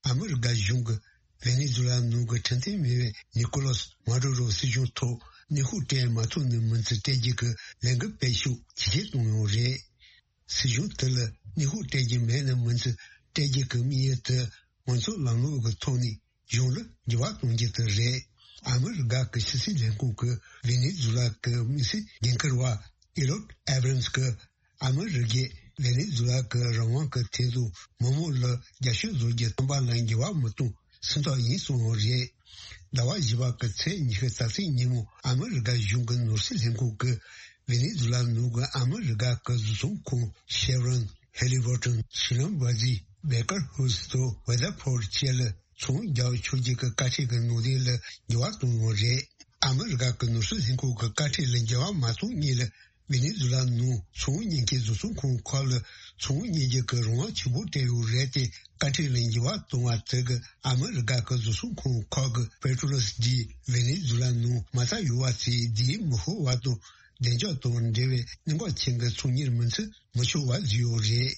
ཨ་མི་རི་ཀ་གཞུང་གིས་ཝེ་ནེ་ཛུ་ལ་ནང་གི་ཁྲིམས་མཐུན་མེད་པའི་ནི་ཀོ་ལོ་སི་མ་ཌུ་རོ་སྲིད་གཞུང་ཐོག་གནོན་ཤུགས་སྤྲད་མ་ཐུབ་ནས་མི་ཚེ་སྤྲད་རྒྱུ་གི་ལས་འགུལ་སྤེལ་ཤུགས་ཇེ་ཆེར་གཏོང་ཡོད་རེད། སྲིད་གཞུང་དེ་ལ་གནོན་ཤུགས་སྤྲད་རྒྱུ་མེད་ན་མི་ཚེ་སྤྲད་རྒྱུ་གི་དམིགས་ཡུལ་དེ་ང་ཚོ་ལམ་ལུགས་ཀྱི་ཐོག་ནས་གཞུང་ལ་འགྱུར་བ་གཏོང་རྒྱུ་དེ་རེད། ཨ་མི་རི་ཀ་གི་ཕྱི་སྲིད་ལས་ཁུངས་ཀྱི་ཝེ་ནེ་ཛུ་ལ་གི་དམིགས་བསལ་འགན་འཁུར་བ་ཨེ་རོད་ཨེ་བྷ་རན་སི་གིས་ཨ་མི་རི་ཀས་ཝེ་ནེ་ཛུ་ལ་གི་རང་དབང་གི་ཐད་དུ་མི་མང་ལ་རྒྱབ་སྐྱོར་བཟོ་རྒྱུ་བཏོན་པ་ལ་འགྱུར་བ་མི་གཏོང་སེམས་ཐག་ཡིན་གསུངས་ཡོད་རེད། ཟླ་བ་བཞི་པ་གི་ཚེས་ཉི་ཤུ་རྩ་གཅིག་ཉིན་མོ་ཨ་མི་རི་ཀ་གཞུང་གི་ནོར་སྲིད་ལྷན་ཁང་གིས་ཝེ་ནེ་ཛུ་ལ་ནང་གི་ཨ་མི་རི་ཀ་གི་བཟོ་ཚོང་ཁང་ཤེ་ཝྲོན། ཧེ་ལི་བར་ཏོན། ཤི་ལོན་བྷ་ཛི། བེ་ཀར་ཧུལ་སི་དང་ཝེ་ཛར་ཕོར་ཌི་བཅས་ལ་ཚོང་རྒྱག་ཆོག་རྒྱུ་གི་བཀའ་ཁྲིད་ཀྱི་ནང་དོན་ལ་འགྱུར་བ་གཏོང་ཡོད་རེད། ཨ་མི་རི་ཀ་གི་ནོར་སྲིད་ལྷན་ཁང་གི་བཀའ་ཁྲིད་ལ་འགྱུར་བ་མ་གཏོང་སྔོན་ལ། ཝེ་ནེ་ཛུ་ལ་ནང་ཚོང་གཉེར་མཁན་བཟོ་ཚོང་ཁང་ཁག་ལ་ཚོང་གཉེར་རྒྱུ་གི་རང་དབང་ཆེན་པོ་སྤྲད་ཡོད་རེད་དེ། བཀའ་ཁྲིད་ལ་འགྱུར་བ་གཏོང་བ་དེ་གིས་ཨ་མི་རི་ཀ་གི་བཟོ་ཚོང་ཁང་ཁག་གི་པེ་ཏྲོ་ལི་སི་འདི་ཝེ་ནེ་ཛུ་ལ་ནང་མ་རྩ་ཡོད་པ་ཚོའི་རྫས་མི་ཤོར་བ་དང་། བདེ་འཇགས་དང་འབྲེལ་བའི་གནད་འགག་ཅན་གྱི་ཚོང་གཉེར་མི་ཚུགས་མི་ཆོག་པ་བཟོས་ཡོད་རེད།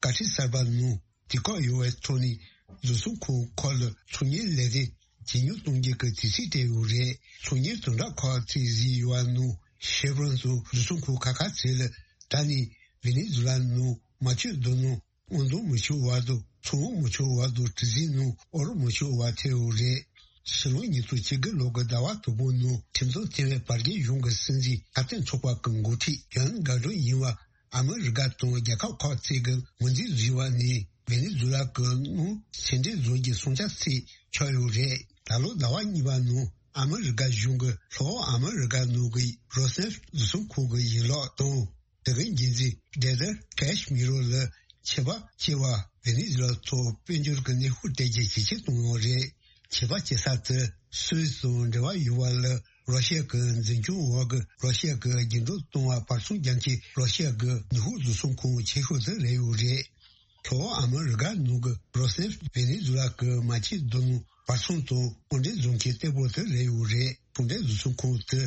བཀའ་ཁྲིད་གསར་པ་ནང་དུས་བཀག་ཡོད་པའི་ཐོག་ནས་བཟོ་ཚོང་ཁང་ཁག་ལ་ཚོང་གཉེར་ལས་དོན་ཇེ་ཉུང་གཏོང་རྒྱུ་གི་དུས་ཚོད་སྤྲད་ཡོད་རེད། ཚོང་གཉེར་དོན་དག་ཁག་ཅིག་བཟོས་ཡོད་པ་ནང་ཤེ་ཝྲོན་དང་བཟོ་ཚོང་ཁང་ཁག་ཁག་ཚོ་ལ་ད་ནི་ཝེ་ནེ་ཛུ་ལ་ནང་མ་ཆུ་རྡོ་སྣུམ་དབང་བཏང་མི་ཆོག་པ་དང་། ཚོང་དབང་མི་ཆོག་པ་དང་། གྲུ་གཟིངས་ནང་དབོར་མི་ཆོག་པ་ཐེ་ཡོད་རེད། ཕྱི་ལོ་ཉིས་སྟོང་བཅུ་དགུ་ལོ་གི་ཟླ་བ་དང་པོ་ནང་ཁྲིམས་ཚོགས་ཐེ་བའི་བར་བརྒལ་གཞུང་གི་སྲིད་འཛིན་ཁ་གཏད་ཚོགས་པ་གི་འགོ་ཁྲིད་ཡོན་ག་ཌོ་ཡིན་པ། ཨ་མི་རི་ཀ་དང་རྒྱལ་ཁབ་ཁག་ཅིག་གིས་ངོས་འཛིན་བཟོས་པ་ནི་ཝེ་ནེ་ཛུ་ལ་གི་སྣུམ་ཕྱིར་འདྲེན་བཟོ་རྒྱུའི་སྲུང་བྱ་ཚིག་ཆགས་ཡོད་རེད། ད་ལོ་ཟླ་བ་གཉིས་པ་ནང་ཨ་མི་རི་ཀ་གཞུང་གིས་ལྷོ་ཨ་མི་རི་ཀ་ནང་གི་རོ་སི་ནེབ་བཟོ་ཚོང་ཁང་གི་ཡིག་ལོག་དང་། དེ་གའི་འགན་འཛིན་ཌེ་ཛར་ཀེ་ཤི་མི་རོ་ལ་ཆད་པ་བཅད་པ། ཝེ་ནེ་ཛུ་ལ་ཐོག་དཔལ་འབྱོར་གྱི་གནོན་ཤུགས་སྤྲད་རྒྱུ་ཇེ་ཆེར་གཏོང་ཡོད་རེད། ཆད་པ་བཅད་ས་དེ་སུད་སི་དང་འབྲེལ་བ་ཡོད་པ་ལ། རོ་ཤི་ཡ་གི་འཛིན་སྐྱོང་འོག་གི་རོ་ཤི་ཡ་གི་རྒྱུན་འགྲོ་གཏོང་བ་བར་སྲུང་རྒྱག་མཁན་རོ་ཤི་ཡ་གི་ནུས་ཤུགས་བཟོ་ཚོང་ཁང་ཆེ་ཤོས་དེ་རེད་ཡོད་རེད། ལྷོ་ཨ་མི་རི་ཀ་ནང་གི་རོ་སི་ནེབ་ཝེ་ནེ་ཛུ་ལ་གི་མ་ཆུ་རྡོ་སྣུམ་བར་སྲུང་དང་དབོར་འདྲེན་བཟོ་མཁན་གཏེ་པོ་དེ་རེད་ཡོད་རེད། ཚོང་འབྲེལ་བཟོ་ཚོང་ཁང་དེ་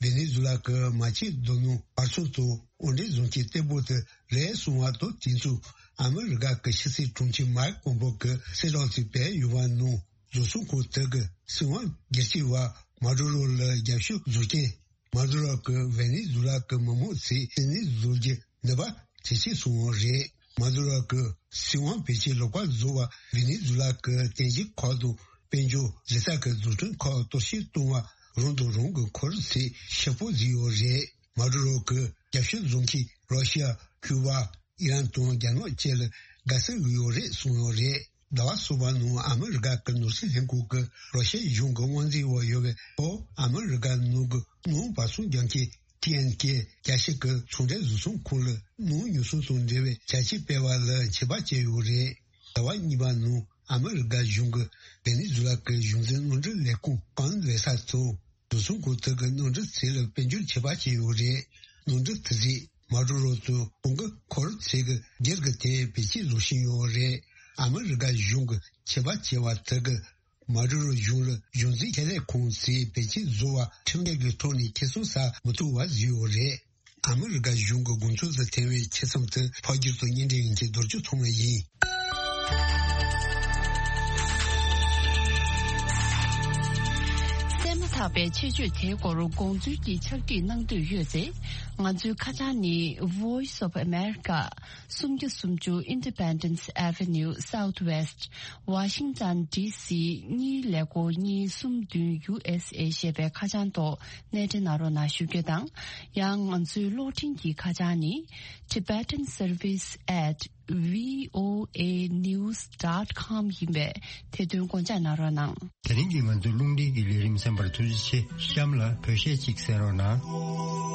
ཝེ་ནེ་ཛུ་ལ་གི་མ་ཆུ་རྡོ་སྣུམ་བར་སྲུང་དང་དབོར་འདྲེན་བཟོ་མཁན་གཏེ་པོ་དེ་རེད་གསུངས་པ་དང་། དེ་ཚོ་ཨ་མི་རི་ཀ་གི་ཕྱི་སྲིད་དྲུང་ཆེ་མའིག་པོམ་པེའོ་གི་གསལ་བསྒྲགས་ཚིག་སྤེལ་ཡོད་པ་ནང་། བཟོ་ཚོང་ཁང་དེ་གི་སྲིད་དབང་སྒེར་གཅོད་པ་མ་ཌུ་རོ་ལ་རྒྱབ་སྐྱོར་བཟོ་མཁན། མ་ཌུ་རོ་གི་ཝེ་ནེ་ཛུ་ལ་གི་མི་མང་ཚོས་བཙན་གནོན་བཟོ་རྒྱུ་ནུས་པ་ཇེ་ཆེར་སོང་བ་རེད། མ་ཌུ་རོ་གི་སྲིད་དབང་བེད་སྤྱོད་ལོག་པ་བཟོ་བ། ཝེ་ནེ་ཛུ་ལ་གི་རྟེན་གཞི་ཁག་དང་དཔལ་འབྱོར་གཞི་རྩ་གི་འཛུགས་སྐྲུན་ཁག་གཏོར་བཤིག་གཏོང་བ། རང་དང་རང་གི་འཁོར་ཚོས་ཤོག་བུ་བཟོས་ཡོད་རེད། མ་ཌུ་རོ་གི་རྒྱབ་སྐྱོར་བཟོ་མཁན་རོ་ཤི་ཡ། ཁུ་བ། ཨི་རན་དང་རྒྱ་ནག་བཅས་ལ་དགའ་བསུ་ཡོད་རེད་གསུངས་ཡོད་རེད། ཟླ་བ་གསུམ་པ་ནང་ཨ་མི་རི་ཀ་གི་ནོར་སྲིད་ལྷན་ཁང་གིས་རོ་ཤི་ཡ་གཞུང་གི་དབང་འཛིན་འོག་ཡོད་པའི་ལྷོ་ཨ་མི་རི་ཀ་ནང་གི་སྣུམ་བར་སྲུང་རྒྱག་མཁན་ཊི་ཨེན་ཀེ་རྒྱལ་སྤྱི་གི་ཚོང་འབྲེལ་བཟོ་ཚོང་ཁང་ལ་སྣུམ་ཉོ་ཚོང་དང་འབྲེལ་བའི་བྱ་སྤྱོད་སྤེལ་བ་ལ་ཆད་པ་བཅད་ཡོད་རེད། ཟླ་བ་གཉིས་པ་ནང་ཨ་མི་རི་ཀ་གཞུང་གིས་ཝེ་ནེ་ཛུ་ལ་གི་གཞུང་འཛིན་གནམ་གྲུ་ལས་ཁུངས་ཀོན་ཝེ་ས་དང་། བཟོ་ཚོང་ཁང་དེ་གི་གནམ་གྲུ་ཚོ་ལ་དཔལ་འབྱོར་ཆད་པ་བཅད་ཡོད་རེད། གནམ་གྲུ་དེ་ཚོས་མ་ཌུ་རོ་དང་ཁོང་གི་འཁོར་ཚོ་གི་སྒེར་གྱི་དེ་བེད་སྤྱོད་བཟོ་བཞིན་ཡོད་རེད། ཨ་མི་རི་ཀ་གཞུང་གིས་ཆད་པ་བཅད་པ་དེ་གིས་མ་ཌུ་རོ་གཞུང་ལ་གཞུང་འཛིན་ཁེ་ལས་ཁོང་ཚོས་བེད་སྤྱོད་བཟོ་བ་ཁྲིམས་འགལ་གྱི་ཐོག་ནས་ཁེ་བཟང་ཟ་མི་ཐུབ་པ་བཟོས་ཡོད་རེད། ཨ་མི་རི་ཀ་གཞུང་གི་དགོངས་ཚུལ་དུ་ཐེ་བའི་ཆེད་རྩོམ་དེ་ཕབ་སྒྱུར་དང་སྙན་སྒྲོན་ཡིན་གྱི་རྡོ་རྗེ་ཐོགས་མེད་ཡིན། གསན་མ་ཐག་པའི་ཆེད་བརྗོད་དེའི་སྐོར་དགོངས་ཚུལ་གྱི་ཕྱག་བྲིས་གནང་འདོད་ཡོད་ཚེ། ང་ཚོའི་ཁ་བྱང་ནི། Voice of America། སུམ་བརྒྱ་སུམ་ཅུ་Independence Avenue Southwest། Washington D C གཉིས་ཀླད་ཀོར་གཉིས་གསུམ་བདུན་U S A ཞེས་པའི་ཁ་བྱང་ཐོག་གནས་འབྲེལ་གནང་རོགས་གནང་ཞུ་རྒྱུ་དང་། ཡང་ང་ཚོའི་གློག་འཕྲིན་གྱི་ཁ་བྱང་ནི། Tibetan Service at V O A news dot com ཡིན་པས། དེ་དོན་དགོངས་འཇགས་གནང་རོགས་གནང་། དེ་རིང་གི་ང་ཚོའི་རླུང་འཕྲིན་གྱི་ལས་རིམ་གསན་པར་ཐུགས་རྗེ་ཆེ། གཤམ་ལ་བོད་གཞས་གཅིག་གསན་རོགས་གནང་།